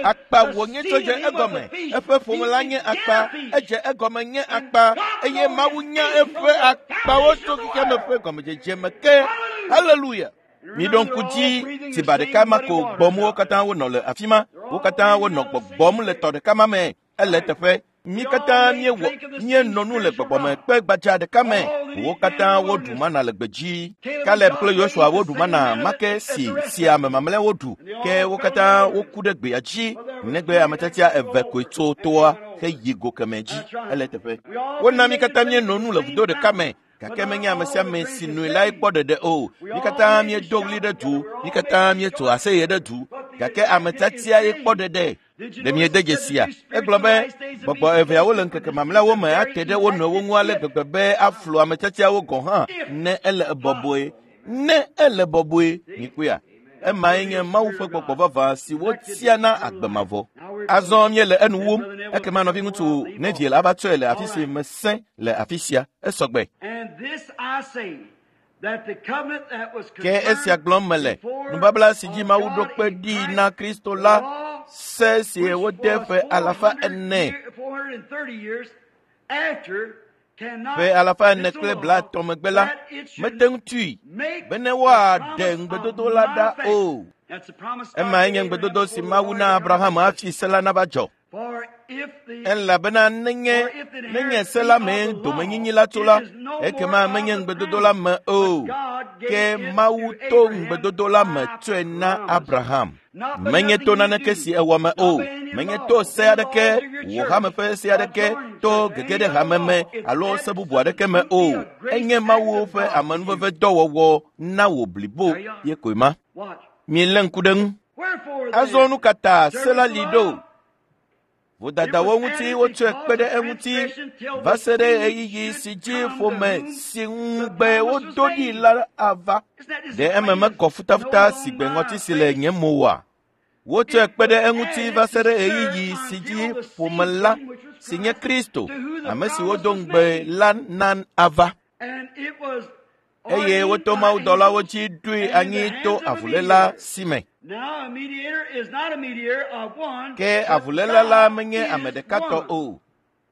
Akpa wònye tso dze egɔme. Eƒe ƒome la nye akpa. Edze egɔme nye akpa. Eye Mawu nya eƒe akpawo tso xexeame ƒe gɔmedzedze me ke. Haleluya! Miɖo ŋku dzi tsiba ɖeka ma ko gbɔm wo katã wonɔ le afi ma. Wo katã wonɔ gbɔgbɔm le tɔ ɖeka ma me. Ele teƒe. Mí katã míewɔ míenɔ nu le gbɔgbɔme kpe gbadza ɖeka me. Wo katã woɖu mana le gbedzi. Kaleb kple Yosua woɖu mana make si si ame mamlɛwo ɖu ke wo katã woku ɖe gbea dzi negbe ame tiatia eve koe tso toa heyi go kemɛ dzi. Ele teƒe. Wona mí katã míenɔ nu le vudo ɖeka me. Gake menye ame sia ame si noe lae kpɔ ɖeɖe o. Mí katã míedo ɣli ɖe du, mí katã míetso aseye ɖe du. Gake ame tiatia ye kpɔ ɖeɖe. Ɖe miede dzesia? Egblɔ be gbɔgbɔ eveawo le ŋkeke mamlɛawo me ate ɖe wo nɔewo ŋu ale gbegbe be aflu ame tiatiawo gɔ̃ hã ne ele bɔbɔe. Ne ele bɔbɔe, mikpɔea? Emae nye Mawu ƒe gbɔgbɔ vavã si wotia na agbe mavɔ. Azɔ míele enu wum. Ekema nɔviŋutsu Neville ava tsɔe le afi si mesẽ le afi sia. Esɔgbe. Ke esia gblɔm mele, nubabla si dzi Mawu ɖo kpe ɖi na Kristo la, se si wode ƒe 400 ƒe 430 megbe la, mete ŋu tui bene woaɖe ŋugbedodo la ɖa o. Emae nye ŋugbedodo si Mawu na Abraham hafi se la nava dzɔ. Elabena nenye se la mee domenyinyi la tso la, ekema menye ŋugbedodo la me o. Ke Mawu to ŋugbedodo la me tsɔe na Abraham. Menye to naneke si ewɔ me o. Menye to se aɖeke, wò hame ƒe se aɖeke, to gege ɖe hame me alo se bubu aɖeke me o. Enye Mawu ƒe amenuveve dɔwɔwɔ na wò blibo ye koe ma. Mielé ŋku ɖe ŋu. Azɔ nu ka ta se la li ɖo? Vodadawo ŋuti wotsɔe kpe ɖe eŋuti va se ɖe ɣeyiɣi si dzi ƒome si ŋugbe wodo ɖi la ava. Ɖe eme mekɔ futafuta si gbe ŋɔti si le nye mo oa? Wotsɔe kpe ɖe eŋuti va se ɖe ɣeyiɣi si dzi ƒome la si nye Kristo, ame si wodo ŋugbe la na ava. Eye woto mawudɔlawo dzi ɖoe anyi to avuléla si me. Ke avuléla la menye ame ɖeka tɔ o,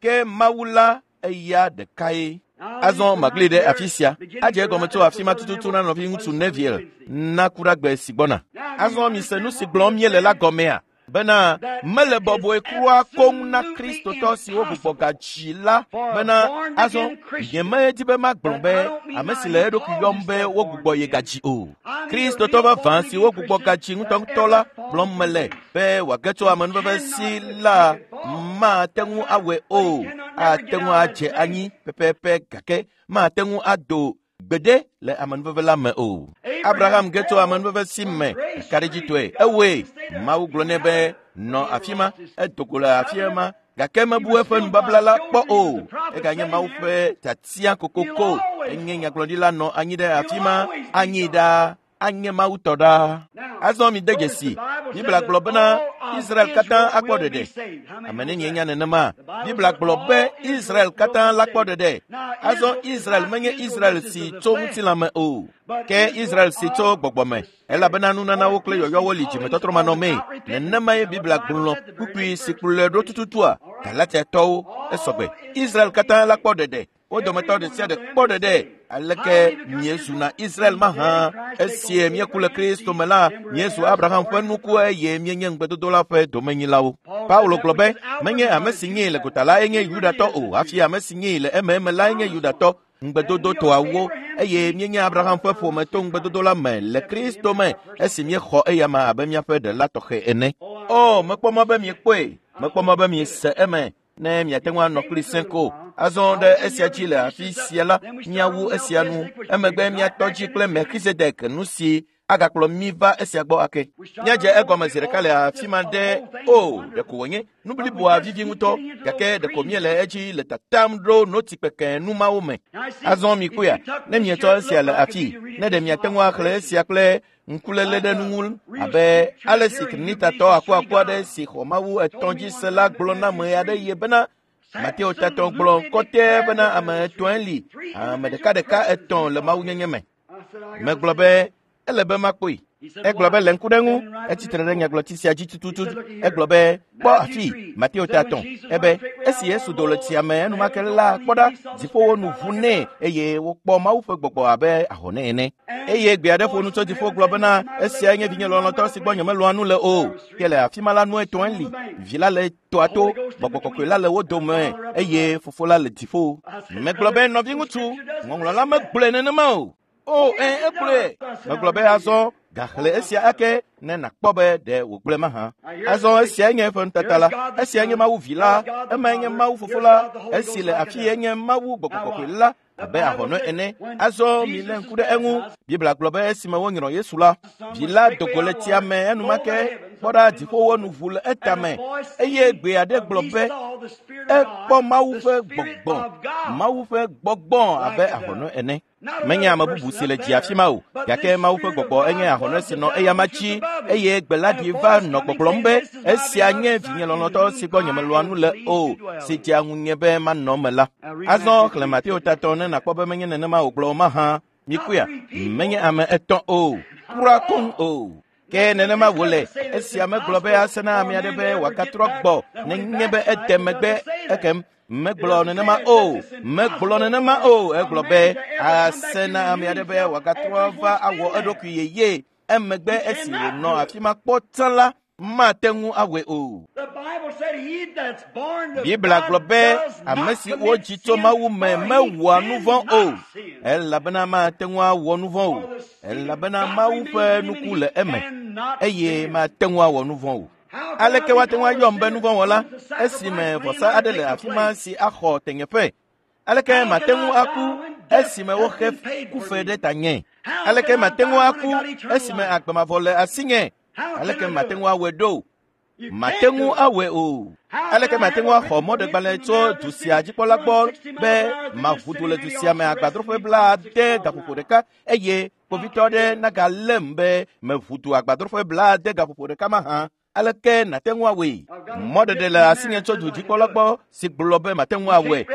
ke Mawu la eya ɖekae. Azɔ magli ɖe afi sia. Adze egɔme tso afi ma tututu na nɔviŋutsu Neville na ku ɖe agbe si gbɔna. Azɔ mise nu si gblɔm míele la gɔmea? Bena mele bɔbɔe kura koŋ na Kristotɔ siwo gbugbɔ gadzi la bena azɔ nyemedi be magblɔ be ame si le eɖokui yɔm be wogbugbɔ ye gadzi o. Kristotɔ vavã si wogbugbɔ gadzi ŋutɔŋutɔ la gblɔm mele be wòage tso amenuveve si la mate ŋu awɔe o. Ate ŋu adze anyi pɛpɛpɛ gake mate ŋu ado gbeɖe le amenuveve la me o. Abraham ge tso amenuveve si me kaɖedzitɔe. Ewɔe. Mawu gblɔ nɛ be nɔ afi ma, edo go le afi ma gake mebu eƒe nubabla la kpɔ o. Eganye Mawu ƒe tiatia kokoko. Enye nyagblɔɖila nɔ anyi ɖe afi ma, anyi ɖaa, anye Mawu tɔ ɖaa. Azɔ mide dzesi. Biblia gblɔ bena Israel katã akpɔ ɖeɖe. Ame nenie nya nenema? Biblia gblɔ be Israel katã la kpɔ ɖeɖe. Azɔ Israel menye Israel si tso ŋutilã me o, ke Israel si tso gbɔgbɔ me. Elabena nunanawo kple yɔyɔwo li dzimetɔtrɔmanɔmee. Nenemae Biblia gblɔ kpukpui si kplɔe ɖo tututua Galatiatɔwo esɔgbe. Israel katã la kpɔ ɖeɖe. Wo dometɔ ɖe sia ɖe kpɔ ɖeɖe. Aleke miezuna Israel mahã? Esie míeku le Kristo me la, míezu Abraham ƒe nuku eye míenye ŋugbedodo la ƒe domenyilawo. Paulo gblɔ be, menye ame si nyee le gota lae nye Yudatɔ o, hafi ame si nyee le ememe lae nye Yudatɔ. Ŋugbedodo tɔawo eye míenye Abraham ƒe ƒome to ŋugbedodo la me le Kristo me esi míexɔ eyama abe míaƒe ɖela tɔxɛ ene. O, mekpɔ mɔ be miekpɔe, mekpɔ mɔ be miese eme. Ne miate ŋu anɔ kpli sẽ ko. Azɔ ɖe esia dzi le afi sia la, míawu esia nu. Emegbe míatɔ dzi kple Melchizedek nu si agakplɔ mí va esia gbɔ ake. Míadze egɔme zi ɖeka le afi ma ɖe o, ɖeko wònye nu bliboa vivi ŋutɔ, gake ɖeko míele edzi le tatam ɖo notsi kpekẽ nu mawo me. Azɔ mikpɔea, ne mietsɔ esia le afii, ne ɖe miate ŋu axlẽ esia kple ŋkuléle ɖe nu ŋu abe ale si Trinitatɔ akuaku aɖe si xɔ Mawu etɔ̃ dzi se la gblɔ na ame aɖe ye bena Mateo tatɔ gblɔ kɔtɛ bena ame etɔ̃e li, ame ɖekaɖeka etɔ̃ le mawunyenye me. Megblɔ be Ele be makpɔe. Egblɔ be le ŋku ɖe ŋu, etsitre ɖe nyagblɔti sia dzi tututu. Egblɔ be kpɔ afi Mateo ta 3. Ebe esi Yesu do le tsia me enumake la, kpɔ ɖa, dziƒowo nu ʋu nɛ eye wokpɔ Mawu ƒe gbɔgbɔ abe ahɔnɛ ene. Eye gbe aɖe ƒo nu tso dziƒo gblɔ bena esiae nye vinye lɔlɔ̃tɔ si gbɔ nyemelɔ̃a nu le o. Ke le afi ma la nu etɔ̃e li. Vi la le toa to, gbɔgbɔ kɔkɔe la le wo dome eye fofo la le dziƒo. Megblɔ be nɔviŋutsu, ŋɔŋlɔ la megblɔe nenema o. O, ẽ, egblɔe. Megblɔ be azɔ gaxlẽ esia ake ne nàkpɔ be ɖe wògblɔe mahã. Azɔ esiae nye eƒe nutata la. Esiae nye Mawu Vi la. Emae nye Mawu Fofo la. Esi le afi ye nye Mawu Gbɔgbɔ Kɔkɔe la abe ahɔnɔ ene. Azɔ milé ŋku ɖe eŋu. Biblia gblɔ be esime wonyrɔ Yesu la, Vi la do go le tsia me enumake, kpɔ ɖa dziƒowo nu ʋu le etame eye gbe aɖe gblɔ be ekpɔ Mawu ƒe gbɔgbɔ, Mawu ƒe gbɔgbɔ abe ahɔnɔ ene. Menye ame bubu si le dzi afi ma o, gake Mawu ƒe gbɔgbɔ enye ahɔnɔ si nɔ eyama dzi eye gbe la ɖi va nɔ gbɔgblɔm be esia nye vinye lɔlɔ̃tɔ si gbɔ nyemelɔ̃a nu le o, si dzea ŋunye be manɔ eme la. Azɔ xlẽ Mateo ta 3 ne nàkpɔ be menye nenema wògblɔ o mahã. Mikpɔea, menye ame etɔ̃ o, kura koŋ o. Ke nenema wòle, esia megblɔ be ase na ame aɖe be wòagatrɔ gbɔ nenye be ede megbe ekem. Megblɔ nenema o, megblɔ nenema o. Egblɔ be ase na ame aɖe be wòagatrɔ va awɔ eɖokui yeye. Emegbe esi wònɔ afi ma kpɔ tsã la, mate ŋu awɔe o. Biblia gblɔ be ame si wodzi tso Mawu me mewɔa nu vɔ̃ o, elabena mate ŋu awɔ nu vɔ̃ o, elabena Mawu ƒe nuku le eme eye mate ŋu awɔ nu vɔ̃ o. Aleke woate ŋu ayɔm be nuvɔ̃wɔla esime vɔsa aɖe le afi ma si axɔ tenyeƒe? Aleke mate ŋu aku esime woxe kufe ɖe tanye? Aleke mate ŋu aku esime agbe mavɔ le asinye? Aleke mate ŋu awɔe ɖo? Mate ŋu awɔe o. Aleke mate ŋu axɔ mɔɖegbalẽ tso du sia dzikpɔla gbɔ be maʋu du le du sia me agbadroƒe 70 gaƒoƒo ɖeka eye kpovitɔ aɖe nagalém be meʋu du agbadroƒe 70 gaƒoƒo ɖeka mahã? Aleke nàte ŋu awɔe? Mɔɖeɖe le asinye tso dudzikpɔla gbɔ si gblɔ be mate ŋu awɔe.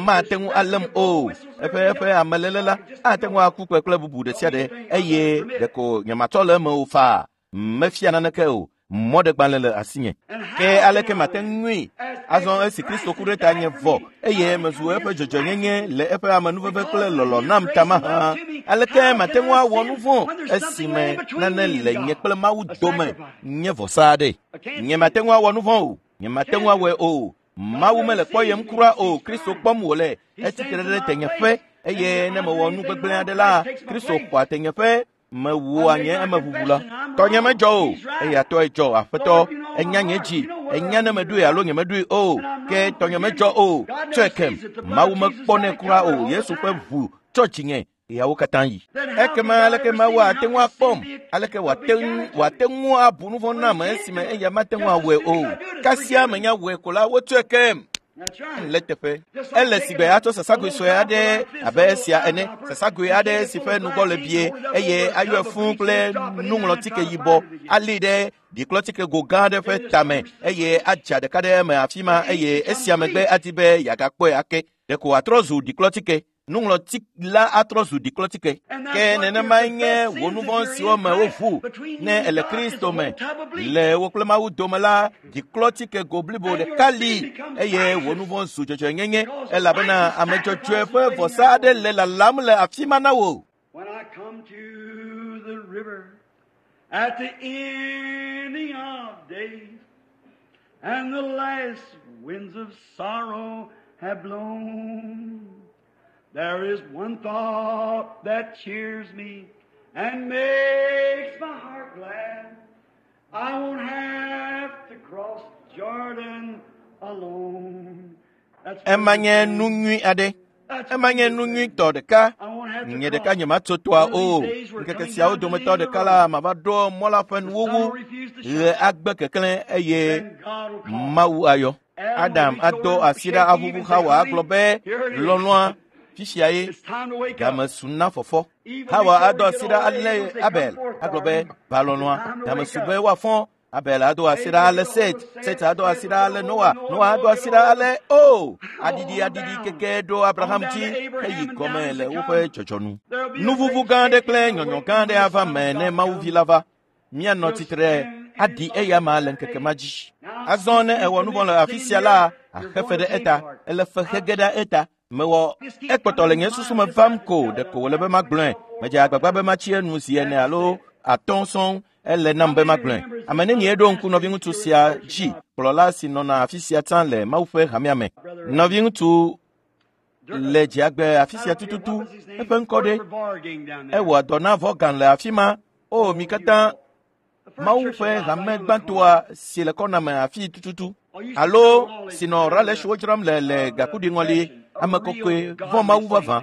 Mate ŋu além o. Eƒe ameléle la ate ŋu aku kpekple bubu ɖe sia ɖe eye ɖeko nyematsɔ le eme o faa. Mefia naneke o. Mɔɖegbalẽ le asinye. Ke aleke mate ŋui? Azɔ esi Kristo ku ɖe tanye vɔ eye mezu eƒe dzɔdzɔenyenye le eƒe amenuveve kple lɔlɔ̃ nam ta mahã, aleke mate ŋu awɔ nu vɔ̃ esime nane le nye kple Mawu dome nye vɔsa aɖe? Nye mate ŋu awɔ nu vɔ̃ o. Nye mate ŋu awɔe o. Mawu mele kpɔyem kura o. Kristo kpɔm wòle. Etsitre ɖe tenyeƒe eye ne mewɔ nu gbegblẽ aɖe la, Kristo xɔa tenyeƒe. Mewɔa nye emeʋuʋu la. Tɔnye medzɔ o, eya tɔe dzɔ. Aƒetɔ, enya nye dzi, enya ne meɖoe alo nyemeɖoe o, ke tɔnye medzɔ o. Tsɔe kem. Mawu mekpɔnɛ kura o. Yesu ƒe ʋu tsɔ dzinye. Eyawo katã yi. Ekema aleke Mawu ate ŋu akpɔm? Aleke wòate ŋu abu nu vɔ̃ nam esime eya mate ŋu awɔe o? Kasia menya wɔe ko la, wotsɔe kem. Le teƒe. Ele sigbe atsɔ sasagoe sue aɖe abe esia ene, sasagoe aɖe si ƒe nugbɔ le bie eye ayɔe fũu kple nuŋlɔtike yibɔ, alée ɖe ɖiklɔtike go gã aɖe ƒe tame eye adza ɖeka ɖe eme afi ma eye esia megbe adi be yeagakpɔe ake. Ɖeko wòatrɔ zu ɖiklɔtike. Nuŋlɔti la atrɔ zu ɖiklɔtike. Ke nenemae nye wò nu vɔ̃ siwo me woʋu ne ele Kristo me. Le wò kple Mawu dome la, ɖiklɔtike go blibo ɖeka li eye wò nu vɔ̃ zu dzɔdzɔenyenye elabena ame dzɔdzɔe ƒe vɔsa aɖe le lalam le afi ma na wò. When I come to the river at the ending of days, and the last winds of sorrow have blown, there is one thought that cheers me and makes my heart glad. I won't have to cross Jordan alone. Ema nye nu nyui aɖe. Ema nye nu nyuitɔ ɖeka. Nye ɖeka nyematso toa o. Ŋkeke siawo dometɔ ɖeka la, mava ɖo mɔ la ƒe nuwuwu. Ɣe agbe keklẽ eye Mawu ayɔ. Adam ado asi ɖa aʋuʋu Hawa agblɔ be lɔlɔ̃a fisia ye game su na fɔfɔ. Hawa ado asi ɖa alé Abel agblɔ be va lɔlɔ̃a game su be woafɔ. Abel ado asi ɖa ale Set, Set ado asi ɖa ale Noa, Noa ado asi ɖa ale o aɖiɖi aɖiɖi keke ɖo Abraham dzi heyi gɔme le woƒe dzɔdzɔnu. Nuvuvu gã aɖe kple nyɔnyɔ gã aɖe ava me ne Mawu vi la va. Míanɔ tsitre aɖi eya ma le ŋkeke ma dzi. Azɔ ne ewɔ nu vɔ̃ le afi sia la, axe fe ɖe eta, ele fe xe ge ɖe eta. Mewɔ ekpɔtɔ le nye susu me vam ko ɖeko wòle be magblɔe. Medze agbagba be matsi enu zi ene alo atɔ̃ sɔŋ ele nam be magblɔe. Ame nenie ɖo ŋku nɔviŋutsu sia dzi, kplɔla si nɔna afi sia tsã le Mawu ƒe hamea me. Nɔviŋutsu le dziagbe afi sia tututu, eƒe ŋkɔ ɖe? Ewɔa dɔ na Vɔgan le afi ma. O, mi katã Mawu ƒe hame gbãtɔa si le kɔna me afi tututu alo si nɔ raleshiwo dzram le le gakuɖiŋɔli ame kɔkɔe vɔ̃ Mawu vavã.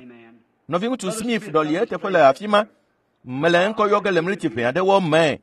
Nɔviŋutsu Smith ɖɔli eteƒe le afi ma. Mele ŋkɔ yɔ ge le mliti ʋɛ aɖewo me.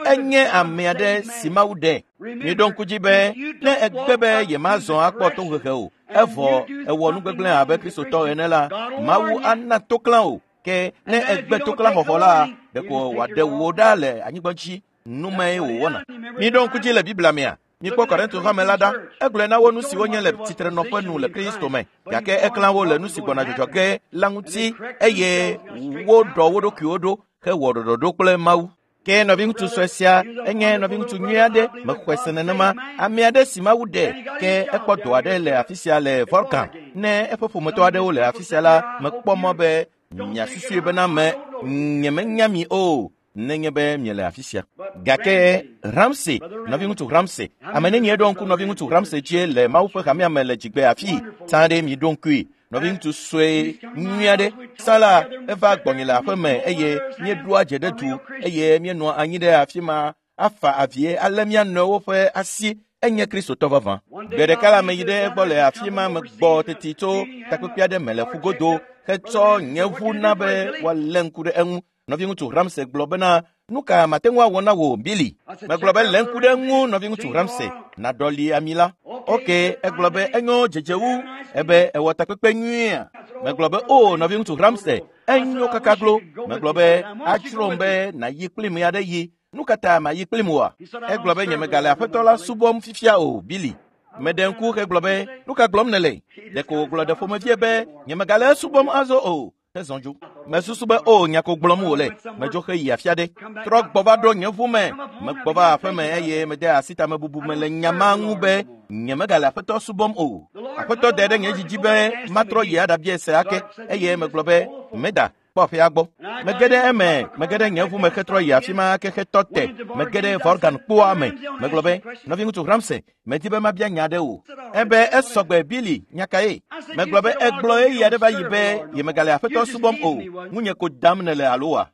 Enye ame aɖe si Mawu ɖe. Miɖo ŋku dzi be ne egbe be yemazɔ akpɔ tohehe o, evɔ ewɔ nu gbegblẽ abe Kristotɔ ene la, Mawu ana toklã o. Ke ne egbe toklã xɔxɔ la, ɖeko wòaɖe wò ɖa le anyigba dzi. Numee wòwɔna. Miɖo ŋku dzi le Biblia mea? Mikpɔ Korinto hame la ɖa. Egblɔe na wo nu siwo nye le tsitrenɔƒe nu le Kristo me, gake eklã wo le nu si gbɔna dzɔdzɔ ge la ŋuti eye woɖɔ wo ɖokuiwo ɖo hewɔ ɖɔɖɔɖo kple Mawu. Ke nɔviŋutsu sue sia enye nɔviŋutsu nyui aɖe, mexɔe se nenema, ame aɖe si Mawu ɖe, ke ekpɔ dɔ aɖe le afi sia le Volkan. Ne eƒe ƒometɔ aɖewo le afi sia la, mekpɔ mɔ be miasusui bena me nyemenya mi o, nenye be miele afi sia. Gake Ramsey, nɔviŋutsu Ramsey, ame nenie ɖo ŋku nɔviŋutsu Ramsey dzie le Mawu ƒe hamea me le dzigbe afii, tsã ɖe mi ɖo ŋkui. Nɔviŋutsu sue nyui aɖe tsã la eva gbɔnye le aƒe me eye míeɖoa dze ɖe du eye míenɔa anyi ɖe afi ma afa avie ale mía nɔewo ƒe asi. Enye Kristotɔ vavã. Gbe ɖeka la meyi ɖe egbɔ le afi ma megbɔ teti tso takpekpe aɖe me le ƒugodo hetsɔ nye ʋu na be woalé ŋku ɖe eŋu. Nɔviŋutsu Ramsey gblɔ bena, nu ka mate ŋu awɔ na wò, Billy? Megblɔ be lé ŋku ɖe eŋu, nɔviŋutsu Ramsey, naɖɔli ami la. Ok, egblɔ be enyo dzedze wu, ebe ewɔ takpekpe nyuiea. Megblɔ be o, nɔviŋutsu Ramsey, enyo kaka glo. Megblɔ be adzrom be nàyi kplim ɣe aɖe yi. Nu ka ta mayi kplim oa? Egblɔ be nyemegale aƒetɔ la subɔm fifia o, Billy. Meɖe ŋku hegblɔ be, nu ka gblɔm nèle? Ɖeko wògblɔ ɖe ƒomevie be nyemegale esubɔm azɔ o. Hezɔ dzo. Mesusu be o nya ko gblɔm wòle. Medzo heyi afi aɖe. Trɔ gbɔ va ɖo nye ʋu me. Megbɔ va aƒe me eye mede asi tamebubu me le nya ma ŋu be nyemegale aƒetɔ subɔm o. Aƒetɔ de ɖe nye dzidzi be matrɔ yi aɖabia se ake eye megblɔ be meda kpɔ aƒea gbɔ. Mege ɖe eme, mege ɖe nye ʋu me hetrɔ yi afi ma ke hetɔ te. Mege ɖe Vorgan kpoa me. Megblɔ be, nɔviŋutsu Ramsey, medi be mabia nya aɖe wò. Ebe esɔgbe Billy, nya kae? Megblɔ be egblɔ ɣeyiɣi aɖe va yi be yemegale aƒetɔ subɔm o. Ŋunye ko dam nèle alo wa?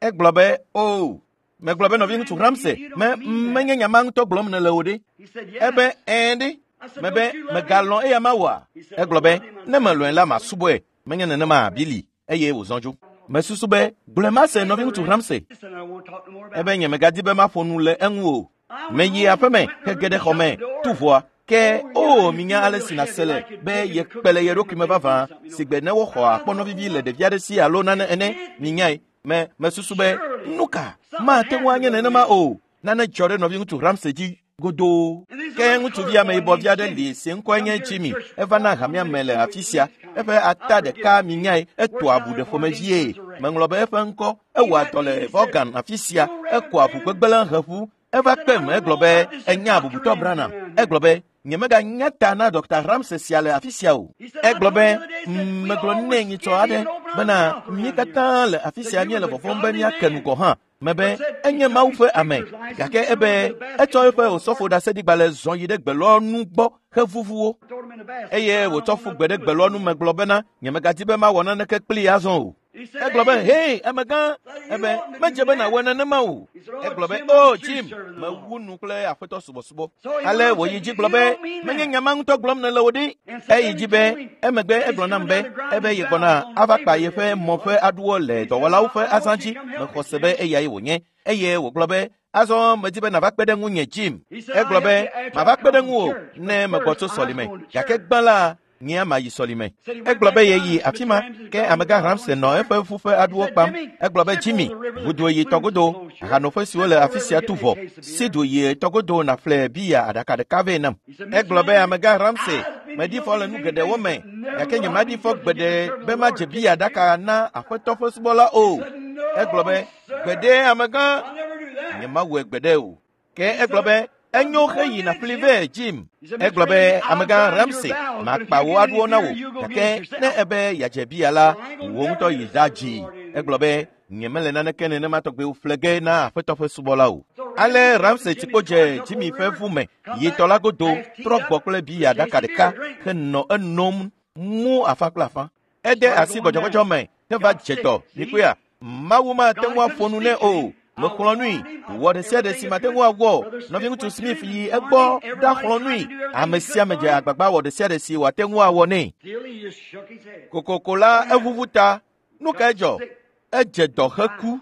Egblɔ be o. Megblɔ be nɔviŋutsu Ramsey, me menye nya ma ŋutɔ gblɔm nèle o ɖe? Ebe ɛ̃ ɖe. Mebe megalɔ̃ eya ma oa? Egblɔ be ne melɔ̃e la masubɔe. Menye nenema Billy eye wòzɔ dzo. Mesusu be gblɔe mase nɔviŋutsu Ramsey. Ebe nyemegadi be maƒo nu le eŋu o. Meyi aƒeme hege ɖe xɔ me tu ʋɔa. Ke o minya ale si nàse le be yekpe le ye ɖokui me vavã si gbe ne woxɔ akpɔnɔ vivi le ɖevi aɖe si alo nane ene. Minyae. Me mesusu be nu ka mate ŋu anye nenema o. Nane dzɔ ɖe nɔviŋutsu Ramsey dzi godoo. Ke ŋutsuvi ameyibɔvi aɖe li si ŋkɔe nye Jimmy. Eva na hamea me le afi sia. Eƒe ata ɖeka minyae etoa abu ɖe ƒomevie. Meŋlɔ be eƒe ŋkɔ. Ewɔa dɔ le Vaughan afi sia. Ekɔa ʋu gbegblẽ heʋu. Eva kpem egblɔ be enya bubutɔ Branham. Egblɔ be nyemeganya ta na Dr. Ramsey sia le afi sia o. Egblɔ be megblɔ nɛ nyitsɔ aɖe bena mí katã le afi sia míele vɔvɔ̃m be míake nu gɔ̃ hã. Mebe enye Mawu ƒe ame, gake ebe etsɔ eƒe osɔfo ɖaseɖigbalẽ zɔ yi ɖe gbelɔnu gbɔ hevuvu wo eye wòtsɔ ƒu gbe ɖe gbelɔnu me gblɔ bena nyemegadi be mawɔ naneke kplii azɔ o. Egblɔ be hei amegã, ebe medze be nàwɔe nenema o. Egblɔ be o Jim, mewu nu kple aƒetɔ subɔsubɔ. Ale wòyi dzi gblɔ be menye nya ma ŋutɔ gblɔm nèle o ɖe. Eyi dzi be emegbe egblɔ nam be ebe yegbɔna ava kpa yeƒe mɔ ƒe aɖuwo le dɔwɔlawo ƒe azã dzi. Mexɔ se be eyae wònye. Eye wògblɔ be azɔ medi be nàva kpe ɖe ŋunye Jim. Egblɔ be mava kpe ɖe ŋuwò ne megbɔ tso sɔlime. Gake gbã la, Nye mayi sɔlime. Egblɔ be yeyi afi ma, ke amegã Ramsey nɔ eƒe ʋu ƒe aɖuwo kpam. Egblɔ be Jimmy, ʋudo yi tɔgodo, ahanoƒe siwo le afi sia tu vɔ. Si du yi tɔgodo nàƒle biya aɖaka ɖeka vɛ nam. Egblɔ be amegã Ramsey, meɖi fɔ le nu geɖewo me, gake nyemaɖi fɔ gbeɖe be madze biya ɖaka na aƒetɔ ƒe subɔla o. Egblɔ be, gbeɖe amegã, nyemawɔe gbeɖe o. Ke egblɔ be, enyo heyi nàƒli vɛ Jim. Egblɔ be amegã Ramsey, makpa wò aɖuwo na wò, gake ne ebe yeadze biya la, wò ŋutɔ yi ɖa dzi. Egblɔ be, nyemele naneke nenema tɔgbe ƒle ge na aƒetɔ ƒe subɔla o. Ale Ramsey tsikpo dze Jimmy ƒe ʋu me, yi tɔ la godo, trɔ gbɔ kple biya ɖaka ɖeka henɔ enom mu afã kple afã. Ede asi gbɔdzɔgbɔdzɔ me heva dze dɔ. Mikpɔea, Mawu mate ŋu aƒo nu nɛ o. Mexlɔ̃ nui, wɔ ɖe sia ɖe si mate ŋu awɔ. Nɔviŋutsu Smith yi egbɔ ɖaxlɔ̃ nui. Ame sia ame dze agbagba wɔ ɖe sia ɖe si wòate ŋu awɔ nɛ. Kokoko la eʋuʋu ta. Nu kae dzɔ? Edze dɔ heku.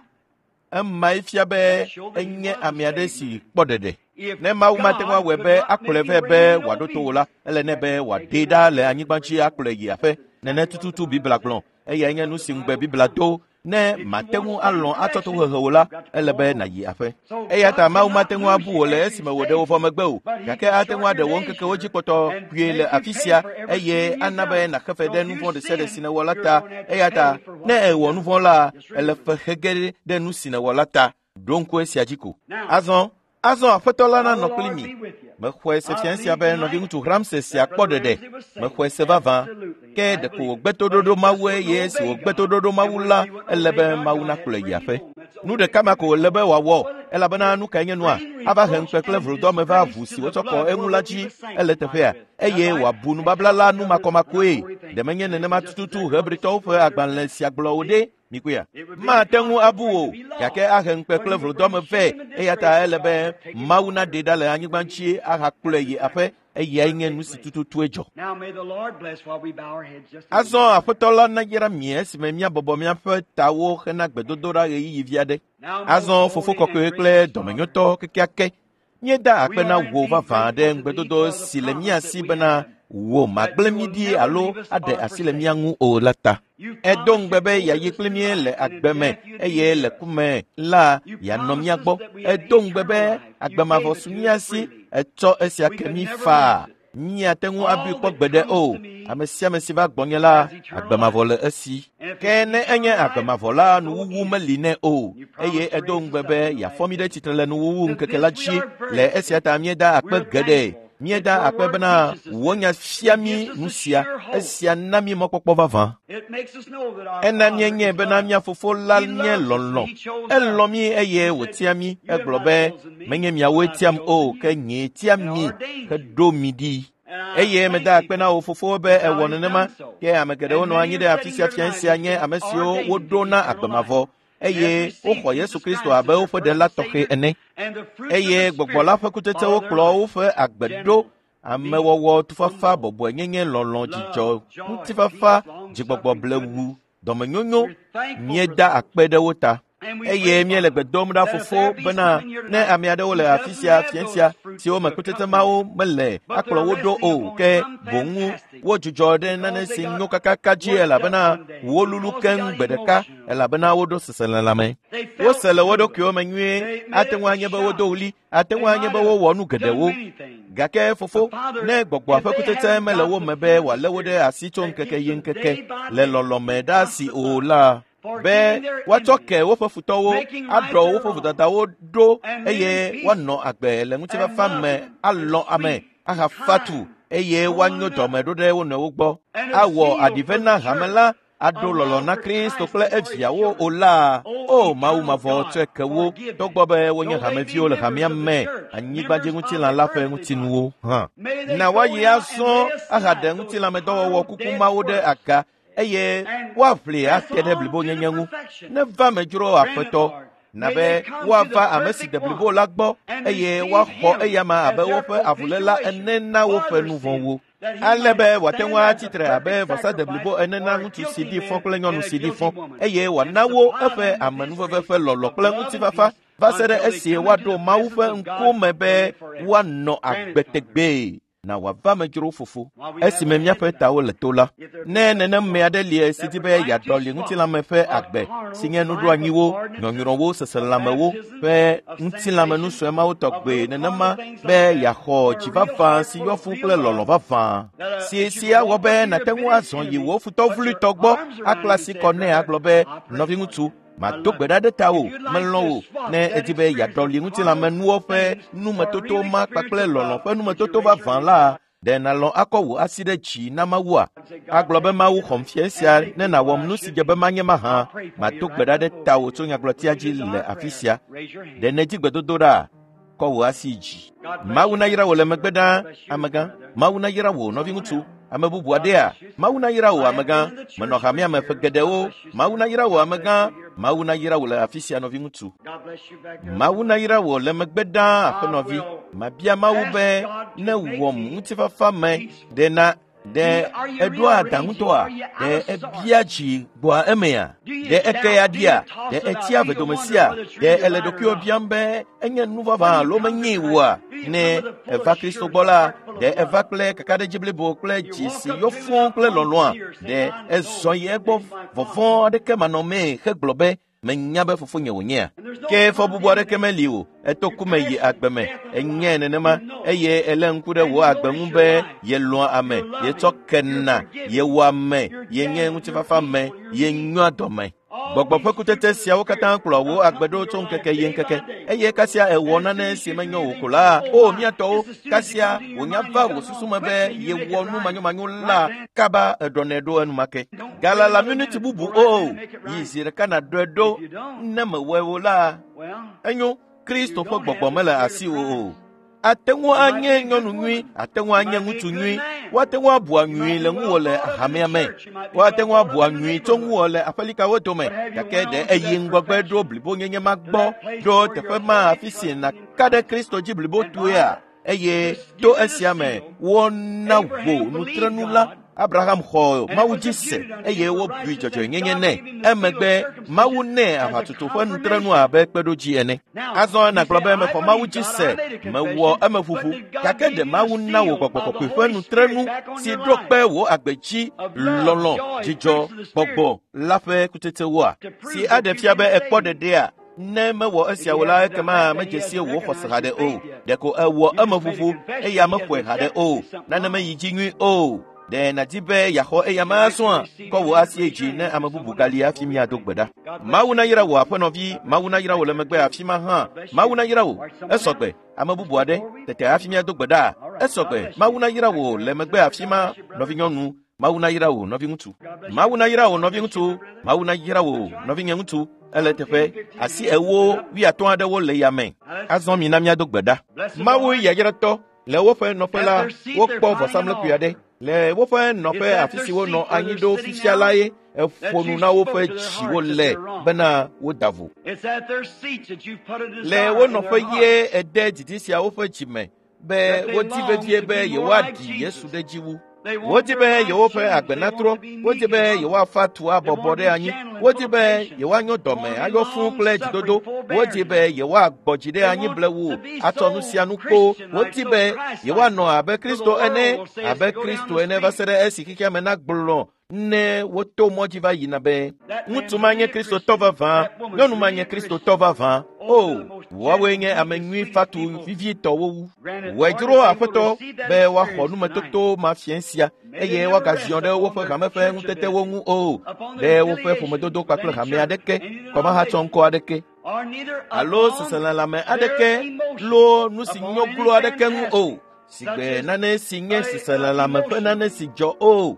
Emae fia be enye ame aɖe si kpɔ ɖeɖe. Ne Mawu mate ŋu awɔe be akplɔe vɛ be wòaɖo to wò la, ele nɛ be wòaɖee ɖa le anyigba dzi akplɔe yi aƒe. Nene tututu Biblia gblɔ. Eyae nye nu si ŋugbe Biblia do. Ne mate ŋu alɔ̃ atsɔ tohehe wò la, ele be nàyi aƒe. Eya ta Mawu mate ŋu abu wò le esime wòɖe wò vɔ megbe o, gake ate ŋu aɖe wò ŋkekewo dzi kpɔtɔ kpuie le afi sia eye ana be nàxe fe ɖe nu vɔ̃ ɖe sia ɖe si nèwɔ la ta. Eya ta ne èwɔ nu vɔ̃ la, èle fe xe ge ɖe nu si nèwɔ la ta. Ɖo ŋku esia dzi ko. Azɔ Aƒetɔ la nanɔ kpli mi. Mexɔe se fia sia be nɔviŋutsu Ramsey sia kpɔ ɖeɖe. Mexɔe se vavã. Ke ɖeko wògbe toɖoɖo Mawu eye esi wògbe toɖoɖo Mawu la, ele be Mawu nakplɔe yi aƒe. Nu ɖeka ma ko wòle be wòawɔ, elabena nu kae nye nua? Ava he ŋukpe kple vlodɔme va ʋu si wotsɔ kɔ eŋu la dzi ele teƒea, eye wòabu nubabla la nu makɔmakɔe. Ɖe menye nenema tututu Hebritɔwo ƒe agbalẽ sia gblɔ o ɖe? Mikpɔea? Mate ŋu abu wò, gake ahe ŋukpe kple vlodɔme vɛ. Eya ta ele be Mawu naɖee ɖa le anyigba dzi ahakplɔe yi aƒe. Eyae nye nu si tututue dzɔ. Azɔ Aƒetɔ la nayra mi esime míabɔbɔ míaƒe tawo hena gbedodoɖa ɣeyiɣi vi aɖe. Azɔ Fofo kɔkɔe kple dɔmenyotɔ kekeake, míeda akpe na wò vavã ɖe ŋugbedodo si le mía si bena wò magblẽ mí ɖi alo aɖe asi le mía ŋu o la ta. Edo ŋugbe be yeayi kpli mí le agbe me eye le ku me la yeanɔ mía gbɔ. Edo ŋugbe be agbe mavɔ su mía si, etsɔ esia ke mí faa. Míate ŋu abui kpɔ gbeɖe o. Ame sia ame si va gbɔnye la, agbe mavɔ le esi. Ke ne enye agbe mavɔ la, nuwuwu meli nɛ o. Eye edo ŋugbe be yeafɔ mí ɖe tsitre le nuwuwu ŋkeke la dzi. Le esia ta míeda akpe geɖe. Míeda akpe bena wò nya fia mí nu sia. Esia na mí mɔkpɔkpɔ vavã. Ena míenyae bena mía fofo la nye lɔlɔ̃. Elɔ̃ mí eye wòtia mí. Egblɔ be, menye miawoe tiam o, ke nyee tia mi heɖo mi ɖi. Eye meda akpe na wò fofo be ewɔ nenema. Ke ame geɖewo nɔ anyi ɖe afi sia fia sia nye ame siwo woɖo na agbe mavɔ eye woxɔ Yesu Kristo abe woƒe ɖela tɔxɛ ene. Eye gbɔgbɔ la ƒe kutsetsewo kplɔ woƒe agbe ɖo. Amewɔwɔ, tufafa, bɔbɔenyenye, lɔlɔ̃, dzidzɔ, ŋutifafa, dzigbɔgbɔ blewu, dɔmenyonyo. Míeda akpe ɖe wo ta. Eye míele gbe dom ɖa fofo bena ne ame aɖewo le afi sia fia sia siwo me kutsetse mawo mele akplɔ wo ɖo o, ke boŋ wodzudzɔ ɖe nane si nyo kakaka dzi elabena wolulu keŋ gbe ɖeka elabena woɖo seselelãme. Wose le wo ɖokuiwo me nyuie, ate ŋu anye be wodo ɣli, ate ŋu anye be wowɔ nu geɖewo. Gake fofo, ne gbɔgbɔa ƒe kutsetse mele wo me be wòalé wo ɖe asi tso ŋkeke yi ŋkeke le lɔlɔ̃me ɖe asi o la, be woatsɔ ke woƒe futɔwo, aɖɔ woƒe vodadawo ɖo eye woanɔ agbe le ŋutifafa me, alɔ̃ ame, ahafa tu eye woanyo dɔme ɖo ɖe wo nɔewo gbɔ, awɔ aɖive na hame la, aɖo lɔlɔ̃ na Kristo kple eviawo o la. O Mawu mavɔ, tsɔe ke wo, togbɔ be wonye hameviwo le hamea me, anyigbadziŋutilã la ƒe ŋutinuwo hã. Na woayi azɔ ahaɖe ŋutilãmedɔwɔwɔ kuku mawo ɖe aga eye woaʋli ate ɖe blibonyenye ŋu. Neva me dzro Aƒetɔ, na be woava ame si de blibo la gbɔ eye woaxɔ eyama abe woƒe avuléla ene na woƒe nu vɔ̃wo. Ale be wòate ŋu atsitre abe vɔsa de blibo ene na ŋutsu si ɖi fɔ kple nyɔnu si ɖi fɔ, eye wòana wo eƒe amenuveve ƒe lɔlɔ̃ kple ŋutifafa va se ɖe esi woaɖo Mawu ƒe ŋkume be woanɔ agbe tegbee. Na wòava me dzro fofo. Esime míaƒe tawo le to la, ne nenem me aɖe li si di be yeaɖɔli ŋutilãme ƒe agbe si nye nuɖoanyiwo, nyɔnyrɔwo, seselãmewo ƒe ŋutilãmenusɔe mawo tɔgbe nenema be yeaxɔ dzi vavã si yɔ fũ kple lɔlɔ̃ vavã si si awɔ be nàte ŋu azɔ yi wò futɔ vloetɔ gbɔ akpla asi kɔ nɛ agblɔ be nɔviŋutsu mado gbe ɖa ɖe tawò, melɔ̃ wò. Ne edi be yeaɖɔli ŋutilãmenuwo ƒe numetoto ma kpakple lɔlɔ̃ ƒe numetoto vavã la, ɖe nàlɔ̃ akɔ wò asi ɖe dzi na Mawua? Agblɔ be Mawu xɔm fia esia ne nàwɔm nu si dze be manye mahã. Mado gbe ɖa ɖe tawò tso nyagblɔtia dzi le afi sia. Ɖe nèdi gbedodo ɖa? Kɔ wò asi dzi. Mawu nayra wò le megbe ɖaa, amegã. Mawu nayra wò, nɔviŋutsu. Ame bubu aɖea? Mawu nayra wò, amegã. Menɔ hamea me ƒe geɖewo. Mawu nayra wò, amegã. Mawu nayra wò le afi sia, nɔviŋutsu. Mawu nayra wò le megbe ɖaa, aƒenɔvi. Mabia Mawu be ne wɔm ŋutifafa me ɖe na ɖe eɖoa aɖaŋutɔa? Ɖe ebia dzi gbɔa emea? Ɖe eke ya ɖia? Ɖe etsia vedomesia? Ɖe ele ɖokuiwò biam be enye nu vavã alo menyee oa? Ne eva Kristo gbɔ la, ɖe eva kple kakaɖedzi blibo kple dzi si yɔ fũu kple lɔlɔ̃a? Ɖe ezɔ yi egbɔ vɔvɔ̃ aɖeke manɔmee hegblɔ be menya be fofonye wònyea? Ke fɔbubu aɖeke meli o. Eto ku me yi agbe me. Enyae nenema eye elé ŋku ɖe wò agbe ŋu be yelɔ̃a ame, yetsɔ kena, yewɔa ame, yenye ŋutifafa me, yenyoa dɔme. Gbɔgbɔ ƒe kutsetse siawo katã kplɔa wò agbe ɖo tso ŋkeke yi ŋkeke eye kasia ewɔ nane si menyo wò ko la, o mía tɔwo, kasia wònya va wò susu me be yewɔ nu manyomanyo la kaba eɖɔnɛ ɖo enumake. Galala miniti bubu o, yi zi ɖeka nàɖɔe ɖo ne mewɔe o la, enyo Kristo ƒe gbɔgbɔ mele asiwò o. Ate ŋu anye nyɔnu nyui, ate ŋu anye ŋutsu nyui. Woate ŋu abua nyui le ŋuwò le hamea me. Woate ŋu abua nyui tso ŋuwò le aƒelikawo dome. Gake ɖe eyi ŋgɔgbe ɖo blibonyenye ma gbɔ ɖo teƒe ma afi si nàka ɖe Kristo dzi blibotoea? Eye to esia me wona wò nutrenu la. Abraham xɔ Mawu dzi se eye wobui dzɔdzɔenyenye nɛ. Emegbe Mawu nɛ aʋatutu ƒe nutrenu abe kpeɖodzi ene. Azɔ nàgblɔ be mexɔ Mawu dzi se, mewɔ emeʋuʋu. Gake ɖe Mawu na wò gbɔgbɔ kɔkɔe ƒe nutrenu si ɖo kpe wò agbe dzi, lɔlɔ̃, dzidzɔ, gbɔgbɔ la ƒe kutsetsewoa? Si aɖe fia be èkpɔ ɖeɖea? Ne mewɔ esia o la, ekema medze si wò xɔse haɖe o. Ɖeko ewɔ emeʋuʋu eye mexɔe haɖe o. Nane meyi dzi nyui o. Ɖe nàdi be yeaxɔ eya ma azɔa? Kɔ wò asi dzi ne ame bubu gali hafi míado gbe ɖa. Mawu nayra wò aƒenɔvi, Mawu nayra wò le megbe afi ma hã. Mawu nayra wò. Esɔgbe, ame bubu aɖe tete hafi míado gbe ɖa. Esɔgbe, Mawu nayra wò le megbe afi ma, nɔvinyɔnu. Mawu nayra wò, nɔviŋutsu. Mawu nayra wò, nɔviŋutsu. Mawu nayra wò, nɔvinyeŋutsu. Ele teƒe asi 40, 50 aɖewo le yame. Azɔ mina míado gbe ɖa. Mawu yayratɔ, le woƒe nɔƒe la, wokpɔ vɔsamlekpui aɖe. Le woƒe nɔƒe afi si wonɔ anyi ɖo fifia la ye eƒo nu na woƒe dziwo le bena woda vo. Le wo nɔƒe ye ede didi sia woƒe dzime be wodi vevie be yewoaɖi Yesu ɖe dzi wu. Wodi be yewoƒe agbe natrɔ, wodi be yewoafa tu abɔbɔ ɖe anyi, wodi be yewoanyo dɔme ayɔ fũu kple dzidodo, wodi be yewoagbɔ dzi ɖe anyi blewu atsɔ nu sia nu kpo, wodi be yewoanɔ abe Kristo ene, abe Kristo ene va se ɖe esi xexea me nagblɔ ne woto mɔ dzi va yina be ŋutsu ma nye Kristotɔ vavã, nyɔnu ma nye Kristotɔ vavã. O, woawoe nye ame nyui fatu vivitɔwo wu. Wòe dzro Aƒetɔ be woaxɔ numetoto ma fiẽ sia eye woagaziɔ ɖe woƒe hame ƒe ŋutetewo ŋu o, ɖe woƒe ƒomedodo kpakple hame aɖeke, kɔmahatsɔŋkɔ aɖeke, alo seselelãme aɖeke loo nu si nyo glo aɖeke ŋu o. Sigbe nane si nye seselelãme ƒe nane si dzɔ o,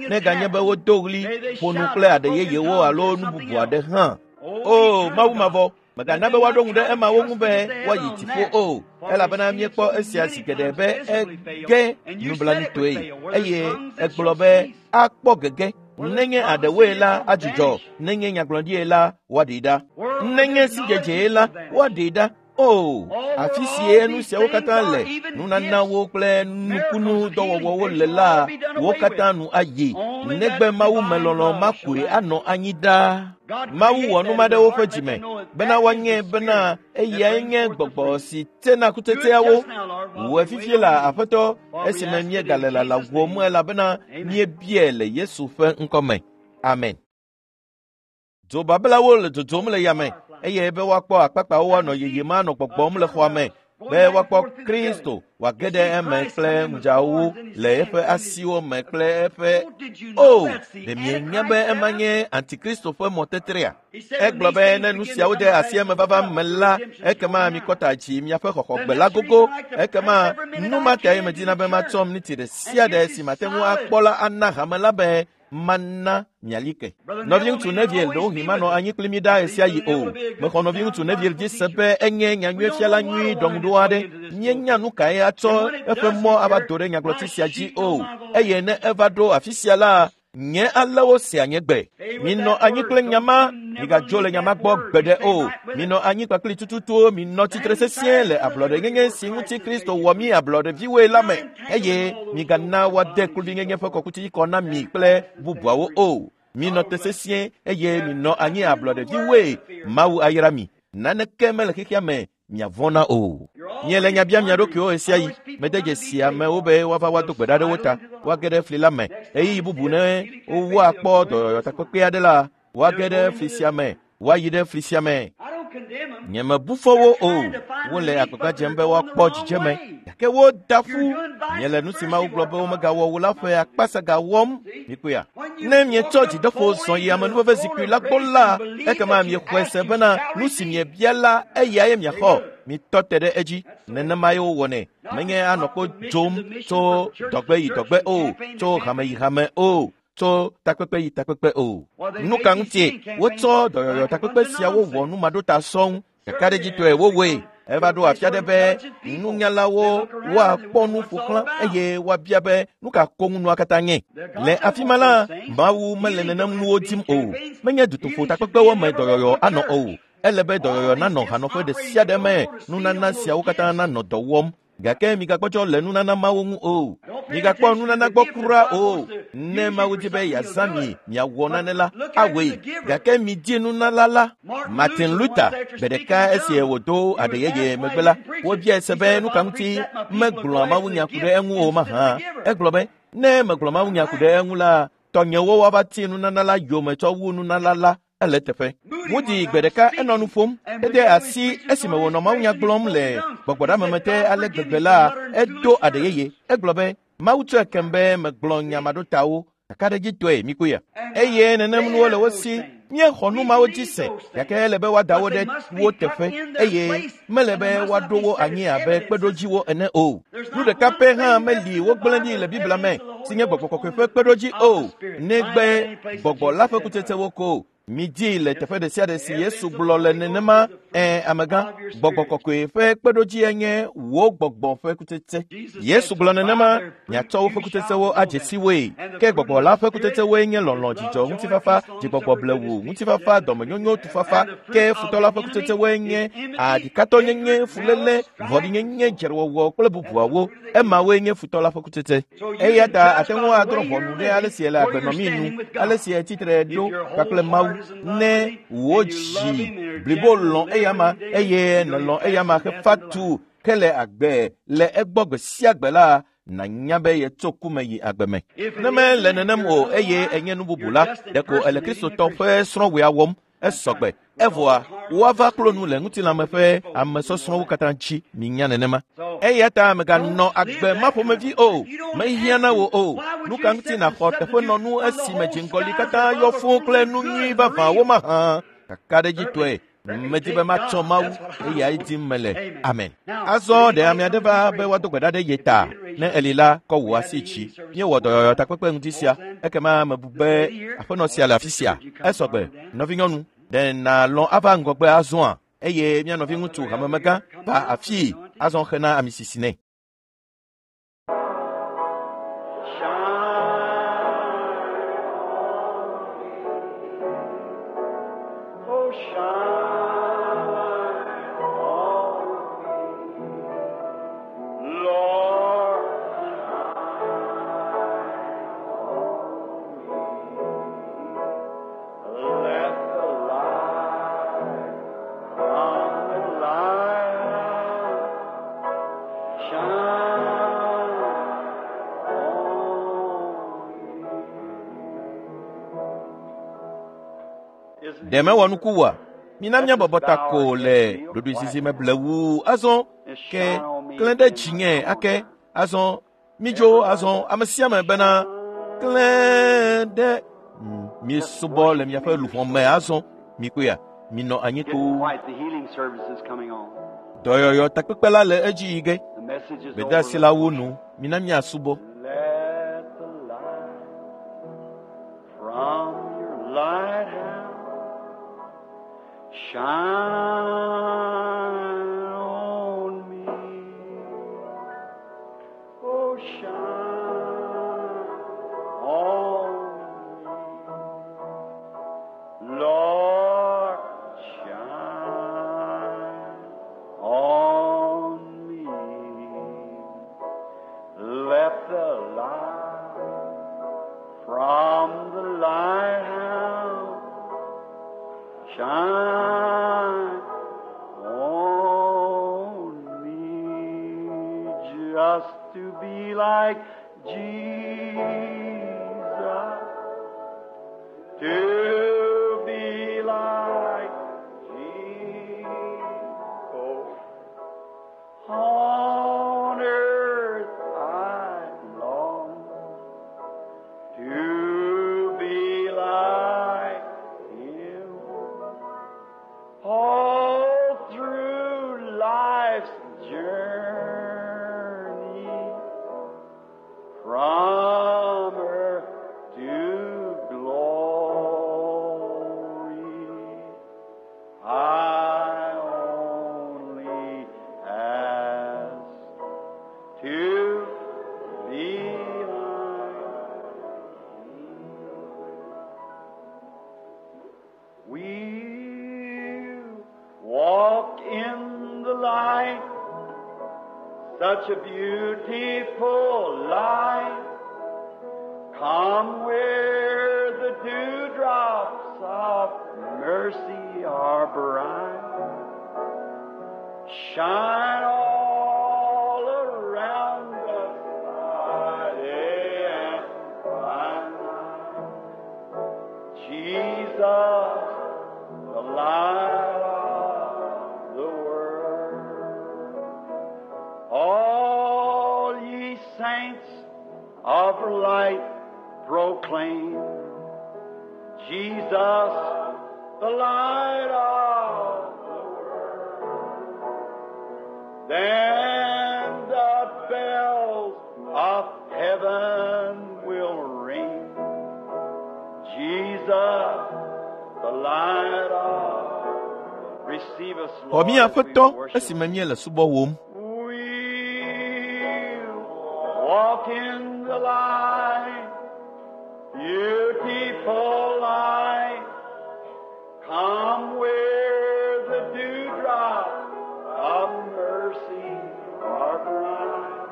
neganye be wodo ɣli, ƒo nu kple aɖe yeyewo alo nu bubu aɖe hã. O, Mawu mavɔ, mègana be woaɖo ŋu ɖe emawo ŋu be woayi dziƒo o, elabena míekpɔ esia zi geɖe be ege nublanuitɔe eye egblɔ be akpɔ gege. Nenye aɖewoe la adzudzɔ, nenye nyagblɔɖie la woaɖee ɖa, nenye sidzedzee la woaɖee ɖa. O, afi sie nu siawo katã le, nunanawo kple nukunu dɔwɔwɔwo le la, wo katã nu ayi, negbe Mawu me lɔlɔ̃ ma koe anɔ anyi ɖaa. Mawu wɔ nu ma ɖe woƒe dzime, bena woanye bena eyae nye gbɔgbɔ si tsena kutsetseawo. Wòe fifie la Aƒetɔ esime míegale lalawòm elabena míebiae le Yesu ƒe ŋkɔme. Amen. Dzobablawo le dzodzom le yame eye be woakpɔ akpakpawo woanɔ yeyem anɔ gbɔgbɔm le xɔa me be woakpɔ Kristo wòage ɖe eme kple ŋudzawo le eƒe asiwo me kple eƒe o ɖe mienya be ema nye antikristo ƒe mɔtetrea? Egblɔ be ne nu siawo de asi eme vava me la, ekema mikɔ ta dzi miaƒe xɔxɔgbe la gogo. Ekema nu ma tae medina be matsɔ miniti ɖe sia ɖe si mate ŋu akpɔ la ana hame la be mana miali ke. Nɔviŋutsu Neville ɖewohĩ manɔ anyi kpli mi ɖaa ɣesiaɣi o. Mexɔ nɔviŋutsu Neville dzi se be enye nyanyuiefiala nyui ɖɔŋuɖo aɖe. Míenya nu kae atsɔ eƒe mɔ ava do ɖe nyagblɔti sia dzi o. Eye ne eva ɖo afi sia la, nye alewo sea nye gbe. Minɔ anyi kple nya ma, migadzo le nya ma gbɔ gbeɖe o. Minɔ anyi kpakpli tututuwo, minɔ tsitre sesĩe le ablɔɖenyenye si ŋuti Kristo wɔ mí ablɔɖeviwoe la me eye migana woade kluvinyenye ƒe kɔkuti kɔ na mi kple bubuawo o. Minɔ te sesĩe eye minɔ anyi ablɔɖeviwoe. Mawu ayra mi. Naneke mele xexea me miavɔ̃ na o. Miele nya biam mia ɖokuiwo ɣesiaɣi. Mede dzesi amewo be woava woado gbe ɖa ɖe wo ta, woage ɖe fli la me. Ɣeyiɣi bubu ne woakpɔ dɔyɔyɔ takpekpe aɖe la, woage ɖe fli sia me, woayi ɖe fli sia me. Nyemebu fɔ wo o. Wole agbagba dzem be woakpɔ dzidzeme, gake woda ƒu. Miele nu si Mawu gblɔ be womegawɔ o la ƒe akpasaga wɔm. Mikpɔea? Ne mietsɔ dzideƒo zɔ yi amenuveve zikpui la gbɔ la, ekema miexɔe se bena nu si miebia la eyae miaxɔ. Mitɔ te ɖe edzi. Nenemae wowɔnɛ. Menye anɔ kpo dzom tso dɔgbe yi dɔgbe o, tso hame yi hame o, tso takpekpe yi takpekpe o. Nu ka ŋutie wotsɔ dɔyɔyɔ takpekpe siawo wɔ numaɖota sɔŋ? Ɖekaɖedzitɔe wowɔe. Eva ɖo afi aɖe be nunyalawo woakpɔ nu ƒo xlã eye woabia be nu ka koŋ nua katã nye. Le afi ma la, Mawu mele nenem nuwo dim o. Menye dutoƒo takpekpewo me dɔyɔyɔ anɔ o. Ele be dɔyɔyɔ nanɔ hanɔƒe ɖe sia ɖe me, nunana siawo katã nanɔ dɔ wɔm. Gake migakpɔtsɔ le nunana mawo ŋu o. Migakpɔ nunana gbɔ kura o. Ne Mawu di be yeazã mi miawɔ nane la, awɔe. Gake midi nunala la. Martin Luther gbe ɖeka esi wòdo aɖe yeye megbe la, wobiae se be nu ka ŋuti megblɔa mawunya ku ɖe eŋu o mahã. Egblɔ be, ne megblɔ mawunya ku ɖe eŋu la, tɔnyewo woava ti nunana la yome tsɔ wu nunala la. Ele teƒe. Moody gbe ɖeka enɔ nu ƒom. Ede asi esime wònɔ mawunya gblɔm le gbɔgbɔɖameme te ale gbegbe la, edo aɖe yeye. Egblɔ be, Mawu tsɔe kem be megblɔ nya maɖotawo kakaɖedzitɔe mikpɔea. Eye nenem nuwo le wo si. Míexɔ nu mawo dzi se, gake ele be woada wo ɖe wo teƒe eye mele be woaɖo wo anyi abe kpeɖodziwo ene o. Nu ɖeka pɛ hã meli wogblẽ ɖi le Biblia me si nye gbɔgbɔ kɔkɔe ƒe kpeɖodzi o, negbe gbɔgbɔ la ƒe kutsetsewo ko. Midii le teƒe ɖe sia ɖe si Yesu gblɔ le nenema. Ẽ, amegã, gbɔgbɔ kɔkɔe ƒe kpeɖodzie nye wò gbɔgbɔ ƒe kutsetse. Yesu gblɔ nenema, miatsɔ woƒe kutsetsewo adze si woe. Ke gbɔgbɔ la ƒe kutsetsewoe nye lɔlɔ̃, dzidzɔ, ŋutifafa, dzigbɔgbɔ blewu, ŋutifafa, dɔmenyonyo, tufafa. Ke futɔ la ƒe kutsetsewoe nye aɖikatɔnyenye, fuléle, vɔ̃ɖinyenye, dzrewɔwɔ kple bubuawo. Emawoe nye futɔ la ƒe kutsetse. Eya ta ate ŋu adrɔ̃ ʋɔnu ɖe ale si ele agbe nɔmii nu, ale si etsitre ɖo kpakple Mawu. Ne wò dzi blibo lɔ̃ eyama eye nèlɔ̃ eyama hefa tu hele agbe le egbɔ gbe sia gbe la, nànya be yetso ku me yi agbe me. Ne mele nenem o eye enye nu bubu la, ɖeko ele Kristotɔ ƒe srɔ̃wɔea wɔm. Esɔgbe. Evɔa, woava klo nu le ŋutilãme ƒe amesɔsrɔ̃wo katã dzi. Minya nenema. Eya ta mèganɔ agbe ma ƒomevi o. Mehiã na wò o. Nu ka ŋuti nàxɔ teƒenɔnu esime dziŋgɔli katã yɔ fũu kple nu nyui vavãwo mahã? Kakaɖedzitɔe, medi be matsɔ Mawu eyae dim mele. Amen. Azɔ ɖe ame aɖe va be woado gbe ɖa ɖe ye ta. Ne eli la, kɔ wò asi dzi. Míewɔ dɔyɔyɔ takpekpe ŋdi sia. Ekema mebu be aƒenɔ sia le afi sia. Esɔgbe, nɔvinyɔnu, ɖe nàlɔ̃ ava ŋgɔgbe azɔa? Eye mía nɔviŋutsu hamemegã va afii azɔ xena ami sisi nɛ. Oh, shine on me, Lord, shine on me. Let the light from the light shine. Ɖe mewɔ nuku oa? Mina míabɔbɔ ta ko le ɖoɖoezizi me blewu azɔ ke klẽ ɖe dzinye ake azɔ midzo azɔ ame sia ame bena klẽ ɖe miesubɔ le miaƒe luʋɔ me azɔ mikpɔea minɔ anyi Getting ko. quiet. The healing service is coming on. Dɔyɔyɔ takpekpe la le edzi yi ge. The message is Gbedeasi over. la wu nu. Mina míasubɔ. Let the light from your lighthouse shine on me. Oh, shine on me. Lord, shine on me. Let the light from the lighthouse shine on me, just to be like Jesus, to be like Jesus. On earth I long to be like Him. All through life's journey, from earth to glory, I only ask to be like We walk in the light, such a beautiful light. Come where the dewdrops of mercy are bright. Shine all around us by day and by night. Jesus, the light of the world. All ye saints of light proclaim Jesus, the light of the world. Then the bells of heaven will ring. Jesus, the light of Receive us, Xɔ Lord, mí as we Aƒetɔ worship. esime míele subɔwòm. We walk in the light, beautiful light. Come where the dewdrops of mercy are bright.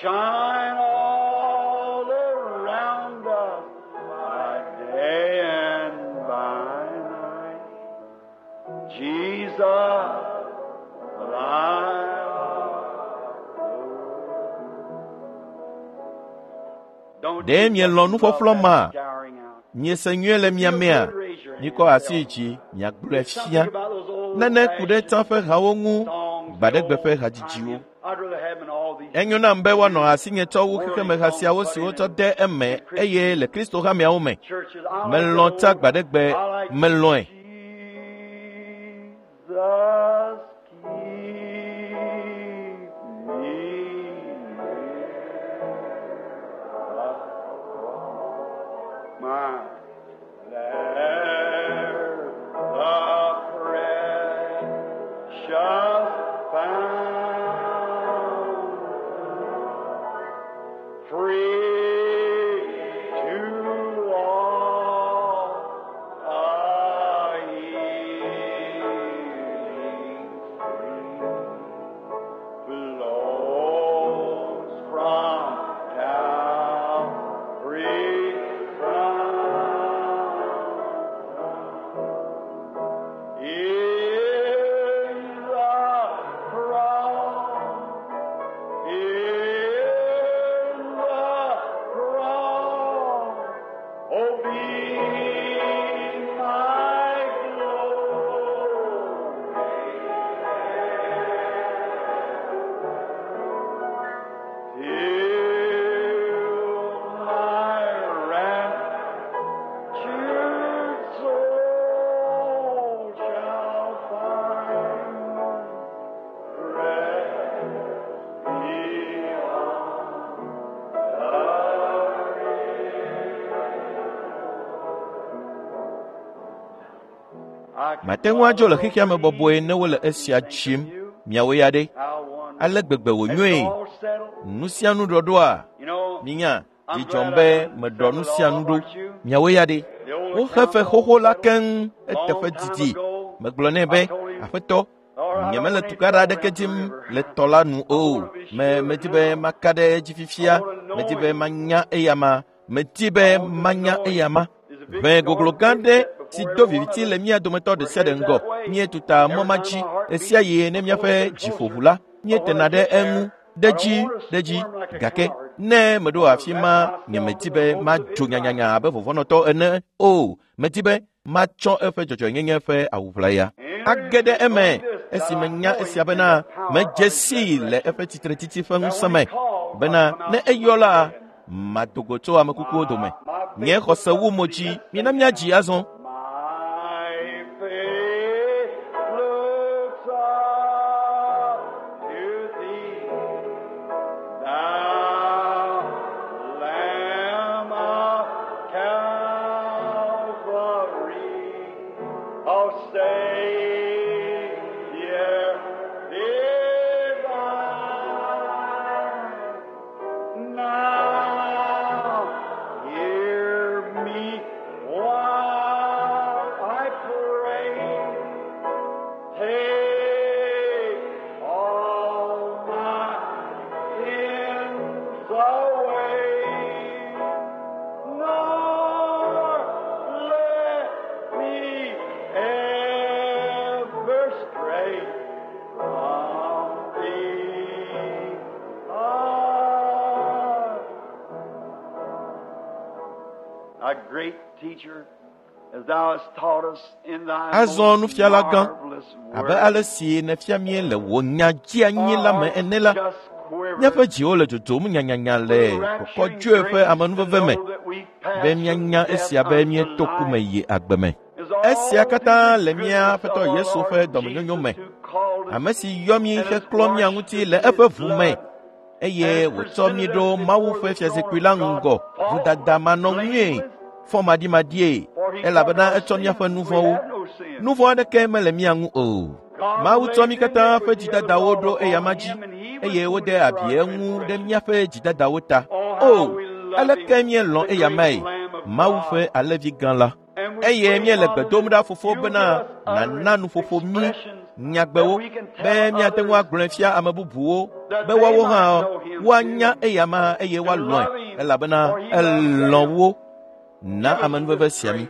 Shine all around us by day and by night. Jesus, the light of the world. Don't Ɖe you mielɔ̃ just love nuƒɔƒlɔ that ma? scouring out? Miese nyuie le mia mea? Mikɔ asi yi dzi miagblɔe There's fia. something about those old Nane ku ɖe tsã ƒe hawo ŋu, songs, gbaɖegbe the ƒe old hadzidziwo. time. I'd rather have them in all these Enyo nam be woanɔ asinye tsɔ wu xexemeha siawo si wotsɔ de eme eye le Kristo hameawo me. churches. I like Melɔ̃ the tsa old, gbaɖegbe, I like melɔ̃e. Jesus, keep me near my there the precious fountain, free to all a Mate ŋu adzo le xexea me bɔbɔe ne wole esia dzim. Miawo ya ɖe? Ale gbegbe wònyoe. Nu sia nu ɖɔɖɔa? Minya, dzi dzɔm be meɖɔ nu sia nu ɖo. Miawo ya ɖe? Woxe fe xoxo la keŋ eteƒe didi. Megblɔ nɛ be, Aƒetɔ, nyemele tukaɖa aɖeke dim le tɔ la nu o. Me medi be maka ɖe edzi fifia. Medi be manya eyama. Medi be manya eyama. Ʋe goglo gã ɖe si do viviti le mía dometɔ ɖe sia ɖe ŋgɔ. Míetuta mɔ ma dzi ɣe sia ɣi ne míaƒe dziƒoʋu la, míetena ɖe eŋu ɖe dzi ɖe dzi. Gake ne meɖo afi ma, nyemedi be madzo nyanyanya abe vɔvɔ̃nɔtɔ ene o. Medi be matsɔ eƒe dzɔdzɔenyenye ƒe awu ʋlaya age ɖe eme esi menya esia bena medze sii le eƒe tsitretsitsi ƒe ŋusẽ me bena ne eyɔ la, mado go tso ame kukuwo dome. Nye xɔse wu mo dzi, mina míadzi azɔ. My faith looks up to thee, thou Lamb of Calvary, O Savior divine. Now hear me while I pray. Take all my sins away. Nor let me ever stray from thee. Ah. A great teacher, as thou hast taught us in thy Azɔ most nufiala gã, marvelous abe word, ale si nèfia mí le wò nya dzianyi la me ene la, just quiver míaƒe dziwo le dzodzom nyanyanya le kɔkɔdzoe ƒe amenuveve me be míanya esia be míeto ku me yi agbe me. Esia katã le mía Aƒetɔ Yesu ƒe dɔmenyonyo me, ame si yɔ mí heklɔ mía ŋuti le eƒe ʋu me eye wòtsɔ mí ɖo Mawu ƒe fiazikpui la ŋgɔ vodadamanɔŋui, fɔmaɖimaɖie, elabena etsɔ míaƒe nu vɔ̃wo. Nu vɔ̃ aɖeke mele mía ŋu o. Mawu tsɔ mí katã ƒe dzidadawo ɖo eyama dzi eye wode abi eŋu ɖe míaƒe dzidadawo ta. O, aleke míelɔ̃ eyamae, Mawu ƒe alẽvi gã la. Eye míele gbe dom ɖa fofo bena nàna nuƒoƒo mí nyagbewo be míate ŋu agblɔe fia ame bubuwo be woawo hã woanya eyama eye woalɔ̃e elabena elɔ̃ wo. Na amenuveve sia mí.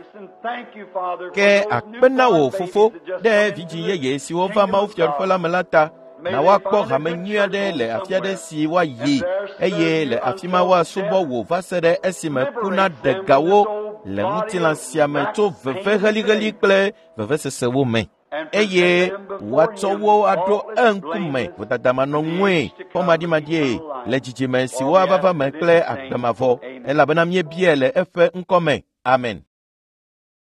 Ke akpe na wò fofo ɖe vidzĩ yeye siwo va Mawu Fiaɖuƒe la me la ta. Na woakpɔ hame nyui aɖe le afi aɖe si woayi eye le afi ma woasubɔ wò va se ɖe esime ku naɖe ga wo le ŋutilã sia me tso veve helĩhelĩ kple vevesesewo me eye woatsɔ wo aɖo eŋkume vodadamanɔŋue fɔmaɖimaɖie le dzidzime siwo ava va me kple agbe mavɔ elabena míebiae le eƒe ŋkɔ me. Amen.